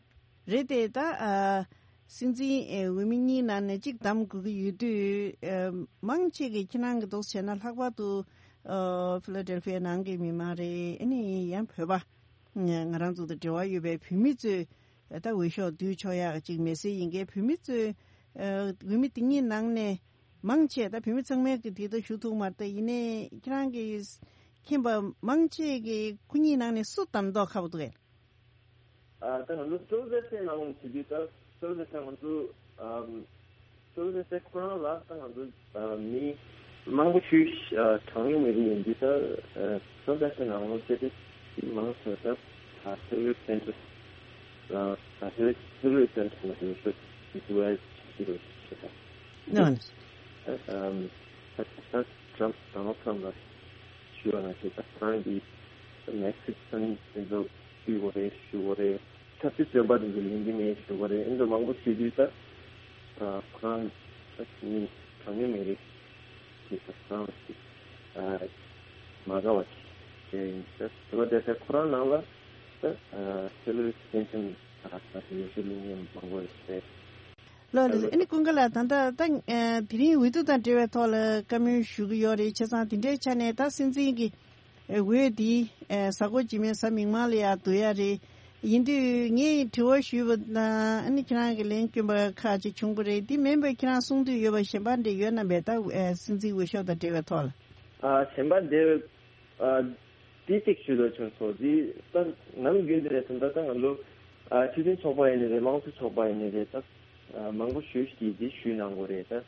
རེད་དེ་ད་ཨ་སྲིད་འཛིན་ཨེ་འོས་མི་གཉིས་ནང་ནས་གཅིག་གདམ་དགོས་ཀྱི་ཡོད་དུས་ཨ་མང་ཆེ་གིས་ཁྱེད་རང་གི་འདུག་བྱས་ན་ལྷག་པར་དུ་ཨ་ཕི་ལ་ཌེལ་ཕི་ཡ་ནང་གི་མི་མང་རེད། ཨ་ནི་ཡང་བོད་པ་ང་རང་ཚོ་དང་འབྲེལ་བ་ཡོད་པའི་བོད་མི་ཚོས་ད་འོས་ཤོག་བསྡུས་ཆོག་ཡག་ཅིག་མེད་སྲིད་ཡིན་གྱི་བོད་མི་ཚོས་ཨ་འོས་མི་དེ་གཉིས་ནང་ནས། མང་ཆེ་ད་བོད་མི་ཚང་མས་ཀྱི་དེ་ལྟར་ཞུ་ཐུབ་མ་རེད། ཡིན་ནའི་ཁྱེད་རང་གིས་མཁྱེན་པ་མང་ཆེ་གིས་ཁོ་གཉིས་ནང་ནས་སུ་གདམ་མདོག་ཁ་པོ་འདུག་གས། ཨ་ད་ང་ཚོ་གཙོ་བོ་བསྟན་ནང་ལོགས་ཟེར་དུས་ད་གཙོ་བོ་བསྟན་ང་ཚོ་ཨམ་གཙོ་བོ་བསྟན་ཁོ་རང་ལ་ད་ང་ཚོ་ཨ་མི་མང་པོ་ཞིག་ཨ་གྲངས་ཉུང་མི་རིགས་ཡིན་དུས་ད་ཨ་གཙོ་བོ་བསྟན་ནང་ལོགས་ཟེར་དུས་མང་ཆེ་ད་ཨ་གཙོ་བོ་བསྟན་ཚོ་ཨ་ད་གཙོ་བོ་བསྟན་ཚོ་ང་ཚོ་ཞུ་ཞུ་བ་ཞིག་རེད་ཞེས་ད། ནོ། ཨམ་ད་ད་ཊྲམ་ཌོ་ནལ་ཊྲམ་ལ་ཞུ་བ་ན་ཞུ་ད་ཁོ་རང་གིས་མེག་སིག་སན་དེ་ཚོ་བསྡུས་དགོས་རེད་ཞུ་དགོས་རེད། ཆབ་སྲིད་བཙོན་པ་དེ་ཚོ་ལེན་གྱི་མེད་ཞུ་དགོས་རེད། ཨེ་འདྲ་མང་པོ་ཞུས་དུས་ད་ཁོ་རང་ད་མི་གྲངས་ཉུང་མི་རིགས་ཀྱི་ད་ཁོ་རང་ཞིག་མ་དགའ་བ་ཞིག་དེ་ཡིན། ད་དེ་བ་དེ་ཚེ་ཁོ་རང་ནང་ལ་ད་ཧི་ལ་རི་ཀླིན་ཊོན་ད་ད་ཡོད་ཤུལ་ལུང་ཉམས་མང་པོ་རེད། ལོ་ལོ། ཨ་ནི་ཀུན་དགའ་ལགས། ད་ལྟ་ད་དེ་རིང་འོས་བསྡུ་དང་འབྲེལ་བའི་ཐོག་ལ་བཀའ་མོལ་ཞུ་གི་ཡོད་རེད། བྱས་ཙང་དེ་འདྲའི་ཆ་ནས་ད་སྲིད་འཛིན་གྱི་འོས་འདི་གཟའ་འཁོར་རྗེས་མའི་གཟའ་མིག་དམར་ལ་ཡར་བསྡུ་ཡ་རེད། ཡིན་དུས་ངས་དྲི་བ་ཞུས་པ་དང་ཨ་ནི་ཁྱེད་རང་གིས་ལན་བསྐྱོན་པ་ཁག་ཅིག་བྱུང་པ་རེད། འདི་མིན་པའི་ཁྱེད་རང་གསུང་འདོད་ཡོད་པ་གཞན་པ་འདྲ་ཡོད་ན་མེད། ད་སྲིད་འཛིན་འོས་ཤོག་དང་འབྲེལ་བའི་ཐོག་ལ། ཨ་གཞན་པ་འདི་ཨ་དེ་གཅིག་ཞུ་འདོད་བྱུང་སོང་། དེ་ད་ནམ་རྒྱུན་དེ་རེད་དམ། ད་ད་ང་ཚོ་ཨ་སྤྱི་མཐུན་ཚོགས་པ་ཡིན་ནི་རེད། དམངས་གཙོ་ཚོགས་པ་ཡིན་ནི་རེད། ད་ཨ་མང་པོ་ཞུས་ཀྱིས་དེ་ཞུས་གནང་དགོས་རེད། ད་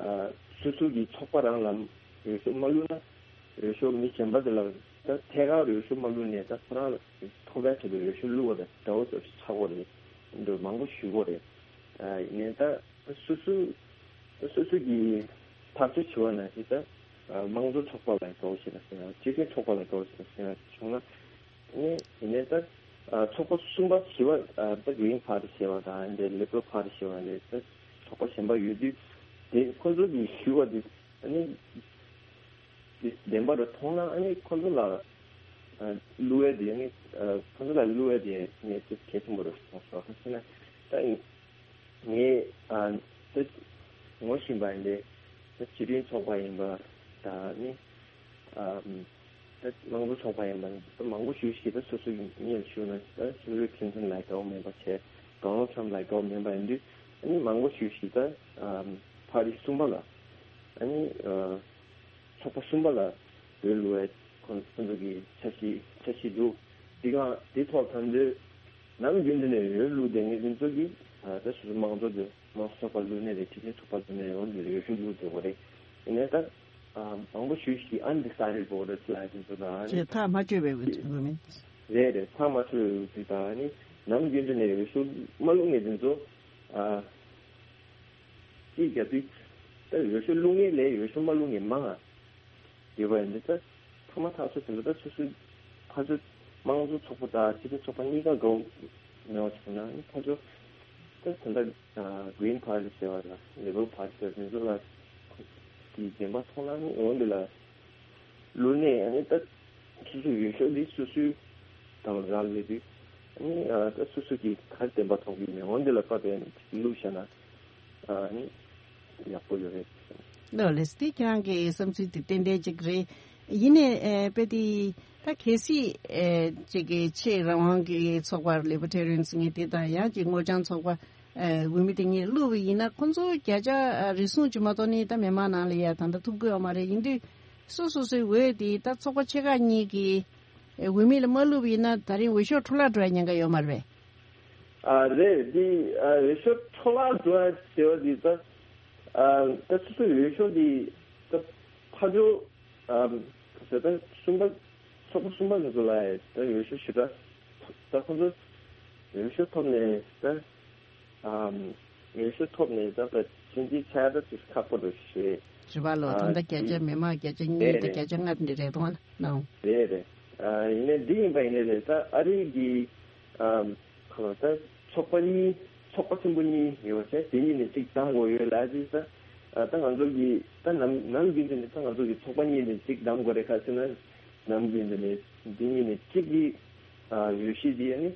ཨ་སོ་སོ་གི་ཚོགས་པ་རང་ལ་འོས་ཤོག་མ་བླུགས་ན་འོས་ཤོག་མི་གཞན་པ་དེ་ལ་ད་ཐད་ཀར་འོས་ཤོག་མ་བླུགས་ནས་ད་ཁོ་རང་ལ་ཐོབ་པའི་ཆེད་དུ་འོས་ཤོག་བླུགས་པ་དང་འདྲ་བོ་ཚོ་ཆགས་དགོས་རེད། འདི་མང་པོ་ཞུ་དགོས་རེད། ཨ་ཡིན་ནའི་ད་སོ་སོ་སོ་སོ་གི་ཐག་གཅོད་བྱེད་པ་ནང་བཞིན་ད་དམངས་གཙོ་ཚོགས་པ་ལ་དགའ་བོ་ཞིག་ལ་ཟེར་ན། སྤྱི་མཐུན་ཚོགས་པ་ལ་དགའ་བོ་ཞིག་ལ་ཟེར་ན་བྱུང་ན་ནི། ཡིན་ནའི་ད་ཚོགས་པ་གསུམ་པ་བཞི་པ་ད་གི་རིང་ཕར་ཞེས་པ་དང་འདི་ལི་པ་རལ་ཕར་ཞེས་པ་འདི་ད་ཚོགས་པ་གཞན་པ་ཡོད་དུས་དེ་ཁོ་ཚོ་གི་ཞུ་བ་འདི་ནི། དེ་བདེན་པ་རུ་མཐོང་ན་ཨ་ནི་ཁོ་ཚོ་ལ་ཨ་བླུག་ཡས་དེ་ཨ་ནི་ཨ་ཁོ་ཚོ་ལ་བླུག་ཡས་དེ་ངས་ཅིག་གལ་ཆེན་པོ་རུ་མཐོང་སོང་། ག་ཟེར་ན་ད་ངས་ཨ་ད་ངོ་ཤེས་པ་ཡིན་ཏེ་ད་སྤྱི་མཐུན་ཚོགས་པ་ཡིན་པ་ད་ནི་ཨ་ད་དམངས་གཙོ་ཚོགས་པ་ཡིན་པ་ད་མང་པོ་ཞིག་ཞིག་ད་སོ་སོ་གི་མིང་ཞུ་ན་ད་ཧི་ལ་རི་ཀླིན་ཊོན་ལ་དགའ་བོ་མེད་པ་བྱས། ཌོ་ནལ་ཊྲམ་ལ་དགའ་བོ་མེད་པ་ཡིན་དུས་ཨ་ནི་མང་པོ་ཞིག་ཞིག་ད་ཨ་ཕ་རི་གསུམ་པ་ལ་ཨ་ནི་ཨ། ཚོགས་པ་གསུམ་པ་ལ་འོས་བླུག་པའི་ཁོང་ཁོང་ཚོ་གི་འཆར་གཞི་འཆར་གཞི་འདུག་འདི་ག་འདི་ཐོག་ད་ལྟ་ནམ་རྒྱུན་དུ་ནས་འོས་བླུག་བསྡད་མཁན་དེ་ཚོ་གིས་ད་སོ་སོ་དམངས་གཙོ་དེ་དམངས་གཙོ་ཚོགས་པ་བླུག་ནས་རེད། སྤྱི་མཐུན་ཚོགས་པ་བླུག་ནས་རེད། འོན་ཏེ་འོས་ཤོག་བླུག་དགོས་པ་རེད། ཡིན་ནའི་ད་མང་པོ་ཞིག་གིས་undecided voters ལབ་དེ་ཚོ་དང་ཅེས་ཐག་མ་ཆོད་པའི་འོས་འོས་མི། རེད་རེད། ཐག་མ་ཆོད་པའི་འོས་དེ་དང་ནི་ནམ་རྒྱུན་དུ་ནས་འོས་ཤོག་མ་བླུག་མཁན་དེ་ཚོ་ཨ། ཅིག་རྒྱབ་དུས་ད་འོས་ཤོག་བླུག་མཁན་ལས་འོས་ཤོག་མ་བླུག་མཁན་མང་ང་ཡོད་པ་ཡིན་དུས་ད་ཐོག་མ་ཐག་ཆོད་ཟིན་པ་ད་སོ་སོའི་ཕར་ཚུར་དམངས་གཙོ་ཚོགས་པ་དང་སྤྱི་མཐུན་ཚོགས་པ་གཉིས་ཀ་དགའ་བོ་མེད་པ་བྱུང་ན་ནི་ཕར་ཚུར་ད་ད་ལྟ་Green Party ཟེར་བ་དང་Liberal Party ཟེར་བ་དེ་ཚོ་ལ་དེའི་བདེན་པ་མཐོང་ན་ནི་འོན་ཏེ་ལ། བླུགས་ནས་ཨ་ནི་ད་སོ་སོའི་འོས་ཤོག་འདི་སོ་སོའི་དང་རག་ལས་དུས་ཨ་ནི་ད་སོ་སོ་གིས་ག་རེ་བདེན་པ་མཐོང་གི་ཡོད་མེད་འོན་ཏེ་ལ་བཀའ་བསྡད་ནས་བླུགས་བཞག་ན་ཨ་ནི་ཡག་པོ་ཡོད་རེད། ལགས་ལགས། དེ་ཁྱེད་རང་གི་བསམ་ཚུལ་དེ་ཏན་ཏན་ཅིག་རེད། ཡིན་ནའི་ཨེ་དཔེ་དེ་ད་གལ་སྲིད་ཨེ་ཅིག་གི་ཆེས་རང་དབང་གི་ཚོགས་པ་ལི་བར་ཊེ་རི་ཡན་ཟེར་མཁན་དེ་དང་ཡང་ཅིག་སྔོ་ལྗང་ཚོགས་པ་ཨེ་འོས་མི་དེ་གཉིས་བླུགས་པ་ཡིན་ན། ཁོང་ཚོ་བརྒྱ་ཆ་ཨ་རེ་ཟུང་ཅིག་མ་གཏོགས་ནི་ད་མི་མང་ནང་ལ་ཡ་ད་ལྟ་ཐུབ་ཀྱི་ཡོད་མ་རེད། ཡིན་དུས་སོ་སོ་སོའི་འོས་དེ་ད་ཚོགས་པ་ཆེ་ཁག་གཉིས་ཀྱི་ཨེ་འོས་མི་ལ་མ་བླུགས་པ་ཡིན་ན་ད་རིང་འོས་ཤོག་འཕྲོ་བརླག་འགྲོ་ཡ་ཉེན་ཁ་ཡོད་མ་རེད་པས། ཨ་རེད། འདི་ཨ་འོས་ཤོག་འཕྲོ་བརླག་འགྲོ་ཡ་ཟེར་བ་འདི་ད་ཨ་ད་སོ་སོའི་འོས་ཤོག་འདི་ད་ཕར་འགྲོ་ཨ་ཟེར་ད་གསུམ་པ་ཚོགས་པ་གསུམ་པ་འདི་ཚོ་ལ་ད་འོས་ཤོག་ཞེ་དྲག་ད་ཁོང་ཚོ་འོས་ཤོག་ཐོབ་ནས་ད་ཨ་འོས་ཤོག་ཐོབ་ནས་ད་ད་ཕྱིན་ཅི་ཆ་ད་ཅིག་ཁག་པོ་འགྲོ་ཞེས། རེད་པ་ལོ། ཨ་ད་ལྟ་བརྒྱ་ཆ་མི་མང་བརྒྱ་ཆ་གཉིས་དང་བརྒྱ་ཆ་ལྔ་འདི་རེད་དོ་ན། རེད་རེད། ཨ་ཡིན་ནའི་འདི་ཡིན་པ་ཡིན་ནའི་རེད། ད་ཨ་རི་གི་ཨ་ཁོ་ད་ཚོགས་པ་གཉིས་ཚོགས་པ་ཆེན་པོ་གཉིས་ཡོད་པ་བྱས་དེ་གཉིས་ནས་གཅིག་བདམས་དགོས་ཡོད་ལ་ཅི་ད་ཨ་ད་ང་ཚོ་གི་ད་ནམ་ནམ་རྒྱུན་དུ་ནས་ད་ང་ཚོ་གི་ཚོགས་པ་གཉིས་ནས་གཅིག་བདམས་དགོས་རེད། ག་ཟེར་ན་ནམ་རྒྱུན་དུ་ནས་འདི་གཉིས་ནས་གཅིག་གི་ཨ་འོས་གཞི་འདི་ཨ་ནི་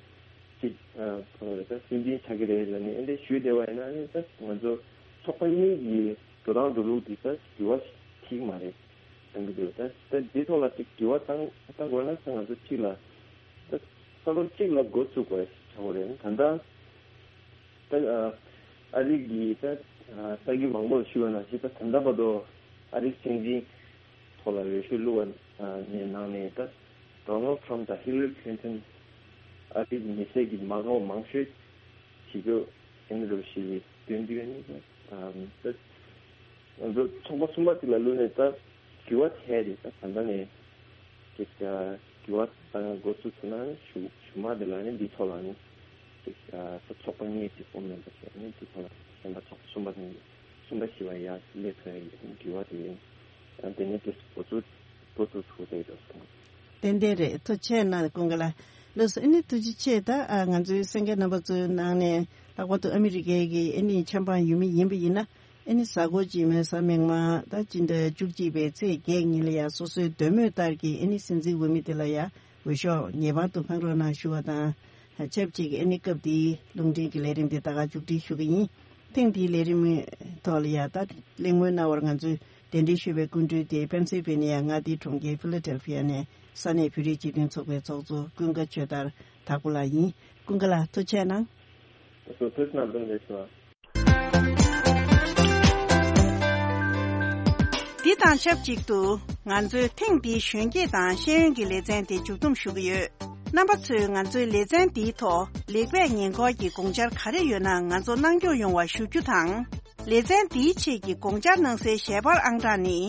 གཅིག་ཨ་ཁོ་ད་སུན་འབྱིན་ཆགས་ཀྱི་རེད་ལ་ནི་ཨེ་འདྲ་ཞུས་བསྡད་པ་ཡིན་ན་ཨ་ནི་ད་ང་ཚོ་ཚོགས་པ་གཉིས་ཀྱི་འགྲོ་སྟངས་འགྲོ་ལུགས་འདི་ད་འགྱུར་བ་ཐེབས་ཀྱི་མ་རེད། གཏང་གི་འདུག་ད་ད་འདི་ཐོག་ལ་ཅིག་འགྱུར་བ་བཏང་བཏང་དགོས་ན་ད་ང་ཚོ་གཅིག་ལ་ད་ས་ལོ་གཅིག་ལ་འགོ་བཙུགས་དགོས་ཆགས་པ་རེད། ད་ལྟ་ད་ཨ་རི་གི་ད་ས་ཁུལ་མང་པོར་ཞུ་བ་ནང་བཞིན་ད་ད་ལྟ་བར་དུ་ཨ་རིའི་སྲིད་འཛིན་ཐོག་ལ་འོས་ཤོག་བླུགས་པ་ནས་ནང་ནས་ད་ཌོ་ནལ་ཊམ་དང་ཧི་ལ་རི་ཁི་ལིན་ཊོན་ཨ་རིའི་མི་སེར་གྱི་མ་འགའ་བ་མང་ཤོས་བྱེད་རྒྱུ་ཡིན་འགྲོ་ཞེས་སྟོན་རྒྱུ་ཡིན། ད་ང་ཚོ་ཚོགས་པ་གསུམ་པ་དེ་ལ་བླུགས་ནས་ད་འགྱུར་བ་ཐེབས་རེད། ད་ད་ལྟ་ནས་ཅིག་འགྱུར་བ་ད་འགོ་ཚུགས་ཐུབ་ན་གཞུག་གཞུག་མ་དེ་ལ་ནི་འདི་ཐོག་ལ་ནི་ཅིག་ད་ཚོགས་པ་གཉིས་ཀྱི་ཕོམ་མེམ་བར་བྱས་ནས་འདི་ཐོག་ལ་གཞན་པ་ཚོགས་པ་གསུམ་པ་དང་གསུམ་པ་བཞི་བ་ཡར་སླེབས་ཐུབ་ཡ་ཡིན་འགྱུར་བ་དེ་ཡིན། དེ་ནས་དེ་འགོ་ཚུགས་འགོ་ཚུགས་ཐུབ་བསྡད་འགྲོ་སོང་། ཏན་ཏན་རེད། ཐུགས་རྗེ་ཆེ་གནང་། ཀུན་དགའ་ལགས། ལགས་སོ། ཨ་ནི་ཐུགས་རྗེ་ཆེ། ད་ཨ་ང་ཚོའི་གསན་མཁན་རྣམ་པ་ཚོའི་ནང་ནས་ལྷག་པར་དུ་ཨ་མི་རི་ཀའི་གི་ཨ་ནི་ཆབ་འབངས་ཡུལ་མི་ཡིན་པ་ཡིན་ན་ཨ་ནི་གཟའ་འཁོར་རྗེས་མའི་གཟའ་མིག་དམར་ད་སྤྱི་ཟླ་བཅུ་གཅིག་པའི་ཚེས་བརྒྱད་ཉིན་ལ་ཡ་སོ་སོའི་འདོད་མོས་ལྟར་གྱི་ཨ་ནི་སྲིད་འཛིན་འོས་མི་དེ་ལ་ཡ་འོས་ཤོག་ངེས་པར་དུ་འཕང་རོགས་གནང་ཞུ་བ་དང་ཆབས་ཅིག་ཨ་ནི་སྐབས་འདིའི་རླུང་འཕྲིན་གྱི་ལས་རིམ་འདི་ད་ག་མཇུག་སྒྲིལ་ཞུ་གི་ཡིན། ཐེངས་འདིའི་ལས་རིམ་ཐོག་ལ་ཡ་ད་གླེང་མོལ་གནང་བར་ང་ཚོས་གདན་འདྲེན་ཞུས་པའི་སྐུ་མགྲོན་དེ་པེན་སིལ་ཝེ་ནི་ཡ་མངའ་སྡེའི་གྲོང་ཁྱེར་ཕི་ལ་ཌེལ་ཕི་ཡ་ནས་ས་གནས་བོད་རིགས་སྤྱི་མཐུན་ཚོགས་པའི་ཚོགས་གཙོ་ཀུན་དགའ་ཆོས་དར་དྭགས་པོ་ལགས་ཡིན། ཀུན་དགའ་ལགས་ཐུགས་རྗེ་གནང་། ལགས་སོ། ཐུགས་རྗེ་གནང་། ལགས་སོ། འདི་དང་ཆབས་ཅིག་ཏུ་ང་ཚོས་ཐེངས་འདིའི་གཞོན་སྐྱེས་དང་ཤེས་ཡོན་གྱི་ལེ་ཚན་དེ་མཇུག་བསྡོམས་ཞུ་གི་ཡོད། རྣམ་པ་ཚོས་ང་ཚོའི་ལེ་ཚན་འདིའི་ཐོག་ལེགས་སྤེལ་ཉེ་འཁོར་གྱི་དགོངས་འཆར་ག་རེ་ཡོད་ན་ང་ཚོ་གནང་སྐྱོང་ཡོང་བ་ཞུ་རྒྱུ་དང་། ལེ་ཚན་འདིའི་ཆེད་ཀྱི་དགོངས་འཆར་གནང་སའི་ཞལ་པར་ཨང་གྲངས་ནི།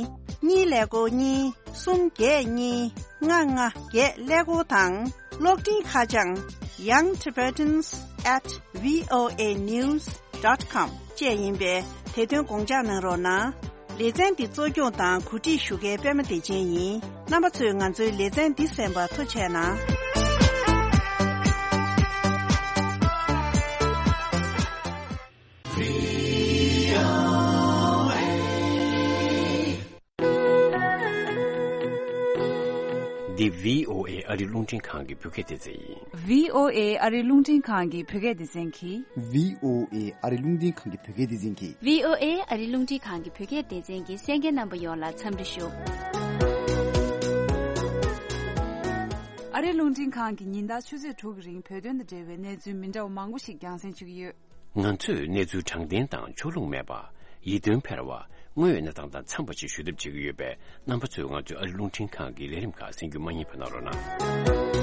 གཉིས་ཀླད་ཀོར་གཉིས། གསུམ་བརྒྱད་གཉིས། ལྔ་ལྔ་བརྒྱད་ཀླད་ཀོར་དང་། གློག་འཕྲིན་ཁ་བྱང་young tibetans at voa news dot com བཅས་ཡིན་པས་དེ་དོན་དགོངས་འཇགས་གནང་རོགས་གནང་། ལེ་ཚན་འདི་གཙོ་སྐྱོང་དང་གོ་སྒྲིག་ཞུ་མཁན་པད་མ་བདེ་ཆེན་ཡིན། རྣམ་པ་ཚོས་ང་ཚོའི་ལེ་ཚན་འདི་གསན་པར་ཐུགས་རྗེ་གནང་། འདི་བྷི་ཨོ་ཨེ་ཨ་རི་རླུང་འཕྲིན་ཁང་གི་བོད་སྐད་སྡེ་ཚན་ཡིན། བྷི་ཨོ་ཨེ་ཨ་རི་རླུང་འཕྲིན་ཁང་གི་བོད་སྐད་སྡེ་ཚན་གྱིས། བྷི་ཨོ་ཨེ་ཨ་རི་རླུང་འཕྲིན་ཁང་གི་བོད་སྐད་སྡེ་ཚན་གྱིས། བྷི་ཨོ་ཨེ་ཨ་རི་རླུང་འཕྲིན་ཁང་གི་བོད་སྐད་སྡེ་ཚན་གྱི་གསན་མཁན་རྣམ་པ་ཡོངས་ལ་འཚམས་འདྲི་ཞུ། ཨ་རི་རླུང་འཕྲིན་ཁང་གིས་ཉིན་ལྟར་ཆུ་ཚོད་དྲུག་གི་རིང་བོད་དོན་དང་འབྲེལ་བའི་གནས་ཚུལ་མི་འདྲ་བ་མང་པོ་ཞིག་རྒྱང་སྲིང་ཞུ་གི་ཡོད། ང་ཚོས་གནས་ཚུལ་དྲང་བདེན་དང་ཕྱོགས་ལྷུང་མེད་པ། ཡིད་རྟོན་འཕེར་བ། དངོས་ཡོད་གནས་སྟངས་དང་འཚམས་པ་ཞིག་ཞུ་ཐབས་བྱེད་ཀྱི་ཡོད་པས། རྣམ་པ་ཚོས་ང་ཚོའི་ཨ་རི་རླུང་འཕྲིན་ཁང་གི་ལས་རིམ་ཁག་གསན་རྒྱུ་མ་བསྙེལ་བ་གནང་རོགས་གནང་།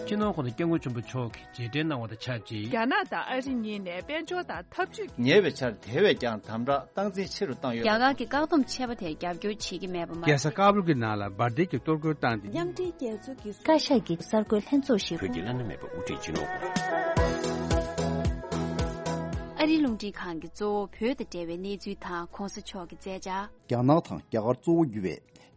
སྤྱི་ནོར་༸གོང་ས་༸སྐྱབས་མགོན་ཆེན་པོ་མཆོག་གིས་རྗེས་དྲན་གནང་བ་དང་ཆབས་ཅིག་རྒྱ་ནག་དང་ཨ་རི་གཉིས་ནས་དཔལ་འབྱོར་དང་འཐབ་ཇུས་ཉེ་བའི་ཆར་དེ་བས་ཀྱང་དམ་དྲག་སྟངས་འཛིན་ཆེ་རུ་བཏང་ཡོད། རྒྱ་གར་གྱི་བཀག་སྡོམ་ཆད་པ་དེར་རྒྱབ་སྐྱོར་བྱེད་ཀྱི་མེད་པ་མ། རྒྱལ་ས་ཀ་བུལ་གྱི་ནང་ལ་འབར་མདེལ་གྱིས་གཏོར་རྒོལ་བཏང་སྟེ། མཉམ་འབྲེལ་རྒྱལ་ཚོགས་ཀྱི་བཀའ་ཤག་གི་གསར་འགོད་ལྷན་ཚོགས་ཤིག་བོད་ཀྱི་བླ་ན་མེད་པའི་དབུ་ཁྲིད་སྤྱི་ནོར། ཨ་རིའི་རླུང་འཕྲིན་ཁང་གིས་གཙོ་བོ་བོད་དང་འབྲེལ་བའི་གནས་ཚུལ་དང་གོང་ས་མཆོག་གི་མཛད་འཆར། རྒྱ་ནག་དང་རྒྱ་གར་གཙོ་བོ་གྱུར་བའི་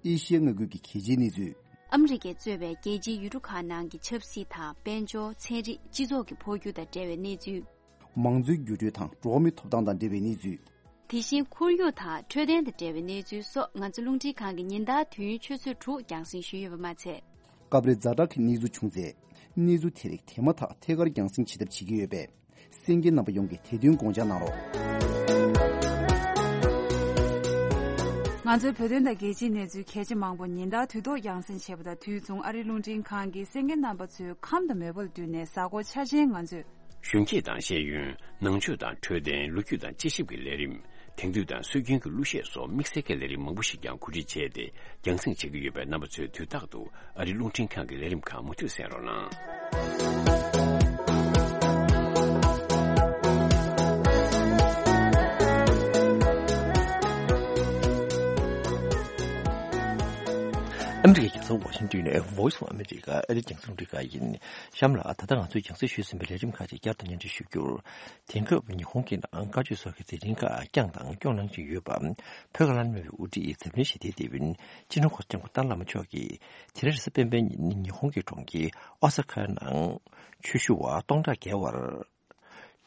ཨེ་ཤི་ཡའི་མངའ་ཁུལ་གྱི་གལ་ཆེའི་གནས་ཚུལ། ཨ་མི་རི་ཀས་གཙོས་པའི་རྒྱལ་སྤྱིའི་ཡུལ་གྲུ་ཁག་ནང་གི་ཆབ་སྲིད་དང་དཔལ་འབྱོར། ཚན་རིག་སྤྱི་ཚོགས་ཀྱི་འཕོ་འགྱུར་དང་འབྲེལ་བའི་གནས་ཚུལ། མང་གཙོའི་འགྱུར་འགྲོས་དང་འགྲོ་བ་མིའི་ཐོབ་ཐང་དང་འབྲེལ་བའི་གནས་ཚུལ། དེ་བཞིན་ཁོར་ཡུག་དང་འཕྲོད་བསྟེན་དང་འབྲེལ་བའི་གནས་ཚུལ་སོགས་ང་ཚོ་རླུང་འཕྲིན་ཁང་གིས་ཉིན་ལྟར་དུས་ཡུན་ཆུ་ཚོད་དྲུག་རྒྱང་སྲིང་ཞུས་ཡོད་པ་མ་ཚད། སྐབས་རེ་ཛ་དྲག་གི་གནས་ཚུལ་བྱུང་ཚེ། གནས་ཚུལ་དེ་རིགས་དེ་མ་ཐག་ཐད་ཀར་རྒྱང་སྲིང་བྱེད་ཐབས་བྱེད་ཀྱི་ཡོད་པས། གསན་མཁན་རྣམ་པ་ཡོངས་ཀྱིས་དེ་དོན་དགོངས་འཇགས་གནང་རོགས། ང་ཚོའི་བོད་དོན་དང་རྒྱལ་སྤྱིའི་གནས་ཚུལ་གལ་ཆེ་མང་པོ་ཉིན་ལྟར་དུས་ཐོག་རྒྱང་སྲིང་བྱས་པ་དང་། དུས་མཚུངས་ཨ་རིའི་རླུང་འཕྲིན་ཁང་གི་གསན་མཁན་རྣམ་པ་ཚོའི་ཁམས་དང་མོས་པ་ལ་བསྟུན་ནས་གཟའ་འཁོར་འཆར་ཅན་ང་ཚོས། གཞོན་སྐྱེས་དང་ཤེས་ཡོན། ནང་ཆོས་དང་འཕྲོད་བསྟེན། ལོ་རྒྱུས་དང་དཔྱད་ཞིབ་ཀྱི་ལས་རིམ། དེང་དུས་དང་སྲོལ་རྒྱུན་གྱི་གླུ་གཞས་སོགས་དམིགས་བསལ་གྱི་ལས་རིམ་མང་པོ་ཞིག་ཀྱང་གོ་སྒྲིག་བྱས་ཏེ་རྒྱང་སྲིང་བྱེད་ཀྱི་ཡོད་པས། རྣམ་པ་ཚོས་དུས་རྟག་ཏུ་ཨ་རིའི་རླུང་འཕྲིན་ཁང་གི་ལས་རིམ་ཁག་མུ་མཐུད་གསན་རོགས་གནང་། ཨ་མི་རི་ཀའི་རྒྱལ་ས་ཝ་ཤིང་ཏོན་ནས་Voice of America ཨ་རིའི་རྒྱང་སྲིང་རླུང་འཕྲིན་ཁང་ཡིན། གཤམ་ལ་ད་ལྟ་ང་ཚོས་རྒྱང་སྲིང་ཞུས་ཟིན་པའི་ལས་རིམ་ཁག་ཅིག་བསྐྱར་དུ་སྙན་སྒྲོན་ཞུ་རྒྱུར། དེང་སྐབས་ཉི་ཧོང་གི་ནང་བཀའ་ཆོས་སོགས་ཀྱི་མཛད་འཕྲིན་ཁག་བསྐྱངས་དང་སྐྱོང་གནང་བཞིན་ཡོད་པ། བོད་ཀྱི་བླ་ན་མེད་པའི་དབུ་ཁྲིད་འཛམ་གླིང་ཞི་བདེའི་དེད་དཔོན་སྤྱི་ནོར་གོང་ས་སྐྱབས་མགོན་ཏཱ་ལའི་བླ་མ་མཆོག་གིས་དེ་རིང་རེས་གཟའ་སྤེན་པའི་ཉིན་ཉི་ཧོང་གི་གྲོང་ཁྱེར་ཨོ་ས་ཁའི་ནང་ཆོས་ཞུ་བ་སྟོང་ཕྲག་བརྒལ་བར་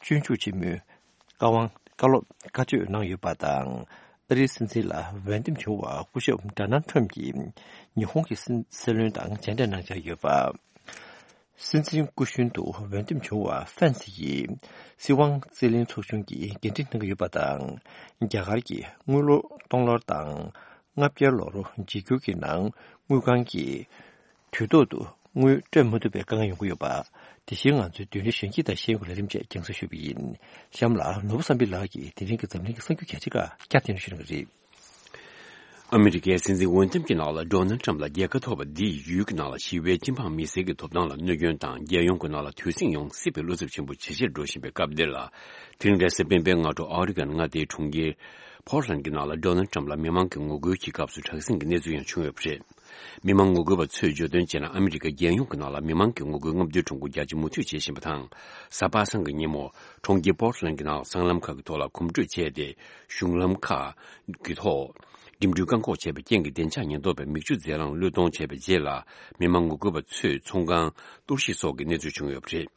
སྤྱོད་འཇུག་ཆེན་མོའི་བཀའ་དབང་བཀའ་སློབ་བཀའ་ཆོས་གནང་ཡོད་པ་དང་། ཨ་རིའི་སྲིད་འཛིན་ལ་འོས་འདེམས་བྱུང་བ་སྐུ་ཞབས་ཌོ་ནལ་ཊམ་གྱིས་ཉི་ཧོང་གི་སྲིད་སྲིད་བློན་དང་མཇལ་འཕྲད་གནང་འཆར་ཡོད་པ། སྲིད་འཛིན་སྐུ་གཞོན་དུ་འོས་འདེམས་བྱུང་བ་ཕན་སི་ཡིས་སྲིད་དབང་རྩིས་ལེན་ཚོགས་ཆུང་གི་འགན་འཁྲི་གནང་གི་ཡོད་པ་དང་། རྒྱ་གར་གྱི་དངུལ་ལོར་སྟོང་ལོར་དང་ལྔ་བརྒྱ་ལོར་འཇིགས་སྐུལ་གྱི་ནང་དངུལ་ཁང་གིས་དུས་ཐོག་ཏུ་དངུལ་སྤྲོད་མ་ཐུབ་པའི་དཀའ་ངལ་ཡོང་གི་ཡོད་པ། དེ་བཞིན་ང་ཚོའི་མདུན་ལམ་གཞོན་སྐྱེས་དང་ཤེས་ཡོན་གྱི་ལས་རིམ་བཅས་རྒྱང་སྲིང་ཞུས་པ་ཡིན། གཤམ་ལ་ནོར་བུ་བསམ་འཕེལ་ལགས་ཀྱིས་དེ་རིང་གི་འཛམ་གླིང་གི་གསར་འགྱུར་གལ་ཆེ་ཁག་བསྐྱར་ཟློས་ཞུ་གནང་གི་རེད། ཨ་མི་རི་ཀའི་སྲིད་འཛིན་འོས་འདེམས་ཀྱི་ནང་ལ་ཌོ་ནལ་ཊམ་ལ་རྒྱལ་ཁ་ཐོབ་པ་འདིས་ཡུལ་གྱི་ནང་ལ་ཞི་བའི་སྤྱི་འབངས་མི་སེར་གྱི་ཐོབ་ཐང་ལ་གནོད་སྐྱོན་དང་། རྒྱལ་ཡོངས་ཀྱི་ནང་ལ་དུས་ཟིང་ཡོང་སྲིད་པའི་བློ་འཚབ་ཆེན་པོ་ཇེ་ཆེར་འགྲོ་བཞིན་པའི་སྐབས་འདིར་ལ། དེ་རིང་རེས་གཟའ་སྤེན་པའི་སྔ་དྲོ་ཨོ་རི་གོན་མངའ་སྡེའི་གྲོང་ཁྱེར་པོར་ལན་གྱི་ནང་ལ་ཌོ་ནལ་ཊམ་ལ་མི་མང་གི་ངོ་རྒོལ་གྱི་སྐབས་སུ་དྲག་ཟིང་གི་གནས་ཚུལ་ཡང་བྱུང་ཡོད་པ་རེད། མི་མང་ངོ་རྒོལ་བ་ཚོས་བརྗོད་དོན་བྱས་ན། ཨ་མི་རི་ཀ་རྒྱལ་ཡོངས་ཀྱི་ནང་ལ་མི་མང་གི་ངོ་རྒོལ་རྔམ་སྟོན་ཁྲོམ་སྐོར་རྒྱ་ཆེ་མུ་མཐུད་བྱེད་བཞིན་པ་དང་། གཟའ་པ་སངས་ཀྱི་ཉིན་མོ་གྲོང་ཁྱེར་པོར་ལན་གྱི་ནང་སྲང་ལམ་ཁག་གི་ཐོག་ལ་གོམ་བགྲོད་བྱས་ཏེ། གཞུང་ལམ་ཁག་གི་ཐོག་འགྲིམ་འགྲུལ་བཀག་འགོག་བྱས་པའི་རྐྱེན་གྱིས་བདེ་འཇགས་ཉེན་རྟོག་པས་མིག་ཆུ་རྫས་རླངས་བློས་གཏོང་བྱས་པའི་རྗེས་ལ། མི་མང་ངོ་རྒོལ་བ་ཚོས་ཚོང་ཁང་གཏོར་བཤིག་སོགས་ཀྱི་གནས་ཚུལ་བྱུང་ཡོད་པ་རེད།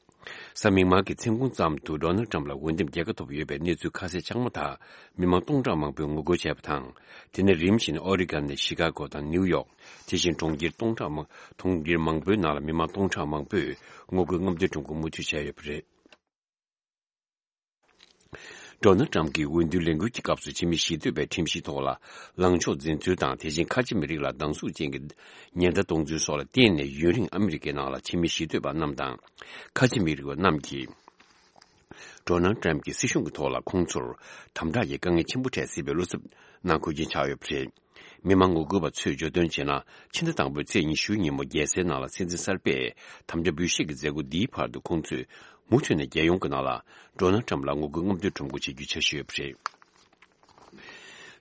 གཟའ་མིག་དམར་གྱི་མཚན་གུང་ཙམ་དུ་ཌོ་ནལ་ཊམ་ལ་འོས་འདེམས་རྒྱལ་ཁ་ཐོབ་ཡོད་པའི་གནས་ཚུལ་ཁ་གསལ་ཆགས་མ་ཐག་མི་མང་སྟོང་ཕྲག་མང་པོས་ངོ་རྒོལ་བྱས་པ་དང་། དེ་ནས་རིམ་བཞིན་ཨོ་རི་གོན་ནས་ཤི་ཀ་གོ་དང་ནིའུ་ཡོག་དེ་བཞིན་གྲོང་ཁྱེར་སྟོང་ཕྲག་མང་གྲོང་ཁྱེར་མང་པོའི་ནང་ལ་མི་མང་སྟོང་ཕྲག་མང་པོས་ངོ་རྒོལ་རྔམ་སྟོན་ཁྲོམ་སྐོར་མུ་མཐུད་བྱས་ཡོད་པ་རེད། ཌོ་ནལ་ཊམ་གྱིས་འོས་བསྡུའི་ལས་འགུལ་གྱི་སྐབས་སུ་ཕྱི་མི་ཞི་གཏོད་པའི་ཁྲིམས་གཞིའི་ཐོག་ལ་ལངས་ཕྱོགས་འཛིན་ཚུལ་དང་། དེ་བཞིན་ཁ་ཆེ་མི་རིགས་ལ་སྡང་ཟུག་ཅན་གྱི་ཉེན་བརྡ་གཏོང་ཚུལ་སོགས་ལ་བརྟེན་ནས། ཡུན་རིང་ཨ་མི་རི་ཀའི་ནང་ལ་ཕྱི་མི་ཞི་གཏོད་པ་རྣམས་དང་ཁ་ཆེ་མི་རིགས་པ་རྣམས་ཀྱིས་ཌོ་ནལ་ཊམ་གྱི་སྲིད་གཞུང་གི་ཐོག་ལ་ཁོང་ཚོར་དམ་དྲག་གི་དཀའ་ངལ་ཆེན་པོ་འཕྲད་སྲིད་པའི་བློ་འཚབ་གནང་དགོས་རྐྱེན་ཆགས་ཡོད་པ་རེད། མི་མང་ངོ་རྒོལ་བ་ཚོས་བརྗོད་དོན་བྱས་ན། ཕྱི་ཟླ་དང་པོའི་ཚེས་ཉི་ཤུ་ཉིན་མོ་རྒྱལ་སའི་ནང་ལ་སྲིད་འཛིན་གསར་པས་དམ་བཅའ་འབུལ་བཞེས་ཀྱི་མཛད་སྒོ་འདིའི་བར་དུ་ཁོང་ཚོས་མུ་མཐུད་ནས་རྒྱལ་ཡོངས་ཀྱི་ནང་ལ་ཌོ་ནལ་ཊམ་ལ་ངོ་རྒོལ་རྔམ་སྟོན་ཁྲོམ་སྐོར་བྱེད་རྒྱུའི་འཆར་གཞི་ཡོད་པ་རེད།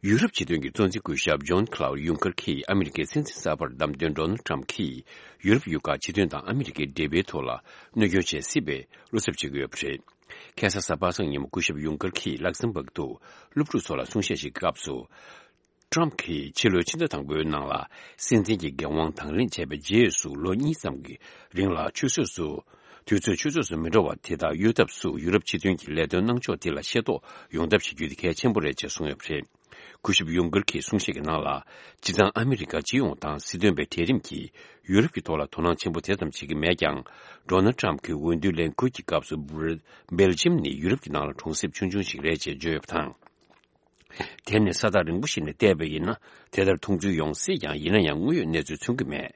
ཡུ་རོབ་སྤྱི་མཐུན་གྱི་གཙོ་འཛིན་སྐུ་ཞབས་ཇོན་ཁ་ལའུ་ཡུང་ཀར་གྱིས་ཨ་མི་རི་ཀའི་སྲིད་འཛིན་གསར་པར་བདམས་ཐོན་ཌོ་ནལ་ཊམ་གྱིས་ཡུ་རོབ་ཡུལ་ཁག་སྤྱི་མཐུན་དང་ཨ་མི་རི་ཀའི་འབྲེལ་བའི་ཐོག་ལ་གནོད་སྐྱོན་བྱེད་སྲིད་པའི་བློ་འཚབ་བྱེད་ཀྱི་ཡོད་པ་རེད། ཁ་སང་གཟའ་པ་སངས་ཉིན་མོ་སྐུ་ཞབས་ཡུང་ཀར་གྱིས་ལག་སམ་བྷག་ཏུ་སློབ་ཕྲུག་ཚོ་ལ་གསུང་བཤད་ཞིག་གི་སྐབས་སུ། ཊམ་གྱིས་ཕྱི་ལོའི་ཕྱི་ཟླ་དང་པོའི་ནང་ལ་སྲིད་འཛིན་གྱི་འགན་དབང་དང་ལེན་བྱས་པའི་རྗེས་སུ་ལོ་གཉིས་ཙམ་གྱི་རིང་ལ་ཆུད་ཟོས་སུ། དུས་ཚོད་ཆུད་ཟོས་སུ་མི་འགྲོ་བ་དེ་དག་གཡོལ་ཐབས་སུ་ཡུ་རོབ་སྤྱི་མཐུན་གྱི་ལས་དོན་གནང་ཕྱོགས་དེ་ལ་ཤེས་རྟོགས་ཡོང་ཐབས་བྱེད་རྒྱུ་དེ་གལ་ཆེན་པོ་རེད་ཅེས་གསུངས་ཡོད་པ་རེད། སྐུ་ཞབས་ཡུང་ཀར་གྱིས་གསུང་བཤད་ཀྱི་ནང་ལ། སྤྱིར་བཏང་ཨ་མི་རི་ཀ་སྤྱི་ཡོངས་དང་སྲིད་དོན་པའི་གྲལ་རིམ་གྱིས་ཡུ་རོབ་ཀྱི་ཐོག་ལ་དོ་སྣང་ཆེན་པོ་དེ་ཙམ་བྱེད་ཀྱི་མེད་ཀྱང་། ཌོ་ནལ་ཊམ་གྱི་འོས་བསྡུའི་ལས་འགུལ་གྱི་སྐབས་སུ། སྦེལ་ཇམ་ནི་ཡུ་རོབ་ཀྱི་ནང་ལ་གྲོང་གསེབ་ཆུང་ཆུང་ཞིག་རེད་ཅེས་བརྗོད་ཡོད་པ་དང་། དེ་ནི་ས་ཐག་རིང་པོ་ཞིག་ནས་བལྟས་པ་ཡིན་ན་དེ་ལྟར་མཐོང་ཚུལ་ཡོང་སྲིད་ཀྱང་། ཡིན་ན་ཡང་དངོས་ཡོད་གནས་ཚུལ་མཚོན་གྱི་མེད།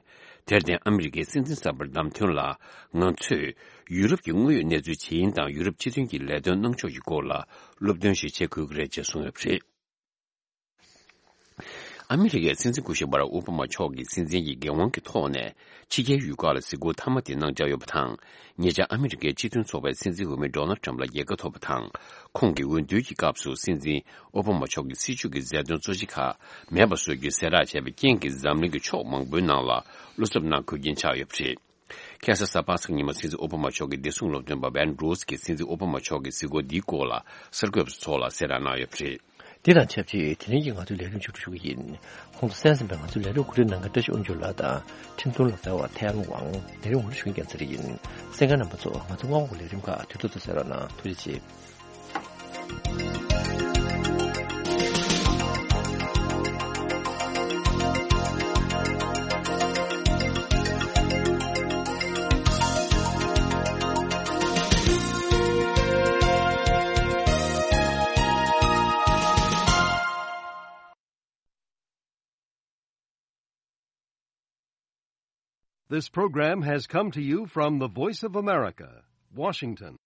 དེར་བརྟེན་ཨ་མི་རི་ཀའི་སྲིད་འཛིན་གསར་པར་བདམས་ཐོན་ལ། ང་ཚོས་ཡུ་རོབ་ཀྱི་དངོས་ཡོད་གནས་ཚུལ་ཇི་ཡིན་དང་། ཡུ་རོབ་སྤྱི་མཐུན་གྱི་ལས་དོན་གནང་ཕྱོགས་ཀྱི་སྐོར་ལ་སློབ་སྟོན་ཞིག་བྱེད་དགོས་ཀྱི་རེད་ཅེས་གསུངས་ཡོད་པ་རེད། ཨ་མི་རི་ཀའི་སྲིད་འཛིན་སྐུ་ཞབས་བྷ་རག་ཨོ་བྷ་མ་མཆོག་གིས་སྲིད་འཛིན་གྱི་འགན་དབང་གི་ཐོག་ནས་ཕྱི་རྒྱལ་ཡུལ་ཁག་ལ་གཟིགས་སྐོར་མཐའ་མ་དེ་གནང་འཆར་ཡོད་པ་དང་། ཉེ་ཆར་ཨ་མི་རི་ཀའི་སྤྱི་མཐུན་ཚོགས་པའི་སྲིད་འཛིན་འོས་མི་ཌོ་ནལ་ཊམ་ལ་རྒྱལ་ཁ་ཐོབ་པ་དང་། ཁོང་གི་འོས་བསྡུའི་སྐབས་སུ་སྲིད་འཛིན་ཨོ་བྷ་མ་མཆོག་གི་སྲིད་བྱུས་ཀྱི་མཛད་དོན་གཙོ་ཆེ་ཁག་མེད་པ་བཟོ་རྒྱུའི་གསལ་བསྒྲགས་བྱས་པའི་རྐྱེན་གྱིས། འཛམ་གླིང་གི་ཕྱོགས་མང་པོའི་ནང་ལ་བློ་འཚབ་གནང་དགོས་རྐྱེན་ཆགས་ཡོད་པ་རེད། ཁ་སང་གཟའ་པ་སངས་ཉིན་མོ་སྲིད་འཛིན་ཨོ་བྷ་མ་མཆོག་གི་བདེ་སྲུང་སློབ་སྟོན་པ་ཝན་རོས་ཀྱིས་སྲིད་འཛིན་ཨོ་བྷ་མ་མཆོག་གི་གཟིགས་སྐོར་འདིའི་སྐོར་ལ་གསར་འགོད་པ་ཚོ་ལ་གསལ་བསྒྲགས་གནང་ཡོད་པ་རེད། འདི་དང་ཆབས་ཅིག་དེ་རིང་གི་ང་ཚོའི་ལས་རིམ་མཇུག་སྒྲིལ་ཞུ་གི་ཡིན། ཁོང་ཚོ་གསན་ཟིན་པའི་ང་ཚོའི་ལས་རིམ་གོ་སྒྲིག་གནང་མཁན་བཀྲ་ཤིས་དབང་ཕྱུག་ལགས་དང་། ཁྲིམས་དོན་སློབ་སྟོན་པ་ཐའེ་ཝན་ཝང་། ལས་རིམ་ངོ་སྤྲོད་ཞུ་མཁན་རྒྱལ་མཚན་རེ་ཡིན། གསན་མཁན་རྣམ་པ་ཚོ། ང་ཚོ་སྔོན་འགོག་ལས་རིམ་ཁག་དུས་ཐོག་ཏུ་གསན་རོགས་གནང་། ཐུགས་རྗེ་ཆེ། This program has come to you from the Voice of America, Washington.